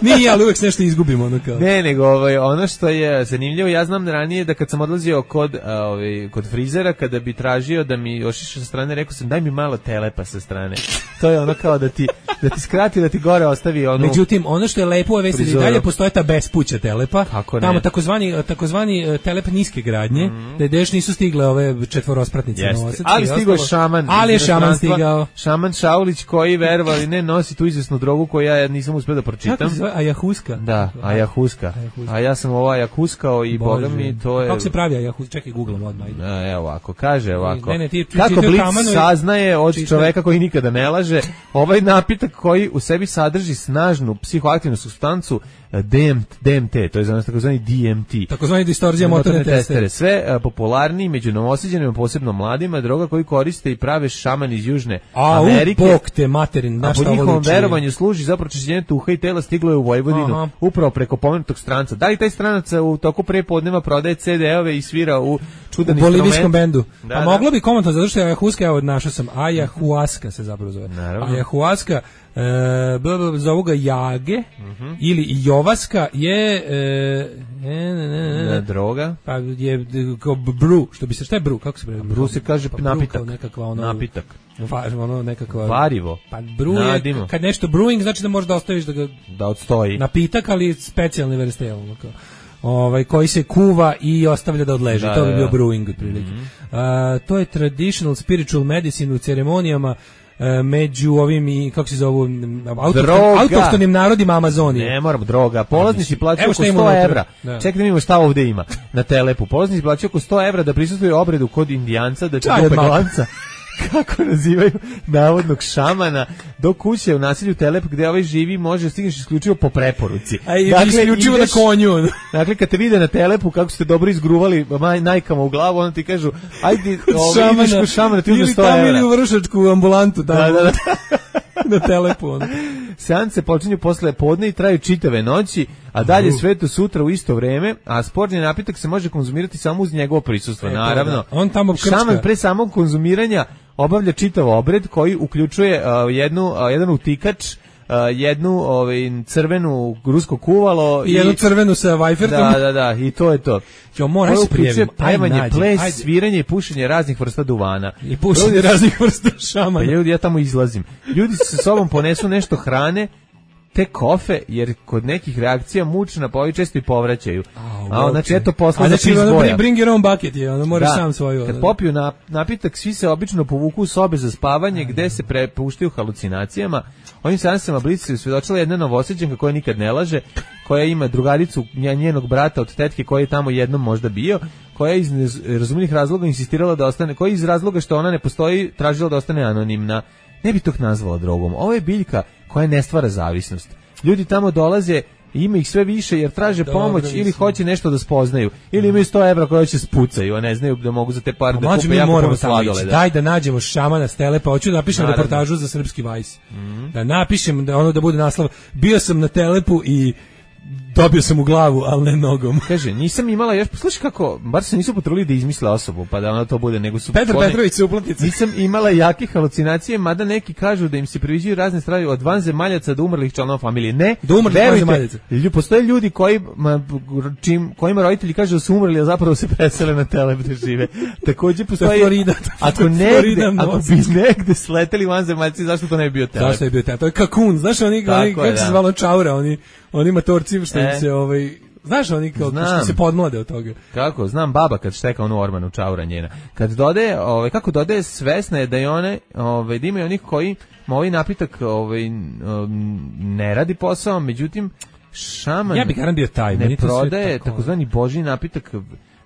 Nije, ali uvek se nešto izgubimo ono kao. Ne, nego ovaj, ono što je zanimljivo, ja znam ranije da kad sam odlazio kod, ovaj, kod frizera, kada bi tražio da mi ošiša sa strane, rekao sam daj mi malo Telepa sa strane. To je ono kao da ti, da ti skrati, da ti gore ostavi ono. Međutim, ono što je lepo je vesti da dalje postoje ta bespuća Telepa. Kako ne? Tamo takozvani, takozvani Telep niske gradnje, mm-hmm. da deš nisu stigle ove četvorospratnice. Ali stigao je šaman. Ali je šaman stigao. Šaman Šaulić koji, verovali ne, nosi tu izvesnu drogu koju ja nisam uspio da pročitam. se zove Ajahuska. Da, Ajahuska. A ja sam ovo Ajahuskao i boga mi to je... Kako se pravi Ajahuska? Čekaj, googlam odmah. A, evo ovako, kaže ovako. Ne, ne, ti, ti, kako ti, Blic kamano, saznaje od čitaj. Čoveka koji nikada ne laže, ovaj napitak koji u sebi sadrži snažnu psihoaktivnu supstancu D M T, to je znači takozvani D M T. Takozvani distorzija motorne testere. Sve uh, popularniji među novosađenima, posebno mladima, droga koju koriste i prave šamani iz Južne A, Amerike. A, u bok te materin, na šta ovo liči. A po njihovom verovanju služi za pročišćenje tuha i tela, stiglo je u Vojvodinu. Aha. Upravo preko pomenutog stranca. Da li taj stranac u toku prepodneva prodaje C D-ove i svira u čudan instrument? U bolivijskom bendu. Da, pa da. moglo bi komentno, zato što je Ajahuska, evo našao sam, Ajahuaska se zapravo zove. Naravno. Ajahuaska, e, zovu ga Jage, uh-huh. ili Jovaska je e, ne, ne, ne, ne. droga. Pa je kao bru, što bi se, šta je bru, kako se pravi? Bru se kaže pa napitak. Nekakva ono, napitak. Va, ono nekakva varivo. Pa bru je, kad nešto brewing znači da možeš da ostaviš da ga da odstoji. Napitak, ali specijalni vrste, onako. Ovaj koji se kuva i ostavlja da odleži. Da, to bi bio brewing otprilike. Mm-hmm. Uh, to je traditional spiritual medicine u ceremonijama uh, među ovim i kako se zovu autohtonim narodima Amazonije. Ne, moramo droga. Polaznici plaćaju oko sto evra. Da. Čekaj da vidimo šta ovde ima na telepu. Polaznici plaćaju oko sto evra da prisustvuju obredu kod indijanca, da će dupe glanca. Kako nazivaju navodnog šamana do kuće u naselju Telep gde ovaj živi može stigneš isključivo po preporuci. A i dakle, isključivo ideš, na konju. Dakle, kad te vide na Telepu kako ste dobro izgruvali najkama u glavu, onda ti kažu ajde, ovaj, ideš kod šamana, ti uzme sto evra. Ili tamo ili u vršačku ambulantu. Tamo. Da, da, da. Na Telepu. Ono. Seance počinju posle podne i traju čitave noći, a dalje uh. sve to sutra u isto vreme, a sportni napitak se može konzumirati samo uz njegovo prisustvo, e, naravno. Da. On tamo krčka. Šaman pre samog konzumiranja obavlja čitav obred koji uključuje uh, jednu, uh, jedan utikač, uh, jednu ovaj, crvenu rusko kuvalo i jednu crvenu sa vajfertom. Da, da, da, i to je to. Jo, moram se prijaviti. Pevanje, ples, ajde. Sviranje i pušenje raznih vrsta duvana. I pušenje ljudi, raznih vrsta šamana. Pa ljudi, ja tamo izlazim. Ljudi sa sobom ponesu nešto hrane, te kofe, jer kod nekih reakcija mučna pa ovi često i povraćaju. A, a znači, eto posla za piz boja. Bring your own bucket je, ono moraš da, sam svoju. Kad popiju na, napitak, svi se obično povuku u sobe za spavanje, a, gde se prepuštaju halucinacijama. Ovim seansama Blic se usvedočila jedna novosađenka koja nikad ne laže, koja ima drugaricu njenog brata od tetke koji je tamo jednom možda bio, koja je iz razumnih razloga insistirala da ostane, koja iz razloga što ona ne postoji tražila da ostane anonimna. Ne bi to nazvala drogom. Ovo je biljka koja ne stvara zavisnost. Ljudi tamo dolaze, ima ih sve više jer traže Dobre, pomoć ili hoće nešto da spoznaju. Ili imaju sto evra koje će spucaju, a ne znaju da mogu za te pare da kupe jako puno sladole. Da. Daj da nađemo šamana s Telepa, hoću da napišem Naravno. reportažu za Srpski Vajs. Mm-hmm. Da napišem, da ono da bude naslov, bio sam na Telepu i dobio sam u glavu, ali ne nogom. Kaže, nisam imala još, slušaj kako, bar se nisu potrudili da izmisle osobu, pa da ona to bude, nego su... Petar one, Petrović se uplatnice. Nisam imala jake halucinacije, mada neki kažu da im se priviđuju razne stvari od vanzemaljaca do umrlih članova familije. Ne, do umrlih vanzemaljaca. Postoje ljudi koji, ma, čim, kojima roditelji kažu da su umrli, a zapravo se presele na Telep da žive. Takođe postoji... Florida. Ako, negde, ako bi negde sleteli vanzemaljci, zašto to ne bi bio Telep? Zašto je bio Telep? To je kakun, znaš oni, oni kako se zvalo čaura, oni, oni matorci što e. se ovaj znaš oni kao što se podmlade od toga. Kako? Znam baba kad šteka onu ormanu čaura njena. Kad dode, ovaj kako dode svesna je da je one, ovaj da imaju onih koji ovaj napitak ovaj ne radi posao, međutim šaman ja bih garan bio taj, ne prodaje takozvani božji napitak,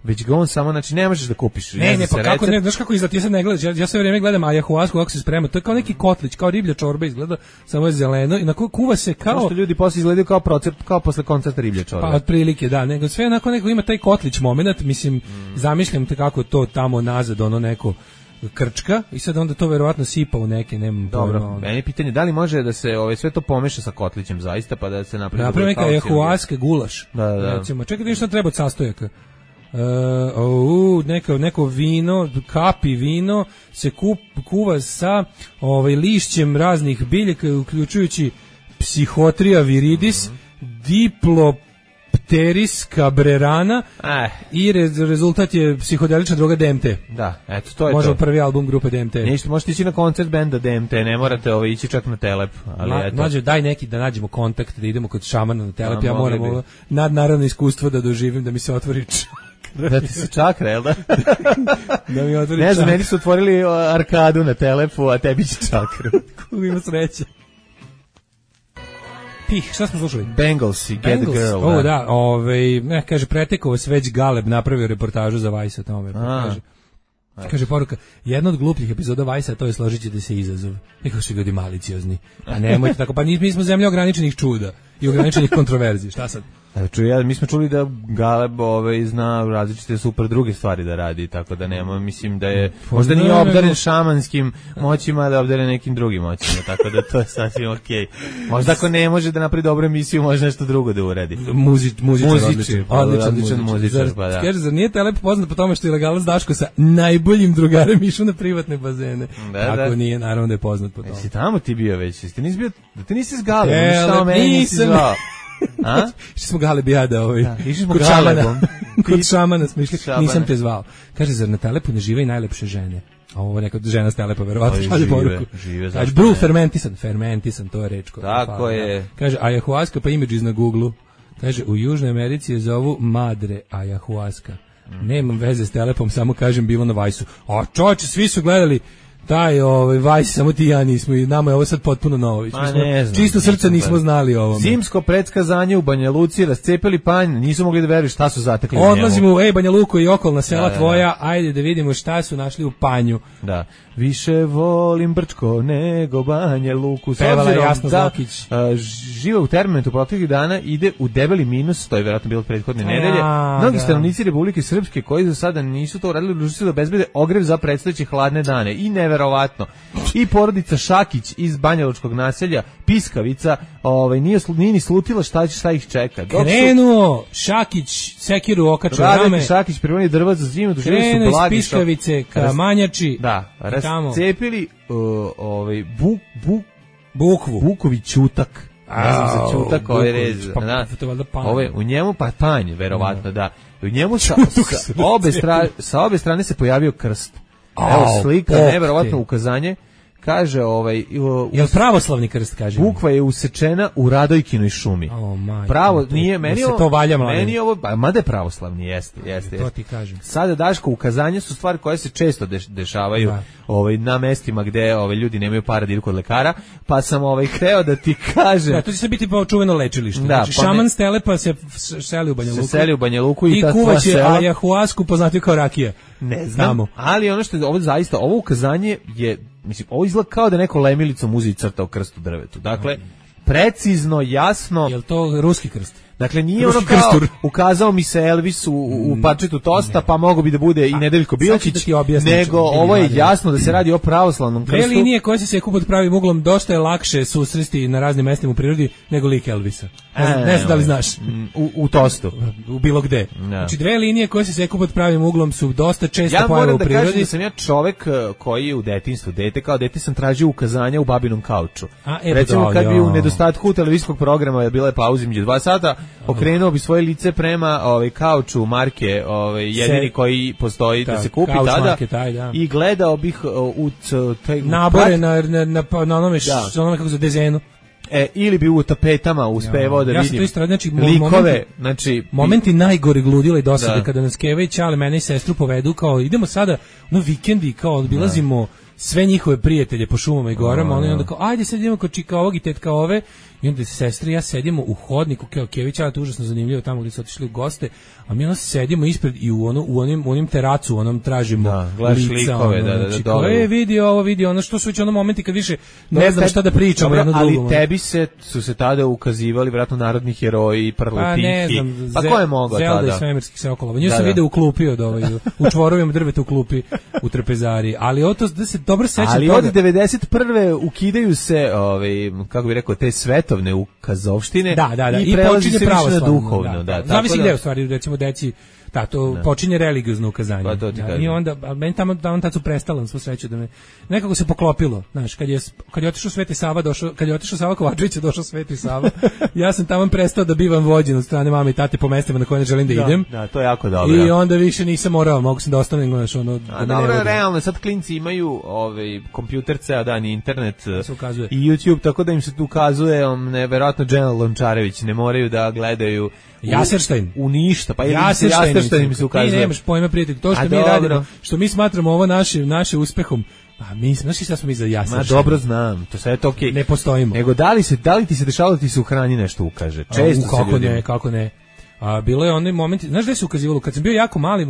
već ga on samo, znači ne možeš da kupiš. Ne, ne, ne pa kako, ne, znaš kako izgleda, ja sad ne gledaš, ja, ja sve vrijeme gledam ajahuasku kako se sprema, to je kao neki kotlić, kao riblja čorba izgleda, samo je zeleno i na kuva se kao... Što ljudi posle izgledaju kao procep, kao posle koncerta riblja čorba. Pa otprilike, da, nego sve onako neko ima taj kotlić moment, mislim, mm. zamišljam te kako to tamo nazad, ono neko krčka i sad onda to verovatno sipa u neke, nemam dobro. Pojma, meni je pitanje da li može da se ovaj sve to pomeša sa kotlićem zaista pa da se napravi napravi neka ajahuaska gulaš. Da, da. Recimo, čekaj, šta treba od sastojaka? Uh, oh, neko, neko vino, kapi vino se kup, kuva sa ovaj, lišćem raznih biljaka, uključujući Psychotria viridis, mm-hmm. Diplopteris cabrerana eh. i re, rezultat je psihodelična droga D M T. Da, eto, to je Možemo to. prvi album grupe D M T. Ništa, možete ići na koncert benda D M T, ne morate ovaj, ići čak na Telep. Ali Na, eto. Nađe, daj neki da nađemo kontakt, da idemo kod šamana na Telep, ja, ja moram ovo nadnaravno iskustvo da doživim, da mi se otvori da ti se čakra, jel da? Da mi otvori ne znam, meni su otvorili arkadu na Telepu, a tebi će čakru. Kako ima sreće. Pih, šta smo slušali? Bengalsi, Get Bengals, the Girl. O, da. da, ovaj, ne, kaže, pretekao vas već Galeb napravio reportažu za Vice o tome. A. Kaže, kaže poruka, jedna od glupljih epizoda Vice-a, to je složit ćete se izazov. Nekako su ljudi maliciozni. Pa nemojte tako, pa mi smo zemlja ograničenih čuda i ograničenih kontroverzi. Šta sad? Evo, čuj, ja, mi smo čuli da Galeb ovaj, zna različite super druge stvari da radi, tako da nema, mislim da je, možda nije obdaren šamanskim moćima, da je obdaren nekim drugim moćima, tako da to je sasvim okej. Okay. Možda ako ne može da napravi dobru emisiju, može nešto drugo da uradi. Muzič, muzičar, Muzičar, odličan, pa, odličan, odličan muzičar, Zar, pa da. Kaže, zar nije Telep poznat po tome što je ilegalac Daško sa najboljim drugarem išao na privatne bazene? Da, Ako da. nije, naravno da je poznat po tome. Jesi tamo ti bio već? Jesi ti nisi bio, da ti nisi s Galebom, Telep, šta o meni nisi nisam. zvao? A? Išli smo Galeb i ja da ovaj, Da, išli smo kod Galebom. šamana, kod šamana smo išli, Šamana. nisam te zvao. Kaže, zar na Telepu ne žive i najlepše žene? A ovo neka žena s Telepa, verovatno Oj, šalje žive, poruku. žive, Kaže, zašto Bru, ne? fermentisan, fermentisan, to je reč. koja Tako fala, je. da. Kaže, ayahuasca pa images na Google-u. Kaže, u Južnoj Americi je zovu madre ayahuasca. Nemam veze s Telepom, samo kažem bilo na Vajsu. A čoče, svi su gledali taj ovaj Vajs, samo ti i ja nismo i nama je ovo sad potpuno novo. Mi Ma, smo, ne znam, čisto srca nisam nismo gledao. znali o ovome. Zimsko predskazanje u Banja Luci, rascepili panj, nisu mogli da veruju šta su zatekli u njemu. Odlazimo u ej Banja Luku i okolna sela Da, da, da. tvoja, ajde da vidimo šta su našli u panju. Da. Više volim Brčko nego Banja Luku. S Pevala je obzirom Jasna da Zokić. a, žive u Termometru proteklih dana, ide u debeli minus, to je vjerojatno bilo prethodne nedelje. A, Mnogi da. stanovnici Republike Srpske koji za sada nisu to uradili, odlučili su da obezbede ogrev za predstojeće hladne dane. I neverovatno. I porodica Šakić iz banjalučkog naselja, Piskavica, ovaj, nije, slu- nije ni slutila šta, će- šta ih čeka. Dok su Krenuo Šakić, sekiru okačao Radek rame, i Šakić pripremili drva za zimu, doživjeli su krenuo iz blagi šok. Piskavice ka Raz- Manjači, Da, i tamo. rascepili uh, ovaj, bu, bu, Bukvu. Bukovi ćutak. Ne znam za ćutak ovaj Buković, rez. pa da. to je valjda panj. Ove, u njemu pa panj, verovatno, da. U njemu sa, Ćutuk sa, se obe rascepio. stra, sa obe strane se pojavio krst. Au, Evo slika, bog neverovatno te. ukazanje. Kaže, ovaj, u, Jel pravoslavni krst, kaže? bukva je usečena u Radojkinoj šumi. O, majko, Pravo, to- nije, da meni se ovo- to valja, mladen. meni ovo, ba, mada je pravoslavni, jeste, jeste, To jeste. ti kažem. Sada, Daško, ukazanja su stvari koje se često deš, dešavaju Da. ovaj, na mestima gde ovaj, ljudi nemaju para da idu kod lekara, pa sam ovaj, hteo da ti kažem, Da, to će se biti pa čuveno lečilište. Da, Znači, pa ne- šaman s Telepa se f- seli u Banja se Luku. seli u Banja Luku i, I ta kuvaće tva sela. ayahuasku poznatiju kao rakija. Ne znam, Tamo. ali ono što je, ovo zaista, ovo ukazanje je, mislim, ovo izgleda kao da je neko lemilicom uzi i crtao krst u drvetu. Dakle, precizno, jasno, Jel to ruski krst? dakle nije Ruski ono kao krstur. ukazao mi se Elvis u, u parčetu tosta, pa mogo bi da bude i Nedeljko sad ću da Bilčić, ti objasnim nego čemu, ovo je vidi, jasno da se radi o pravoslavnom Dve krstu. linije koje se seku pod pravim uglom dosta je lakše susresti na raznim mestima u prirodi nego lik Elvisa. Ne znam, ne znam da li znaš. Mm, U, u tostu. U bilo gde. Da. Znači dve linije koje se seku pod pravim uglom su dosta često Ja pojave moram u da kažem prirodi. da sam ja čovek eh, koji je u detinjstvu, dete kao dete sam tražio ukazanja u babinom kauču. A, e, Recimo da, kad bi u ja. nedostatku televizijskog programa je bila je pauza između dva sata, okrenuo bi svoje lice prema ovaj kauču marke, ovaj jedini Se- koji postoji da Da, se kupi Couch tada. Market, aj, da. I gledao bih eh, u c- taj Nabore prat- na, na, na, pa, na onome, š, Da. onome kako za dezenu. e, ili bi u tapetama uspevao da Ja sam vidim to isto radio, znači, mo- likove, momenti- znači Momenti najgore gludila i dosade Da. kada nas Keva i Ćale mene i sestru povedu kao idemo sada na vikendi kao obilazimo sve njihove prijatelje po šumama i gorama, oni onda kao ajde sad idemo kod čika ovog i tetka ove i onda sestre i ja sedimo u hodniku kao Kević, ali to je užasno zanimljivo tamo gdje su otišli u goste, a mi onda sedimo ispred i u ono u onim u onim teracu, u onom tražimo Da, gledaš lica, likove, ono, da, da, da, znači, dole. kao, e, vidi ovo, vidi ono, što su već ono momenti kad više ne Dobro, znam te- šta da pričamo dobro, jedno ali drugom. tebi se su se tada ukazivali vjerojatno narodni heroji, Pa prletihi. ne znam, Pa Ze- ko je mogao Zelda tada? i svemirski seokolova. Nju Da, sam da. video u klupi od ovaj, u čvorovima drveta u klupi u trpezari. Ali ovo to da se dobro sećam Ali toga. od devedeset prve ukidaju se, ovaj, kako bi rekao, te svetovne ukazovštine Da, da, da. i, I, prelazi počinje se više na pravoslavno. duhovno. Da, Da, da. tako Zavisi da- gde u stvari, recimo deci, da, to počinje religiozno ukazanje. Pa to ti Da, kažem. I onda, a meni tamo, tamo tad su prestala, na svu sreću da me, nekako se poklopilo, znaš, kad je, kad je otišao Sveti Sava, došao, kad je otišao Sava Kovačević, je došao Sveti Sava, ja sam tamo prestao da bivam vođen od strane mame i tate po mestima na koje ne želim da, Da, idem. da, to je jako dobro. I onda više nisam morao, mogu sam da ostanem, znaš, ono, da A me ne dobro, vode. realno, sad klinci imaju ovaj, kompjuter ceo dan i internet se ukazuje. i YouTube, tako da im se tu ukazuje, um, nevjerojatno Dženal Lončarević, ne moraju da gledaju u, Jaserstein. u ništa, pa ili Jaserstein Jaserstein im se Ti ukazuje. nemaš pojma, prijatelj. To što A mi dobro. radimo, što mi smatramo ovo naše, naše uspehom, A mi smo, znaš šta smo mi za ja Ma dobro znam, to sve je to okej. Ne postojimo. Nego da li se da li ti se dešavalo da ti se u hrani nešto ukaže? Često A, u, kako se ljudi ne, kako ne. A bilo je onaj moment, znaš gde se ukazivalo, kad sam bio jako mali,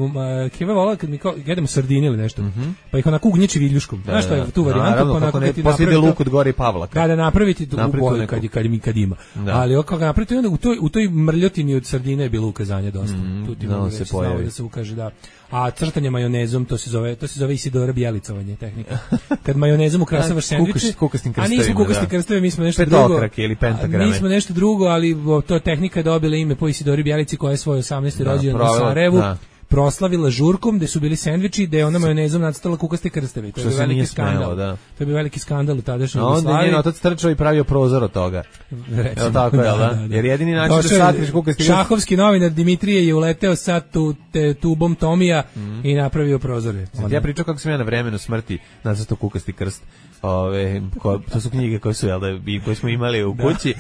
Keva volala kad mi kao jedemo sardine ili nešto, mm-hmm. pa ih onako ugnječi viljuškom. Da, znaš što je tu varijanta, naravno, pa onako ne, kad ti posle ide napravi luk od gore i Pavlaka. Kada napraviti tu Napravi boju, neku... kad, kad, kad ima. Da. Ali oko ga napraviti, onda u toj, u toj mrljotini od sardine je bilo ukazanje dosta. Mm, tu ti da, mogu se reći, pojavi. znao da se ukaže, da. A crtanje majonezom, to se zove, to se zove Isidora Bjelicovanje tehnika. Kad majonezom ukrasavaš sendviče, kukastim a nismo kukasti krstove, mi smo nešto Petokrake drugo. ili pentagrame. Nismo nešto drugo, ali to tehnika je dobila ime po Isidori Bjelici koja je svoj osamnaesti Da, rođendan u pravo, Sarajevu. Da. proslavila žurkom gde su bili sendviči, gde je ona majonezom nacrtala kukaste krsteve. To je bio veliki skandal. Da. To je bio veliki skandal u tadašnjoj Jugoslaviji. Onda je njen otac trčao i pravio prozor od toga. Recimo, tako je, da, da, da. Jer jedini način da satriš kukasti krst... Šahovski novinar Dimitrije je uleteo sad tu te, tubom Tomija mm. i napravio prozore. Sad ja pričao kako sam ja na vremenu smrti nacrtao kukasti krst. Ove, ko, to su knjige koje su, jel da, koje smo imali u kući.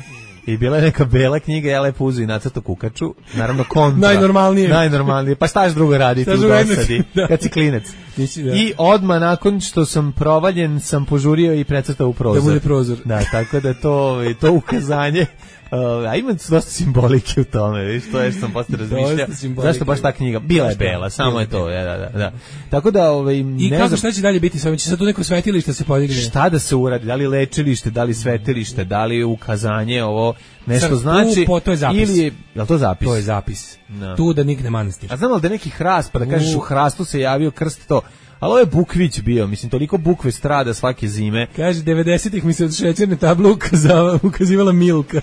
I bila je neka bela knjiga, ja lepo uzu i nacrto kukaču, naravno kontra. Najnormalnije. Najnormalnije, pa šta još drugo raditi u dosadi, da. kad si klinec. Nisi, da. I odmah nakon što sam provaljen, sam požurio i precrtao u prozor. Da bude prozor. Da, tako da to, to ukazanje, uh, a ima dosta simbolike u tome, viš, to je što sam posle razmišljao. Zašto baš ta knjiga? Bila je bela, samo je to, ja, da, da, da. Tako da, ovaj, I ne kako, znam, šta će dalje biti? Sve će sad tu neko svetilište se podigne? Šta da se uradi? Da li lečilište, da li svetilište, da li ukazanje, ovo nešto Sad, znači? Po, to je zapis. Ili je, je li to zapis? To je zapis. No. Tu da nikne manastir. A znam li da je neki hrast, pa da kažeš u hrastu se javio krst to, ali ovo je Bukvić bio, mislim, toliko bukve strada svake zime. Kaže, devedesetih mi se od šećerne table ukazava, ukazivala Milka.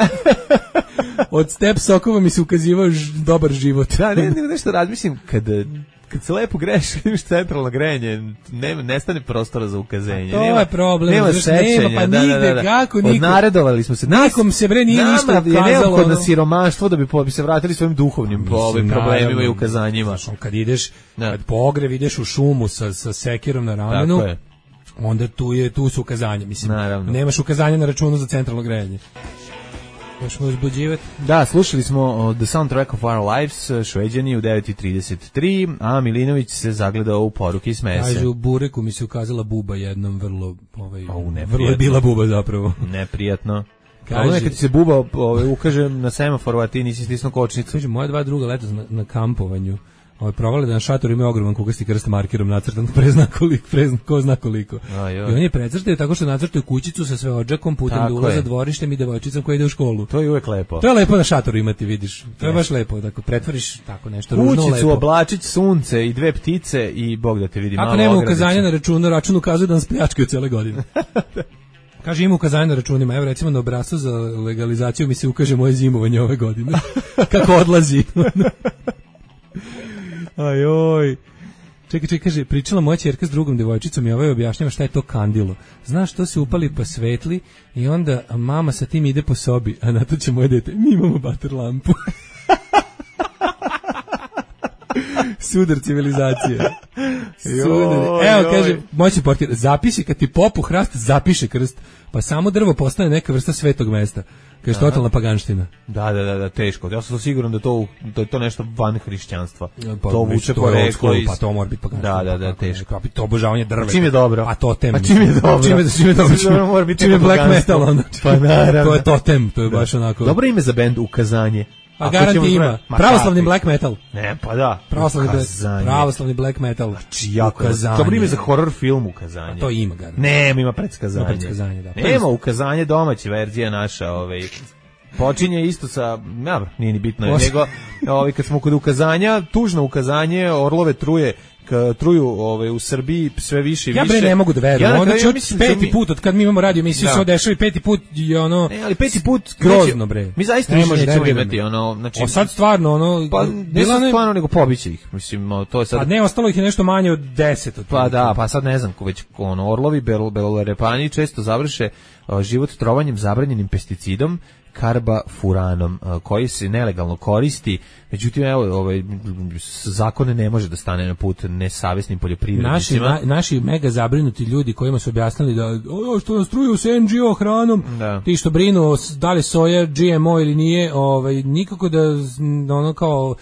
Od step sokova mi se ukazivao ž, dobar život. Da, ne, ne, nešto razmišljam, kad, kad se lepo greši, imaš centralno grejanje, ne, nestane prostora za ukazenje. To nema, je problem. Nema znaš, sećanja. nema, pa da, nigde, da, da. kako niko. Odnaredovali smo se. Nikom se bre nije ništa ukazalo. Nama je neophodno siromaštvo da bi, po, bi se vratili svojim duhovnim mislim, po, ovim problemima naravno, i ukazanjima. Znaš, kad ideš, da. Kad po ogrev ideš u šumu sa, sa sekirom na ramenu, onda tu, je, tu su ukazanja. Mislim, naravno. Nemaš ukazanja na računu za centralno grejanje. Možemo uzbuđivati. Da, slušali smo The Soundtrack of Our Lives, Šveđani u devet i trideset tri, a Milinović se zagledao u poruke i smeje se. Kaže, u Bureku mi se ukazala buba jednom, vrlo, ovaj, o, vrlo je bila buba zapravo. Neprijatno. Kaže, ono je kad ti se buba ovaj, ukaže na semaforu, a ti nisi stisnuo kočnicu. Kaže, moja dva druga leta na, na kampovanju. Ovaj provali da na šatoru ima ogroman kukasti krst markerom nacrtan prezna koliko, prezna ko zna koliko. A, I on je precrtao tako što nacrtao kućicu sa sve odžakom putem do ulaza dvorištem i devojčicom koja ide u školu. To je uvek lepo. To je lepo na šatoru imati, vidiš. To je baš lepo, tako pretvoriš tako nešto ružno lepo. Kućicu, oblačić, sunce i dve ptice i Bog da te vidi malo. Ako nema ukazanja na računu, račun ukazuje da nas pljačkaju cele godine. Kaže, ima ukazanje na računima. Evo recimo na obrascu za legalizaciju mi se ukaže moje zimovanje ove godine. Kako odlazi. Ajoj. Čekaj, čekaj, kaže, pričala moja ćerka s drugom devojčicom i ovaj objašnjava šta je to kandilo. Znaš, to se upali pa svetli i onda mama sa tim ide po sobi, a na to će moje dete, mi imamo bater lampu. Sudar civilizacije. Sudar. Evo, kaže, moći portir, zapisi kad ti popu hrast, zapiše krst, pa samo drvo postane neka vrsta svetog mesta. Kaže, totalna paganština. Da, da, da, da, teško. Ja sam siguran da to da je to nešto van hrišćanstva. Pa, to vuče poreklo iz... Pa to mora biti paganština. Da, da, da, teško. Pa to obožavanje drveta. Pa čim je dobro? Pa totem. Pa čim je dobro? Čim je, čim je dobro? Čim, mora biti čim je black metal onda. Pa naravno. To je totem, to je baš onako. Dobro ime za bend Ukazanje. A garanti ima. Pravoslavni black metal. Ne, pa da. Pravoslavni, pravoslavni black metal. Znači, jako ukazanje. Dobro ime za horror film Ukazanje. A to ima garanti. Nema, ima predskazanje. Ima predskazanje, da. Nema Ukazanje, domaća verzija naša, ovaj... Počinje isto sa, ja, nije ni bitno, Os... nego ovaj, kad smo kod ukazanja, tužno ukazanje, orlove truje, k, truju ovaj, u Srbiji sve više i više. Ja bre ne mogu da verujem, ja onda će ja peti mi... put od kad mi imamo radio emisiju se dešava peti put i ono... Ne, ali peti put grozno bre. Mi zaista ne možemo imati ono... Znači, o sad stvarno ono... Pa ne sad stvarno nego pobiće ih, mislim, to je sad... A ne, ostalo ih je nešto manje od deset. Od pa da, pa sad ne znam, već ono, orlovi, belorepani često završe uh, život trovanjem zabranjenim pesticidom, karbafuranom, koji se nelegalno koristi, međutim evo ovaj zakon ne može da stane na put nesavesnim poljoprivrednicima. Naši na, naši mega zabrinuti ljudi kojima su objasnili da o što nas truju s N G O hranom, da. Ti što brinu da li soja G M O ili nije, ovaj nikako da ono kao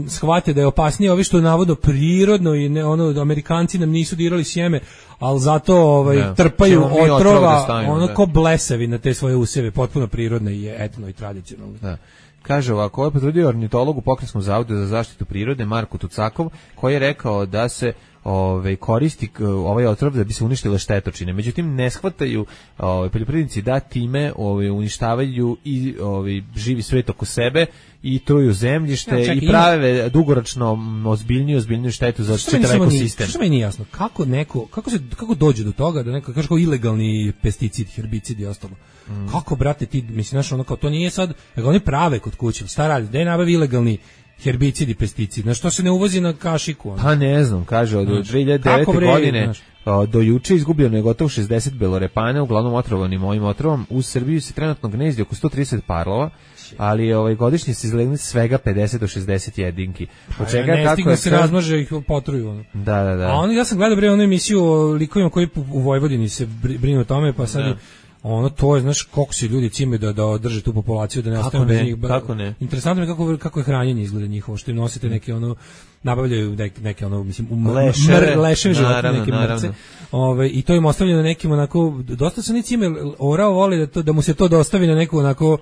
shvate da je opasnije ovi što je navodno prirodno i ne, ono, Amerikanci nam nisu dirali sjeme, ali zato ovaj, ne, trpaju otrova, otrova, stavimo, ono da. ko blesavi na te svoje useve, potpuno prirodne i etno i tradicionalne. Da. Kaže ovako, ovo je potvrdio ornitolog u Pokrajinskom zavodu za zaštitu prirode Marko Tucakov, koji je rekao da se Ove, koristi ovaj otrov da bi se uništile štetočine. Međutim, ne shvataju ove, poljoprivrednici da time ove, uništavaju i ove, živi svet oko sebe i truju zemljište ja, čekaj, i prave ima... dugoročno ozbiljniju, ozbiljniju štetu za čitav ekosistem. Što meni nije jasno? Kako neko, kako se kako dođe do toga da neko kaže kao ilegalni pesticid, herbicid i ostalo. Mm. Kako brate ti, mislim znaš, ono kao to nije sad, nego oni prave kod kuće. Šta radi? Da je nabavi ilegalni herbicid i pesticid. Na što se ne uvozi na kašiku? Ono? Pa ne znam, kaže od dve hiljade devete. godine znaš? Do juče izgubljeno je gotovo šezdeset belorepana, uglavnom otrovanim ovim otrovom. U Srbiji se trenutno gnezdi oko sto trideset parlova, ali ovaj godišnje se izlegnu svega pedeset do šezdeset jedinki. Od čega ne kako je se sve... razmnože ih potruju ono. Da, da, da. A oni ja sam gledao bre onu emisiju o likovima koji u Vojvodini se brinu o tome, pa sad da. Ono to je, znaš, koliko se ljudi cime da da održe tu populaciju da ne ostane bez njih. Kako ne? Interesantno je kako kako je hranjenje izgleda njihovo, što im nosite neke ono nabavljaju neke, neke ono mislim um, leševe, leševe životinje, neke mrce. Ove i to im ostavljeno nekim onako dosta se ni cime orao voli da to da mu se to dostavi na neku onako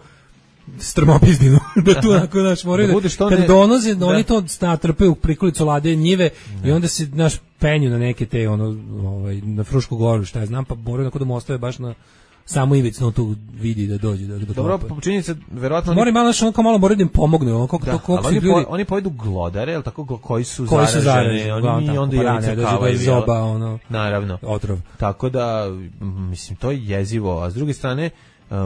strmopizdinu da tu onako naš moraju da, da kad ne... donoze da. Oni to natrpe u prikolicu lade njive da. I onda se naš penju na neke te ono ovaj na Frušku goru šta ja znam pa moraju onako da mu ostave baš na samo ivicno tu vidi da dođe do do dobro činjenica verovatno mora malo što onako malo mora da im pomogne on kako da, to kako oni ljudi po, oni pojedu glodare el tako koji su koji zaraženi, zaraženi oni i onda je dođe do zoba ono naravno otrov tako da mislim to je jezivo a s druge strane uh,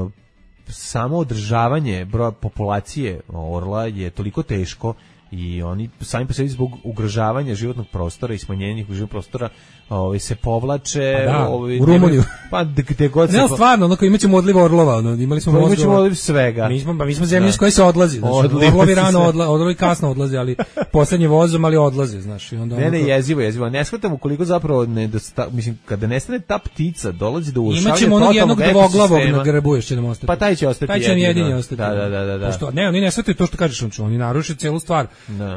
samo održavanje broja populacije orla je toliko teško i oni sami po sebi zbog ugrožavanja životnog prostora i smanjenja životnog prostora ovaj se povlače da, ovaj u Rumuniju pa gde god se ne stvarno onako imaćemo odliv orlova ono imali smo mozgova imaćemo odliv svega mi smo pa mi smo zemlja s koje se odlazi znači orlovi rano odlaze odlazi kasno odlaze ali poslednji vozom ali odlaze znaš i onda ne ne jezivo jezivo ne shvatamo koliko zapravo ne dosta, mislim kada nestane ta ptica dolazi do urušavanja imaćemo onog jednog dvoglavog na grbu još će nam ostati pa taj će ostati taj će jedini, jedini ostati da da da da pošto ne oni ne shvataju to što kažeš on oni naruše celu stvar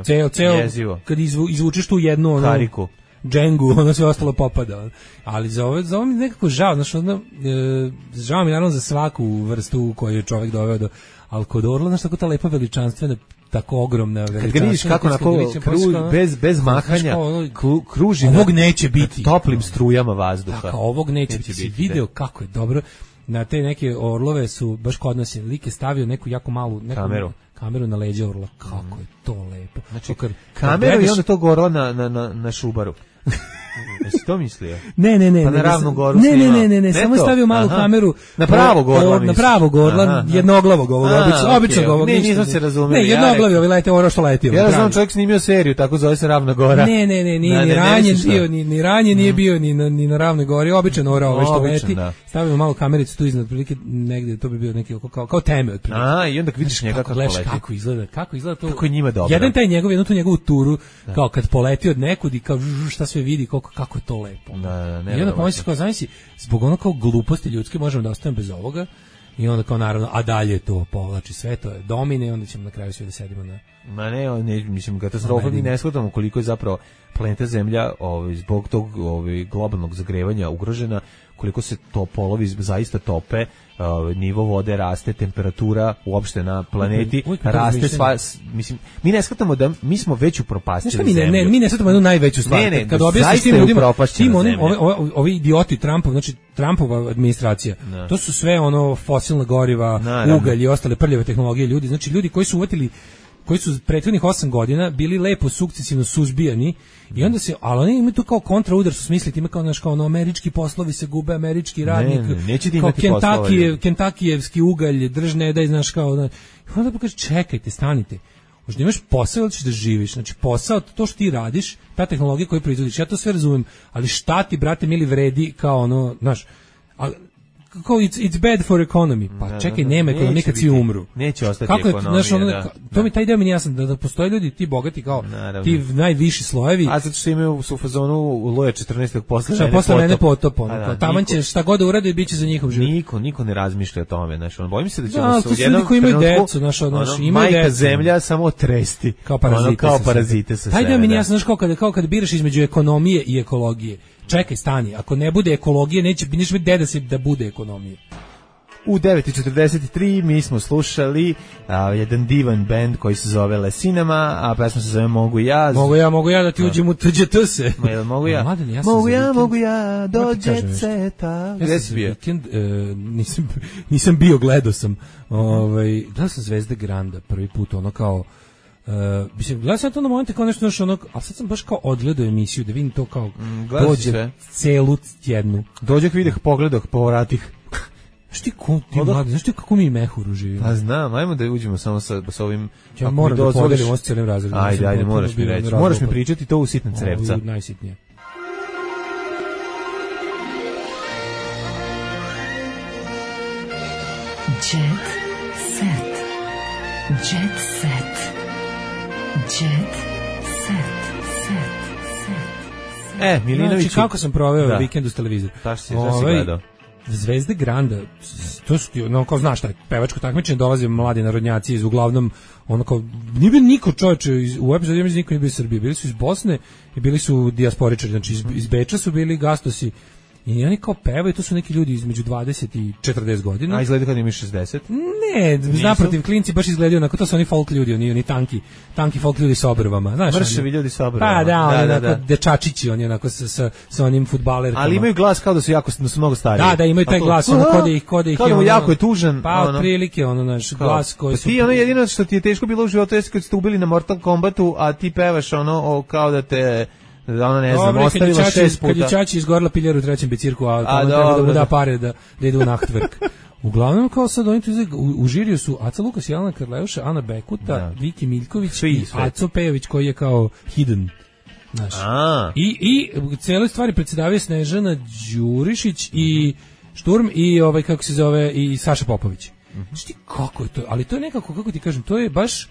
ceo ceo kad izvu, izvučeš tu jednu ono kariku džengu, ono sve ostalo popada. Ali za ovo, za ovo mi nekako žao, znači ono, e, žao mi naravno za svaku vrstu koju je čovjek doveo do, ali kod orla, znači tako ta lepa veličanstvena, tako ogromna veličanstvena. Kad ga vidiš kako onako kru, bez, bez mahanja kru, kruži ovog neće biti. Toplim strujama vazduha. Tako, ovog neće, neće biti. Video kako je dobro. Na te neke orlove su, baš kod nas je lik je stavio neku jako malu neku, kameru. kameru na leđa orla. Kako je to lepo. Znači, kad, kameru gledaš, i onda to orla na, na, na, na šubaru. Jesi to mislio? Ne, ne, ne. Pa na ravnu goru ne, ne, ne, ne, ne, samo stavio malu aha. kameru na pravo gorla, na pravo gorla, jednoglavog ovog, obično, običnog ovog. Ne, nismo se razumeli. Ne, jednoglavi, ovaj lete oro što letio. Ja znam čovjek snimio seriju, tako zove se Ravna gora. Ne, ne, ne, nije ni ranjen bio, ni ni ranjen nije bio ni na ni na Ravnoj gori, običan oro ovaj što leti. Stavio malu kamericu tu iznad, prilike negde to bi bio neki kao kao teme otprilike. A, i onda vidiš njega kako leti. Kako izgleda, kako izgleda to. Kako je njima dobro. Jedan taj njegov, jednu tu njegovu turu, kao kad poleti od nekud i kao šta sve vidi, koliko kako je to lepo. Da, ne. I onda pomislim kao, znači, zbog ono kao gluposti ljudske možemo da ostavimo bez ovoga i onda kao naravno, a dalje to povlači sve, to je domine i onda ćemo na kraju svi da sedimo na... Ma ne, ne mislim, katastrofa mi ne shvatamo koliko je zapravo planeta Zemlja ovaj, zbog tog ovaj, globalnog zagrevanja ugrožena, koliko se to polovi zaista tope, uh, nivo vode raste, temperatura uopšte na planeti uvijek, uvijek raste sva, mislim, mi ne shvatamo da mi smo već upropastili mi ne, zemlju. Ne, mi ne shvatamo jednu najveću stvar. Ne, ne, kad objasniš tim ljudima, tim onim, ovi, ovi, ovi idioti Trumpov, znači Trumpova administracija, no. To su sve ono fosilna goriva, no, ugalj i ostale prljave tehnologije ljudi, znači ljudi koji su uvatili koji su prethodnih osam godina bili lepo sukcesivno suzbijani i onda se, ali oni imaju tu kao kontraudar su smisliti, ima kao, naš, kao ono, američki poslovi se gube, američki radnik, ne, ne, neće kao Kentakije, Kentakijevski ugalj, držne, daj, znaš, kao, da, i onda pokaže, čekajte, stanite, možda imaš posao ili ćeš da živiš, znači posao, to što ti radiš, ta tehnologija koju proizvodiš, ja to sve razumem, ali šta ti, brate, mili vredi kao ono, znaš, a, kao it's, it's bad for economy. Pa Da, čekaj, da, da. nema ekonomije Neće kad svi biti. umru. Neće ostati Kako je, ekonomija, znaš, ono, da. ka- to mi taj deo mi nije jasan, da, da postoje ljudi, ti bogati kao, Naravno. ti najviši slojevi, A zato što imaju su u fazonu u Loje četrnaestog posle šta mene posle mene potop. potop, ono, A da, kao, taman niko- će šta god da urade, bit će za njihov život. Niko, niko ne razmišlja o tome, znači, on bojim se da ćemo Da, se to u su jednom ljudi koji imaju trenutku, decu, znaš, ono, ono, imaju majka decu. zemlja samo tresti. Kao parazite. Ono, kao sa parazite sebe. sa Taj sebe, deo mi nije da. jasno, znaš, kao kad, kao kad biraš između ekonomije i ekologije. Čekaj, stani, ako ne bude ekologije, neće, neće biti deda se da bude ekonomije. U devet i četrdeset tri mi smo slušali a, jedan divan bend koji se zove Lesinama, a pesma se zove Mogu ja. Mogu ja, mogu ja da ti uđem u T Đ T se. Ma, jel mogu ja? Mladen, ja sam mogu za ja, vikend- mogu ja, Moram ti kažem dođe nešto. ceta. Ja Gde sam si za bio? vikend, e, nisam, nisam bio, gledao sam. Ovaj, gledao sam Zvezde Granda prvi put, ono kao, Uh, mislim, gledao sam to na momente kao nešto, nešto ono, a sad sam baš kao odgledao emisiju da vidim to kao Mm, gledao si dođe sve? celu jednu. Dođek videh, pogledah, povratih. Znaš ti, ko, ti Odah. mladi, znaš ti kako mi i mehuru živimo? Pa znam, ajmo da uđemo samo sa, sa ovim... Ja ako mi moram da dozvoliš- podelim ovo s cijelim razredom. Ajde, Ja sam ajde, potpuno moraš mi bio reći. razlog. Moraš mi pričati to u sitna crevca. Ovo je najsitnije. Jet set. Jet set. Jet set. Set. Set. E, Milinović... Znači, kako sam proveo Da. vikend uz televizor? Šta si, šta si Ovaj, gledao? Zvezde Granda, s- to su ti, no, kao znaš taj pevačko takmičenje, dolaze mladi narodnjaci iz uglavnom, ono kao, nije bio niko čovječe, iz, u epizodi, ja mislim, niko nije bio iz Srbije, bili su iz Bosne i bili su dijasporičari, znači iz, iz Beča su bili gastosi i oni kao pevaju, to su neki ljudi između dvadeset i četrdeset godina. A izgleda kad imaš šezdeset? Ne, naprotiv, klinci baš izgledaju onako, to su oni folk ljudi, oni, oni tanki, tanki folk ljudi sa obrvama, znaš. Mršavi oni- ljudi sa obrvama. Pa da, oni Da, da, onako da. dečačići, oni onako sa, sa, sa onim fudbalerkama. Ali imaju glas kao da su jako da su mnogo stariji. Da, da, imaju taj Pa to- glas, ono kod ih, kod ih Kao da mu ono- jako je tužan. Pa ono. otprilike ono naš Kao, glas koji pa su ti ono jedino što ti je teško bilo u životu jeste kad ste ubili na Mortal Kombatu, a ti pevaš ono o, kao da te da ono ne znam, Dobro, kad je ostavila Čači- šest Kad je puta. Čači izgorila piljer u trećem bicirku, a, A, a treba da dobro, mu da da. pare da, da ide u nachtvrk. Uglavnom, kao sad oni tu izgleda- u, u žiriju su Aca Lukas, Jelena Karleuša, Ana Bekuta, Da. Viki Miljković Svi, i sve. Aco Pejović koji je kao hidden. Znaš. A, I, i u cijeloj stvari predsedavaju Snežana Đurišić i Šturm i ovaj kako se zove i Saša Popović. Znaš ti kako je to? Ali to je nekako, kako ti kažem, to je baš,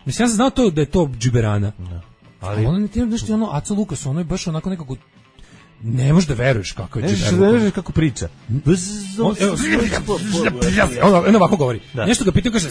mislim, ja sam znao to da je to džiberana. ali Ali ono ne ti nešto ono Aca Lukas, ono je baš onako nekako ne možeš da veruješ kako je ne znaš, džiberana. ne znaš kako priča. On, evo, ono, ono ovako govori. Da. Nešto ga pitaju, kaže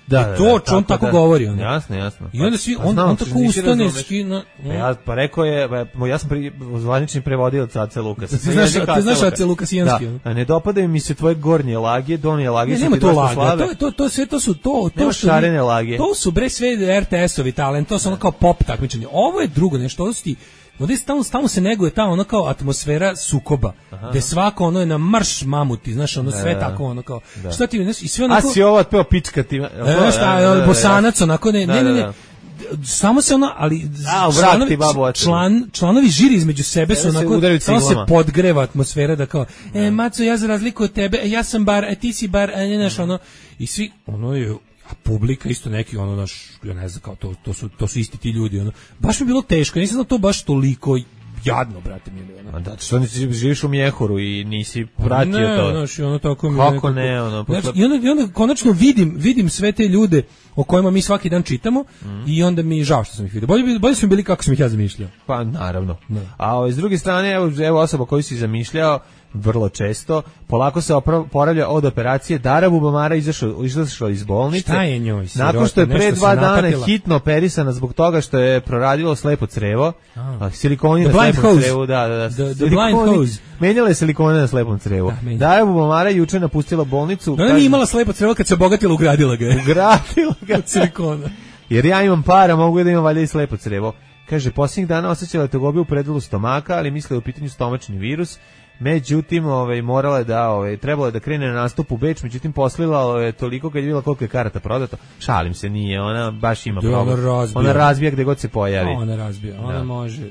Da, I to, on tako govori, ono. Jasno, jasno. i onda svi, Pa on, znam, on ti tako nisi ustane, razumeš. skina, Pa ja, pa rekao je, pa, ja sam pri, zvanični prevodilac Ace Lukasa. Ti znaš- ti znaš Ace Lukasijanski, ono? Da, a ne dopadaju mi se tvoje gornje lage, donje lage Ne, su nema ti to dosta laga, slabe. to, to, to, sve to su to, to Nema što šarene lage. To su bre sve R T S-ovi talent, to su ono kao pop takmičenje. Ovo je drugo nešto, ovo su ti, ovdje stalno, stalno se neguje ta ono kao atmosfera sukoba, gde svako ono je na marš mamuti, znaš, ono sve Da. tako ono kao, šta ti, znaš, i sve onako, A si ovo otpeo pička ti. e, šta, bosanac onako, ne, Da, ne, ne, da, ne, da. samo se ono, ali A, u vrat ti babu očinu. član, članovi žiri između sebe su Sebe se onako, udaraju samo se ciglama. podgreva atmosfera da kao, e, Maco, ja za razliku od tebe, e, ja sam bar, e, ti si bar, e, ne, znaš, ono, i svi, ono je, a publika isto neki, ono, naš, ja ne znam, kao, to, to, su, to su isti ti ljudi, ono, baš mi je bilo teško, nisam znao to baš toliko jadno, brate mili, ono. A da, što nisi živiš u Mjehuru i nisi pratio ne, to. znaš, i ono tako mi Kako nekako- ne, ono, pa Znaš, to- i, onda, I onda konačno vidim, vidim sve te ljude o kojima mi svaki dan čitamo i onda mi je žao što sam ih vidio. Bolje, bi- bolje su mi bili kako sam ih ja zamišljao. Pa naravno. Da. A ovaj, s druge strane, evo, evo osoba koju si zamišljao, vrlo često, polako se opra- poravlja od operacije. Dara Bubamara izašla, izašla iz bolnice. Šta je njoj, sirota? Nakon što je pre Nešto se dva dana napatila? hitno operisana zbog toga što je proradilo slepo crevo. A, silikoni The na blind slepom hose. crevu, da, da, da. The- the Silikoni- blind hose. Menjala je silikone na slepom crevu. Da, menja. Dara Bubamara je juče napustila bolnicu. Ona kaže- nije imala slepo crevo kad se obogatila, ugradila ga je. Ugradila ga. Od silikona. Jer ja imam para, mogu da imam valjda i slepo crevo. Kaže, posljednjih dana osjećala tegobiju u predelu stomaka, ali mislila je u pitanju stomačni virus. Međutim, ovaj, morala je da, ovaj, trebala je da krene na nastup u Beč, međutim, poslila je toliko kad je vidjela koliko je karata prodato. Šalim se, nije, ona baš ima Da, problem. ona razbija. Ona razbija gde god se pojavi. Ona razbija, ona Da. može.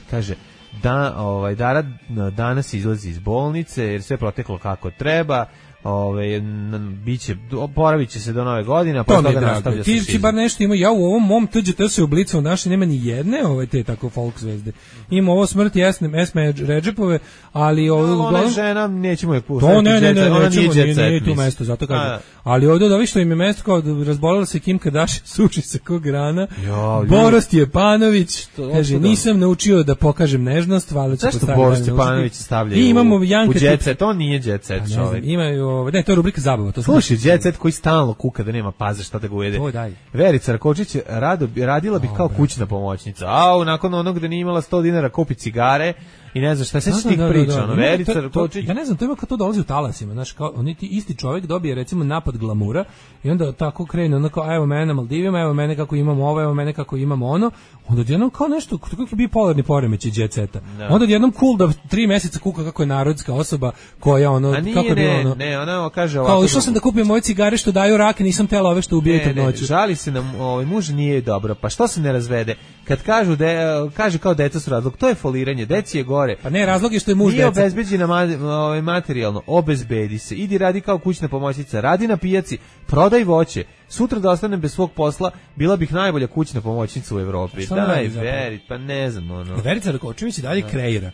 Kaže, da, ovaj, Dara danas izlazi iz bolnice jer sve proteklo kako treba. Ove, biće, oporavit će se do nove godine, a posle toga nastavlja se. Ti ti bar nešto ima, ja u ovom mom T G T se ublicao naše, nema ni jedne ove te tako folk zvezde. Ima ovo smrti Esme, Esme Redžepove, ali ovo no, uglavnom... Ona je žena, nećemo je pustiti. To ne, ne, ne, ona nećemo, nije, nije, nije, nije tu mesto, zato kažem. Ali ovdje od ovih što im je mesto kao razbolila se Kim Kardashian, suči se kog rana. Jo, Boris Stjepanović, to, kaže, to nisam naučio da pokažem nežnost, valjda ću postaviti. Zašto Boris Stjepanović stavlja I imamo Janka u Jet Set, to nije Jet Set čovjek. Imaju, ne, to je rubrika zabava. To slušaj, Jet Set koji stalno kuka da nema paze šta da ga ujede. To daj. Verica Rakočić rado, radila bi kao kućna pomoćnica. A nakon onog da nije imala sto dinara kupi cigare i ne znam šta se tih priča, ono Verica Rakočić. Ja ne znam, to ima kad to dolazi u talasima, znaš, kao oni ti isti čovjek dobije recimo napad glamura i onda tako krene onako, a evo mene na Maldivima, evo mene kako imamo ovo, evo mene kako imamo ono, onda odjednom kao nešto, kako je bio polarni poremećaj Jet Seta. Onda odjednom cool da tri mjeseca kuka kako je narodska osoba koja ono, nije, kako je bilo ono. Ne, ona kaže ovako. Kao išao sam da kupim moje cigare što daju rak, nisam tela ove što ubijaju trudnoću. Žali se nam, ovaj muž nije dobro, pa što se ne razvede? Kad kažu da kaže kao deca su razlog, to je foliranje, deci je gore. Pa ne, razlog je što je muž nije deca. Nije obezbeđena ovaj materijalno, obezbedi se. Idi radi kao kućna pomoćnica, radi na pijaci, prodaj voće. Sutra da ostanem bez svog posla, bila bih najbolja kućna pomoćnica u Evropi. Daj, Veri, pa ne znam ono. Verica Rakočević i dalje kreira.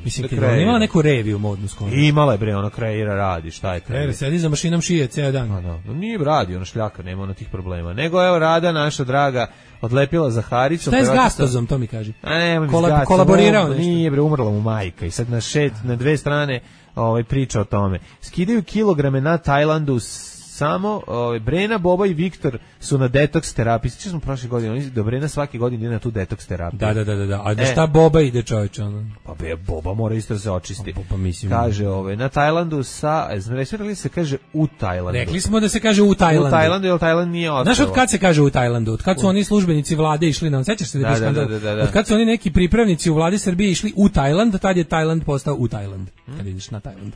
Mislim, da je imala neku reviju modnu skoro. Imala je, bre, ona kreira, radi, šta je kreira? Kreira, sedi za mašinom šije ceo dan. No, no, nije radi, ona šljaka, nema ona tih problema. Nego, evo, Rada, naša draga, odlepila za Haricom. Šta je s Gastozom, to mi kaži? A ne, Kolab, kolaborirao nešto. Nije, bre, umrla mu majka i sad na, šet, na dve strane ovaj, priča o tome. Skidaju kilograme na Tajlandu samo ovaj Brena, Boba i Viktor su na detoks terapiji. Sjećam smo prošle godine, oni do Brena svake godine ide na tu detoks terapiju. Da, da, da, da. A da šta Boba ide, čoveče, ono? Pa be, Boba mora isto da se očisti. Pa, pa mislim. Kaže, ovaj na Tajlandu sa, rekli se kaže u Tajlandu. Rekli smo da se kaže u Tajlandu. U Tajlandu, jer Tajland nije ostrvo. Znaš od kad se kaže u Tajlandu? Od kad su oni službenici vlade išli na, sećaš se da, da, da, da, da, da. Od kad su oni neki pripravnici u vladi Srbije išli u Tajland, tad je Tajland postao u Tajland. Hmm? Kad ideš na Tajland.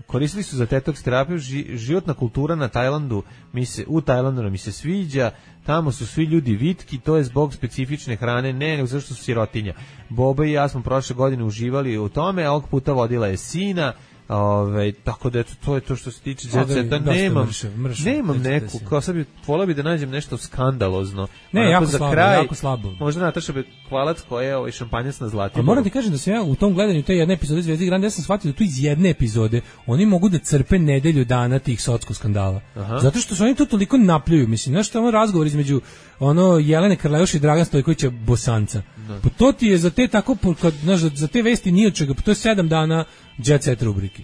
Koristili su za detoks terapiju, ži, životna kultura na Tajlandu, mi se, u Tajlandu mi se sviđa, tamo su svi ljudi vitki, to je zbog specifične hrane, ne, nego zašto su sirotinja. Boba i ja smo prošle godine uživali u tome, a ovog puta vodila je sina, ove, tako da eto, to je to što se tiče Jet Seta, nemam, mrše, mrše, nemam neku, kao sad bi, volao bi da nađem nešto skandalozno. Ne, jako za slabo, kraj, jako slabo. Možda Nataša Bekvalac koja je ovaj šampanjac na Zlatiboru. A moram ti kažem da sam ja u tom gledanju te jedne epizode Zvezde Grande, ja sam shvatio da tu iz jedne epizode oni mogu da crpe nedelju dana tih socko skandala. Aha. Zato što su oni to toliko napljuju, mislim, znaš što je ono razgovor između ono Jelene Karleuš i Dragan Stojkovića Bosanca. No. Pa to ti je za te tako, kad, znaš, za te vesti nije od čega, pa to je sedam dana Jet Set rubrike.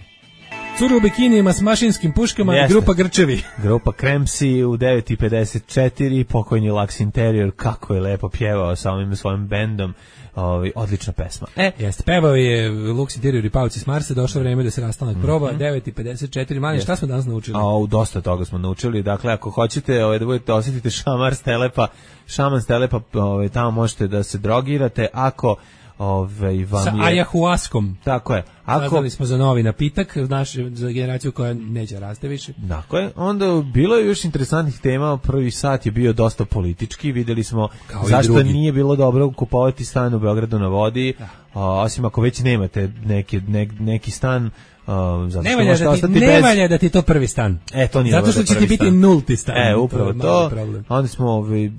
Curu u bikinijima s mašinskim puškama. Jeste. Grupa Grčevi. Grupa Kremsi u devet i pedeset četiri, pokojni Lux Interior, kako je lepo pjevao sa ovim svojim bendom. Ovi, odlična pesma. E, jeste, pevao je Lux Interior i Pavci s Marsa, došlo vreme da se rastanak mm -hmm. proba, devet i pedeset četiri, manje, šta smo danas naučili? A, dosta toga smo naučili, dakle, ako hoćete ovaj, da budete osjetite šamar stelepa, šaman stelepa, ovaj, tamo možete da se drogirate, ako Ove, vam sa je... ayahuaskom. Tako je. Ako... Saznali smo za novi napitak, naš, za generaciju koja neće raste više. Tako je. Onda bilo je još interesantnih tema. Prvi sat je bio dosta politički. Videli smo kao zašto nije bilo dobro kupovati stan u Beogradu na vodi. Da. A, osim ako već nemate neki, ne, neki stan. Uh, zato ne valja da, ti, ne bez... valja da ti to prvi stan. E, to nije zato što će ti biti stan. nulti stan. E, upravo to. to. Onda smo, ovi,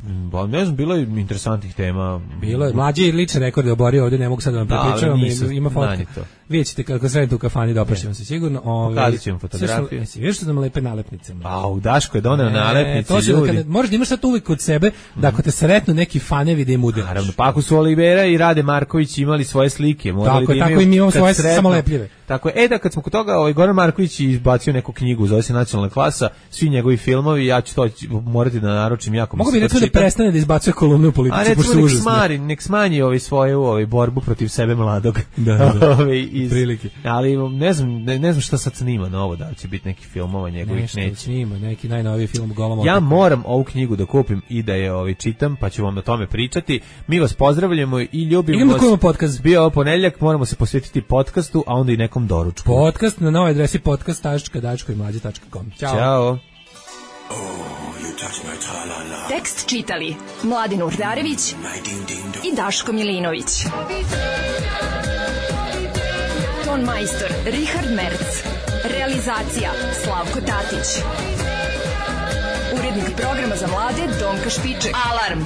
ne znam, bilo je interesantnih tema. Bilo je. Mlađi je lične rekorde oborio ovdje, ne mogu sad da vam prepričavam. Da, ima fotka. Vidjet ćete kako sredite u kafani, doprašćemo se sigurno. Pokazat ćemo fotografiju. Jesi, vidiš što nam lepe nalepnice? A, u Daško je doneo nalepnice, to ljudi. Kada, možeš da imaš sad uvijek kod sebe, da ako te sretnu neki fanevi da im udelaš. Naravno, pa ako su Olivera i Rade Marković imali svoje slike, morali tako, da imaju... Tako i mi imamo svoje samolepljive. Tako je, e da kad smo kod toga, ovaj Goran Marković izbacio neku knjigu, zove se Nacionalna klasa, svi njegovi filmovi, ja ću to morati da naručim jako. Mogu bi recimo da prestane da izbacuje kolumne u politici, pošto su užasne. A recimo nek smanji ovaj svoju ovaj borbu protiv sebe mladog. Da, da, ovaj iz prilike. Ali ne znam, ne, ne znam šta sad snima novo, da li će biti neki filmova njegovih, nešto neće. Snima, neki najnoviji film Golom. Ja moram ovu knjigu da kupim i da je ovaj čitam, pa ću vam o tome pričati. Mi vas pozdravljamo i ljubimo vas. Idemo podcast. Bio ovo ponedjeljak, moramo se posvetiti podcastu, a onda i nekom doručku. Podcast na novoj adresi podcast tačka daško i mlađe tačka com. Ćao. Ćao. Oh, tekst čitali Mladin Urdarević i Daško Milinović. Ton majstor Richard Merc. Realizacija Slavko Tatić. Urednik programa za mlade Donka Špiček. Alarm!